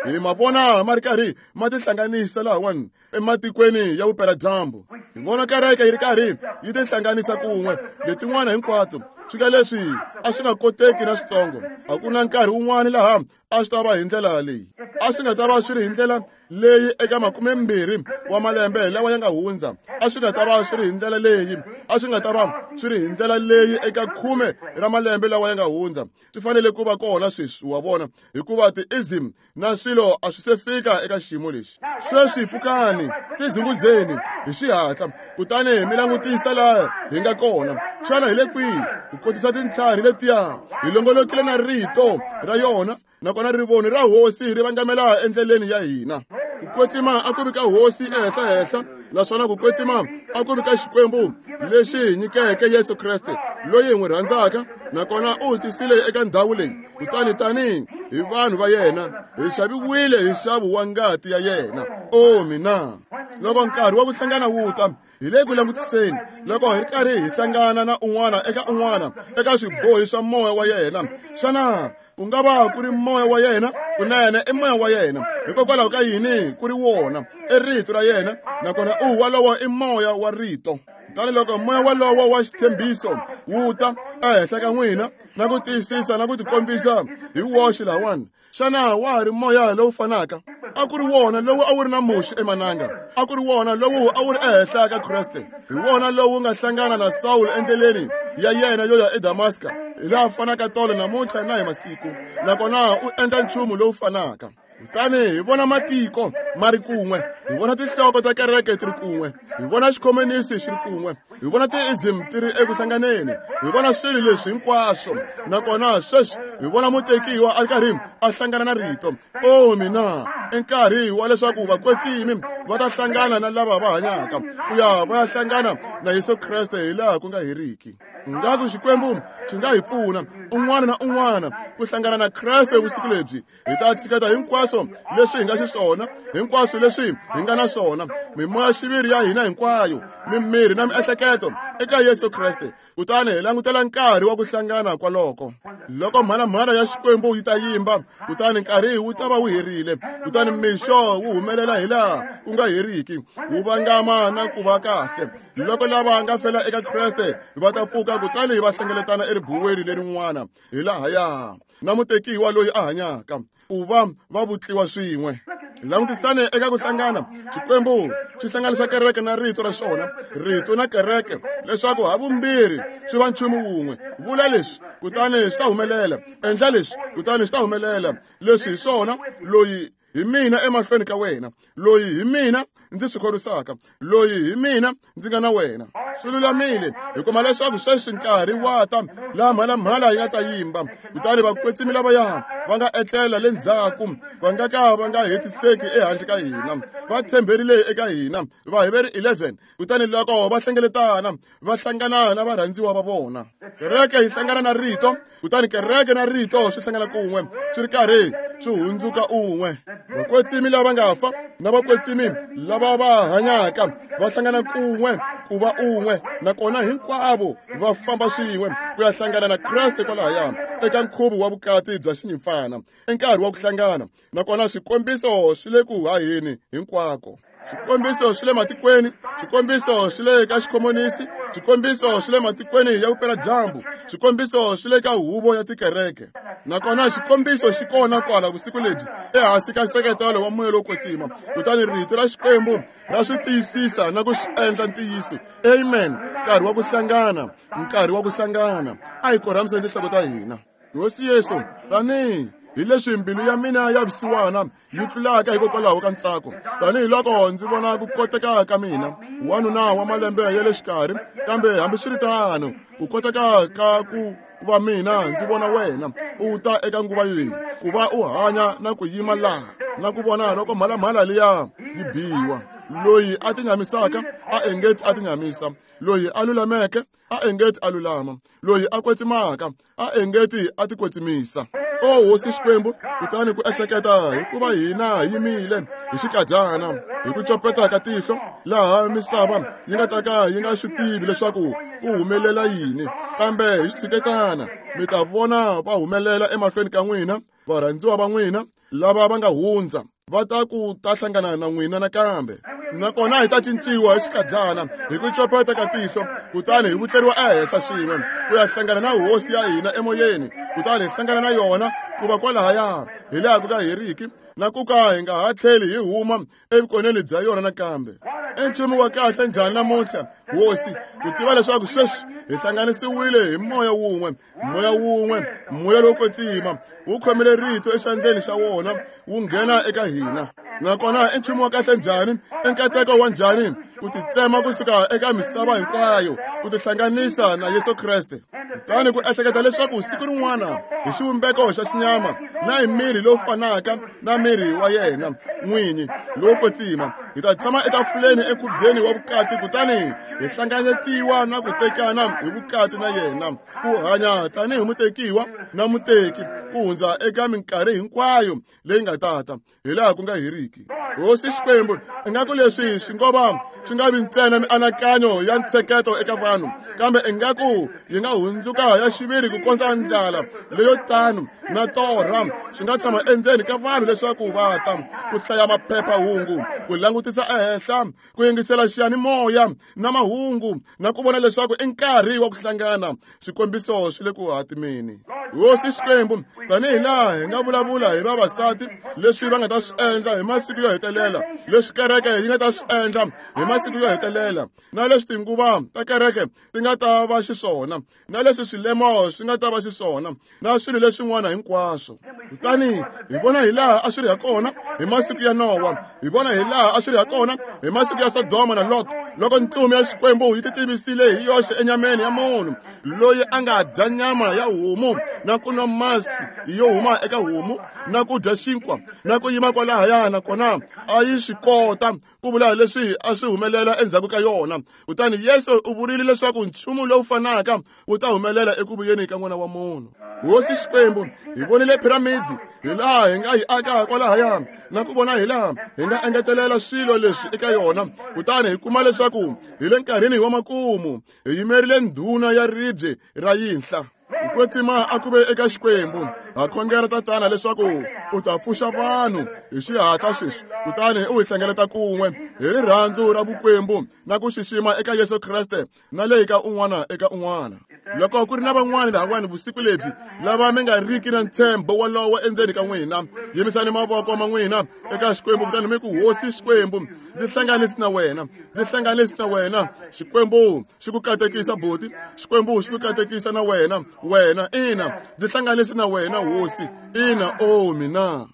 hi ma vona ma ri karhi ma tihlanganisa lahawani ematikweni ya vupeladyambu. Hi vona kereke yi ri karhi yi tihlanganisa kun'we letin'wana hinkwato. Swika leswi a swi nga koteki na switsongo. A ku na nkarhi wun'wana laha a swi ta va hi ndlela leyi, a swi nga ta va swi ri hi ndlela leyi eka makumembirhi wa malembe lawa ya nga hundza, a swi nga ta va swi ri hi ndlela leyi, a swi nga ta va swi ri hi ndlela leyi eka khume ra malembe lawa ya nga hundza. Swi fanele ku va kona sweswi, wa vona, hikuva ti-ism na swilo a swi se fika eka xiyimo lexi. Sweswi pfukani, tizunguzeni hi xihatla, kutani mi langutisa laha hi nga kona. Xana hi le kwihi? Ku kotisa tintlhari letiya hi longolokile na rito ra yona, nakona rivoni ra hosi ri vangamela endleleni ya hina. Ku kwetsima a ku vi ka hosi ehenhlahenhla, naswona ku kwetsima a ku vi ka Xikwembu lexi hi nyikeke Yesu Kreste loyi hi n'wi rhandzaka, nakona u hi tisile eka ndhawu leyi. Kutani tanihi hi vanhu va yena hi xaviwile hi nxavo wa ngati ya yena. O mina! Loko nkarhi wa ku hlangana wu ta, hi le ku langutiseni loko hi ri karhi hi hlangana na un'wana eka un'wana eka swibohi swa moya wa yena. Xana ku nga va ku ri moya wa yena? Kunene i moya wa yena. Hikokwalaho ka yini ku ri wona? I rito ra yena, nakona u walowo i moya wa rito. Kutani loko moya walowo wa xitshembiso wu ta ehenhla ka n'wina na ku tiyisisa na ku tikombisa hi woxe lahawani, xana wa ha ri moya lowu fanaka? A ku ri wona lowu a wu ri na Muxe emananga, a ku ri wona lowu a wu ri ehenhla ka Kreste, hi wona lowu nga hlangana na Sawulo endleleni ya yena yo ya eDamaska, hi laha fanaka tolo namuntlha na hi masiku, nakona u endla nchumu lowu fanaka. Kutani hi vona matiko ma ri kun'we, hi vona tinhloko ta kereke ti ri kun'we, hi vona xikhomonisi xi ri kun'we, hi vona ti-ism ti ri eku hlanganeni, hi vona swilo leswi hinkwaswo, nakona sweswi hi vona mutekiwa a ri karhi a hlangana na rito. O mina! I nkarhi wa leswaku vakwetsimi va ta hlangana na lava va hanyaka ku ya va ya hlangana na Yesu Kreste hi laha ku nga heriki. Ngaku Xikwembu xi nga hi pfuna un'wana na un'wana ku hlangana na Kreste vusiku lebyi. Hi ta tshiketa hinkwaswo leswi hi nga xiswona, hinkwaswo leswi hi nga na swona, mimoya xiviri ya hina hinkwayo, mimiri na miehleketo eka Yesu Kreste, kutani hi langutela nkarhi wa ku hlangana kwaloko. Loko mhalamhala ya Xikwembu yi ta yimba, kutani nkarhi wu ta va wu herile, kutani mixo wu humelela hi laha ku nga heriki, wu vangama na ku va kahle. Loko lava nga fela eka Kreste va ta pfuka, kutani va hlengeletana eribuweni lerin'wana hi lahaya na mutekiwa loyi a hanyaka, ku va va vutliwa swin'we. Langutisane eka ku hlangana. Xikwembu xi hlanganisa kereke na rito ra xona, rito na kereke, leswaku havumbirhi swi va nchumu wun'we. Vula leswi, kutani swi ta humelela. Endla leswi, kutani swi ta humelela. Leswi hi swona, loyi hi mina emahlweni ka wena, loyi hi mina ndzi swi khorwisaka, loyi hi mina ndzi nga na wena. Swi lulamile. Hi kuma leswaku sweswi nkarhi wa ta laha mhalamhala yi nga ta yimba, kutani vakwetsimi lavaya va nga etlela le ndzhaku va nga ka va nga hetiseki ehandle ka hina, va tshemberile eka hina. Vaheveri eleven. Kutani loko va hlengeletana va hlangana na varhandziwa va vona. Kereke yi hlangana na rito, kutani kereke na rito swi hlangana kun'we, swi ri karhi swi hundzuka un'we. Vakwetsimi lava nga fa na vakwetsimi lava va hanyaka va hlangana kun'we ku va un'we, nakona hinkwavo va famba swin'we ku ya hlangana na Kreste kwalahaya eka nkhuvo wa vukati bya xinyimpfana. I nkarhi wa ku hlangana, nakona swikombiso swi le ku haheni hinkwako. Xikombiso swi le matikweni, xikombiso swi le ka xikomonisi, xikombiso swi le matikweni ya vupeladyambu, xikombiso swi le ka huvo ya tikereke. Nakona xikombiso xi kona kwala vusiku lebyi ehansi ka nseketelo wa moya lowo kwetsima. Kutani rito ra Xikwembu ra swi tiyisisa na ku swi endla ntiyiso. Amen. Nkarhi wa ku hlangana, nkarhi wa ku hlangana. A hi korhamiseni tinhloko ta hina. Hosi Yesu, tanihi hi leswi mbilu ya mina ya vusiwana yi tlulaka hikokwalaho ka ntsako, tanihiloko ndzi vona ku koteka ka mina, wanuna wa malembe ya le xikarhi, kambe hambiswiritano ku koteka ka ku va mina ndzi vona wena u ta eka nguva leyi, ku va u hanya na ku yima laha na ku vona loko mhalamhala liya yi biwa. Loyi a tinyamisaka a engeti a tinyamisa, loyi a lulameke a engeti a lulama, loyi a kwetsimaka a engeti a tikwetsimisa. O Hosi Xikwembu, kutani ku ehleketa hikuva hina hi yimile hi xikadyana hi ku copeta ka tihlo, laha misava yi nga ta ka yi nga swi tivi leswaku ku humelela yini, kambe hi xitshuketana mi ta vona va humelela emahlweni ka n'wina, varhandziwa va n'wina lava va nga hundza va ta ku ta hlangana na n'wina nakambe. Nakona hi ta cinciwa hi xikadyana hi ku copeta ka tihlo, kutani hi vutleriwa ehenhla swin'we ku ya hlangana na hosi ya hina emoyeni, kutani hi hlangana na yona ku va kwalahaya hi laha ku nga heriki, na ku ka hi nga ha tlheli hi huma evukoneni bya yona nakambe. I nchumu wa kahle njhani namuntlha, Hosi, ku tiva leswaku sweswi hi hlanganisiwile hi moya wun'we, moya wun'we, moya lowo kwetsima wu khomile rito exandleni xa wona wu nghena eka hina. Nakona i nchumu wa kahle njhani, i nkateko wa njhani ku titsema kusuka eka misava hinkwayo ku tihlanganisa na Yesu Kreste. Kutani ku ehleketa leswaku siku rin'wana hi xivumbeko xa xinyama na hi miri lowu fanaka na miri wa yena n'winyi lowo kwetsima, hi ta tshama etafuleni enkhubyeni wa vukati, kutani hi hlanganyetiwa na ku tekana hi vukati na yena, ku hanya tanihi mutekiwa na muteki ku hundza eka minkarhi hinkwayo leyi nga tata hi laha ku nga heriki. Hosi Xikwembu, ingaku leswi swi ngo va swi nga vi ntsena mianakanyo ya ntsheketo eka vanhu, kambe ingaku yi nga hundzuka ya xiviri ku kondza ndlala leyo tano na torha swi nga tshama endzeni ka vanhu leswaku va ta ku hlaya maphephahungu, ku langutisa ehenhla, ku yingisela xiyanimoya na mahungu, na ku vona leswaku i nkarhi wa ku hlangana. Swikombiso swi le ku hatimeni. Hosi Xikwembu, tanihi laha hi nga vulavula hi vavasati leswi va nga ta swi endla hi masiku yo hetelela, leswi kereke yi nga ta swi endla hi masiku yo hetelela, na leswi tinguva ta kereke ti nga ta va xiswona, na leswi swilemo swi nga ta va xiswona, na swilo leswin'wana hinkwaswo. Kutani hi vona hi laha a swi ri ha kona hi masiku ya Nowa, hi vona hi laha a swi ri ha kona hi masiku ya Sodoma na Lot, loko ntsumi ya Xikwembu yi titivisile hi yoxe enyameni ya munhu loyi a nga dya nyama ya homu na ku nwa masi yo huma eka homu na ku dya xinkwa na ku yima kwalahaya, nakona a yi swi kota ku vula leswi a swi humelela endzhaku ka yona. Kutani Yesu u vurile leswaku nchumu lowu fanaka wu ta humelela eku vuyeni ka N'wana wa Munhu. Hosi Xikwembu, hi vonile piramidi hi laha hi nga yi aka kwalahaya, na ku vona hi laha hi nga engetelela swilo leswi eka yona, kutani hi kuma leswaku hi le nkarhini wa makumu hi yimerile ndhuna ya ribye ra yinhla. Ku kwetsima a ku ve eka Xikwembu. Ha khongela Tatana leswaku u ta pfuxa vanhu hi xihatla sweswi, kutani u hi hlengeleta kun'we hi rirhandzu ra vukwembu na ku xixima eka Yesu Kreste na le ka un'wana eka un'wana. Loko ku ri na van'wana lahawani vusiku lebyi lava mi nga riki na ntshembo wolowo endzeni ka n'wina, yimisani mavoko ma n'wina eka Xikwembu kutani mi ku, Hosi Xikwembu, ndzi hlanganisi na wena, ndzi hlanganisi na wena. Xikwembu xi ku katekisa buti, Xikwembu xi ku katekisa na wena, wena ina, ndzi hlanganisi na wena Hosi, ina, o mina.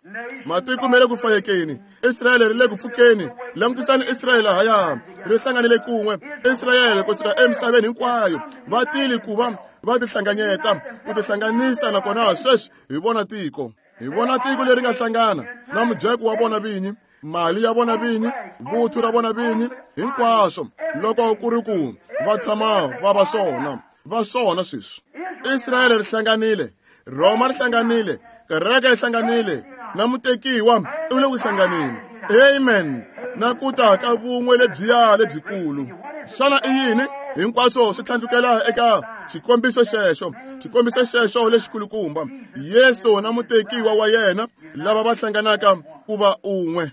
Matiko ma le ku fayekeni, Israyele ri le ku pfukeni. Langutisani Israyele haya, ri hlanganile kun'we. Israyele kusuka emisaveni hinkwayo va tile ku va va tihlanganyeta, ku tihlanganisa, nakona sweswi hi vona tiko, hi vona tiko leri nga hlangana na mujeko wa vona vinyi, mali ya vona vinyi, vuthu ra vona vinyi, hinkwaswo loko ku ri ku va tshama va va swona, va swona sweswi. Israyele ri hlanganile, Roma ri hlanganile, kereke yi hlanganile, na mutekiwa u le ku hlanganeni. Amen. Na ku ta ka vun'we lebyiya lebyikulu. Xana i yini? Hinkwaswo swi tlhandlukela eka xikombiso xexo, xikombiso xexo lexikulukumba, Yesu na mutekiwa wa yena lava va hlanganaka ku va un'we.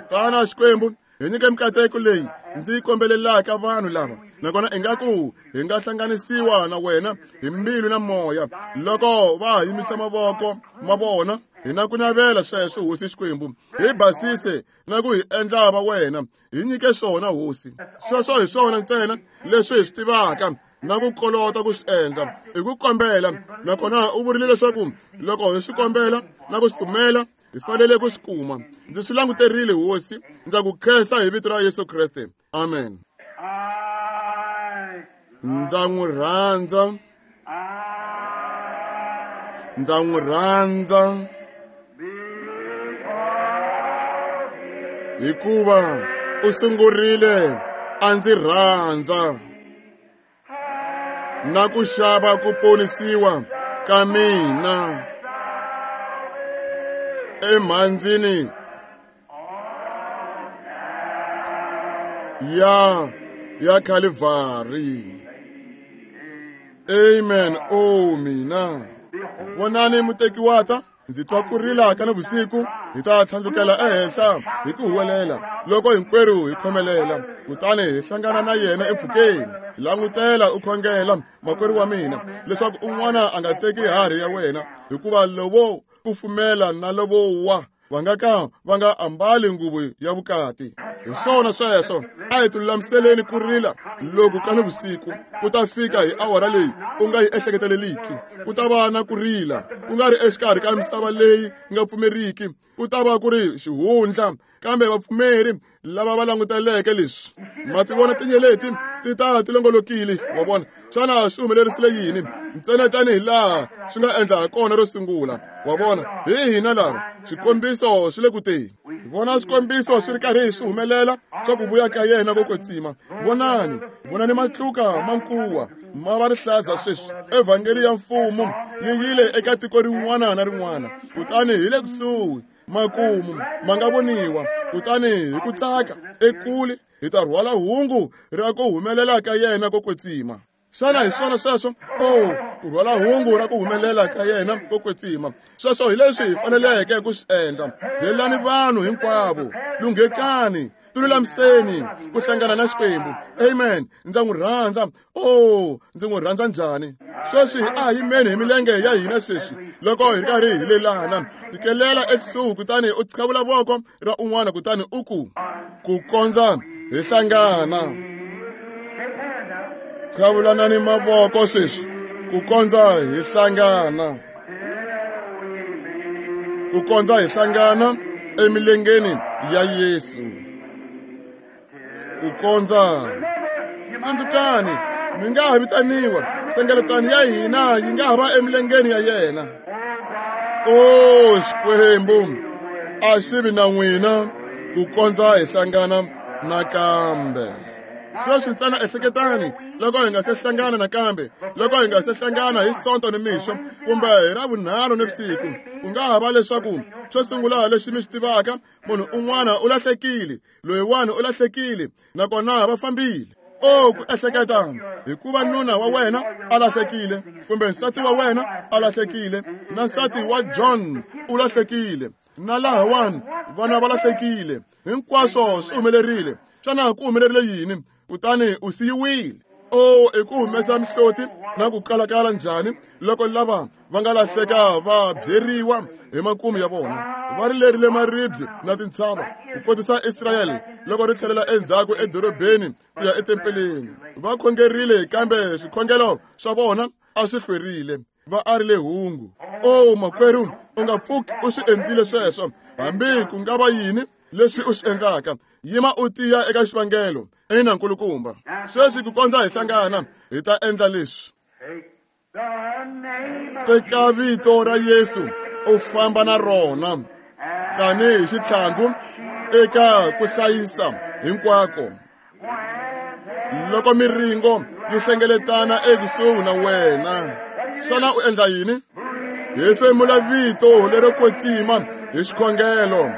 Tana Xikwembu, Hi nyike mikateko leyi ndzi yi kombelelaka vanhu lava, nakona ingaku hi nga hlanganisiwa na wena hi mbilu na moya loko va yimisa mavoko ma vona. Hi na ku navela sweswo, Hosi Xikwembu, hi basise na ku hi endla va wena. Hi nyike swona, Hosi. Sweswo hi swona ntsena leswi hi swi tivaka na ku kolota ku swi endla i ku kombela. Nakona u vurile leswaku loko hi swi kombela na ku swi pfumela hi fanele ku swi kuma. Ndzi swi languterile, Hosi. Ndza ku khensa hi vito ra Yesu Kreste. Amen. Ndza n'wi rhandza, ndza n'wi rhandza, hikuva u sungurile a ndzi rhandza na ku xava ku ponisiwa ka mina emhandzini ya ya Calvary. Amen. O mina vonani muteki wa ta. Ndzi twa ku rila ka navusiku, hi ta tlhandlukela ehenhla hi ku huwelela loko hinkwerhu hi khomelela, kutani hi hlangana na yena empfhukeni. Langutela u khongela, makwerhu wa mina, leswaku un'wana a nga teki harhi ya wena, hikuva lovo kufumela na lovo wa va nga ka va nga ambali nguvu ya vukati. Hi swona sweswo, a hi tilulamiseleni ku rila loku ka nivusiku ku ta fika hi awara leyi u nga yi ehleketeleliki. Ku ta va na ku rila ku nga ri exikarhi ka misava leyi nga pfumeriki, ku ta va ku ri xihundla, kambe vapfumeri lava va languteleke leswi. Ma ti vona tinyeleti ti ta ti longolokile, wa vona. Xana swi humelerisile yini? Ntsena tanihi laha swi nga endla ha kona ro sungula, wa vona. Hi hina lava swikombiso swi le ku teni. Vona swikombiso swi ri karhi swi humelela swa ku vuya ka yena ko kwetsima. Vonani, vonani matluka ma nkuwa ma va rihlaza sweswi. Evhangeli ya mfumo yi yile eka tiko rin'wana na rin'wana, kutani hi le kusuhi makumu ma nga voniwa. Kutani hi ku tsaka ekule hi ta rhwala hungu ra ku humelela ka yena ko kwetsima. Xana hi swona sweswo? O, ku rhwala hungu ra ku humelela ka yena ko kwetsima. Sweswo hi leswi hi faneleke ku swi endla. Byelani vanhu hinkwavo, lunghekani, tilulamiseni ku hlangana na Xikwembu. Amen. Ndza n'wi rhandza. O, ndzi n'wi rhandza njhani? Sweswi a hi yimeni hi milenge ya hina sweswi loko hi ri karhi hi lelana. Fikelela ekusuhi kutani u qhavula voko ra un'wana kutani u ku, ku kondza hi hlangana. Qhavulanani mavoko sweswi ku kondza hi hlangana, ku kondza hi hlangana emilengeni ya Yesu. Ku kondza. Tsundzukani, mi nga ha vitaniwa nhlengeletano ya hina yi nga ha va emilengeni ya yena. O Xikwembu, a xi vi na n'wina ku kondza hi hlangana nakambe. Sweswi ntsena ehleketani loko hi nga se hlangana nakambe, loko hi nga se hlangana hi Sonto ni mixo kumbe hi Ravunharhu nivusiku, ku nga ha va leswaku xo sungula lexi mi xi tivaka, munhu un'wana u lahlekile, loyiwani u lahlekile, nakona va fambile. O ku ehleketa hikuva nuna wa wena a lahlekile, kumbe nsati wa wena a lahlekile, na nsati wa John u lahlekile, na lahawani vana va lahlekile, hinkwaswo swi humelerile. Xana ku humelerile yini? Kutani u siyiwile. O, i ku humesa mihloti na ku kalakala njhani loko lava va nga lahleka va byeriwa hi makumu ya vona. Va rilerile maribye na tintshava ku kotisa Israyele loko ri tlhelela endzhaku edorobeni ku ya etempeleni. Va khongerile, kambe swikhongelo swa vona a swi hlwerile. Va arile hungu. O makwerhu, u nga pfuki u swi endlile sweswo, hambi ku nga va yini leswi u swi endlaka. Yima u tiya eka xivangelo. Ina, nkulukumba. Sweswi ku kondza hi hlangana, hi ta endla leswi. Teka vito ra Yesu u famba na rona tanihi xitlhangu eka ku hlayisa hinkwako. Loko miringo yi hlengeletana ekusuhi na wena, xana u endla yini? Hefemula vito lero kwetsima hi xikhongelo,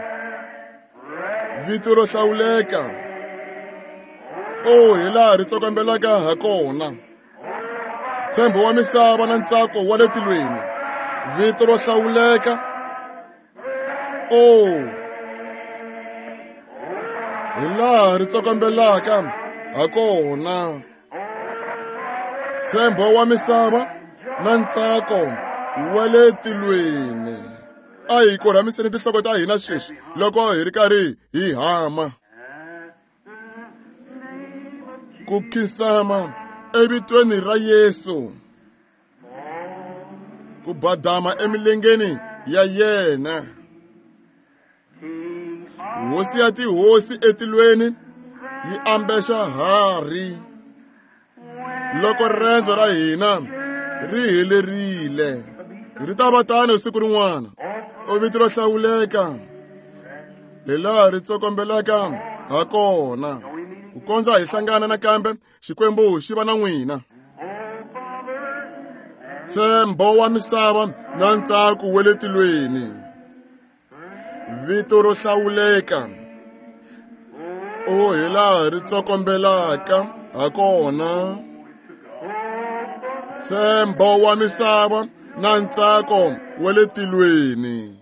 vito ro hlawuleka. O, hi laha ri tsokombelaka ha kona. Ntshembo wa misava na ntsako wa le tilweni, vito ro hlawuleka. O, Hi laha ri tsokombelaka hakona. Ntshembo wa misava na ntsako wa le tilweni. A hi korhamiseni tinhloko ta hina sweswi loko hi ri karhi hi hama. Ku khinsama evitweni ra Yesu. Ku badama emilengeni ya yena. Hosi ya tihosi etilweni yi ambexa harhi. Loko rendzo ra hina ri helerile, ri ta va tano siku rin'wana. O vito ro hlawuleka hi laha ri tsokombelaka hakona. Ku kondza hi hlangana nakambe, Xikwembu xi va na n'wina. Ntshembo wa misava na ntsako wa le tilweni. Vito ro hlawuleka o hi laha ri tsokombelaka hakona. Ntshembo wa misava na ntsako wa le tilweni.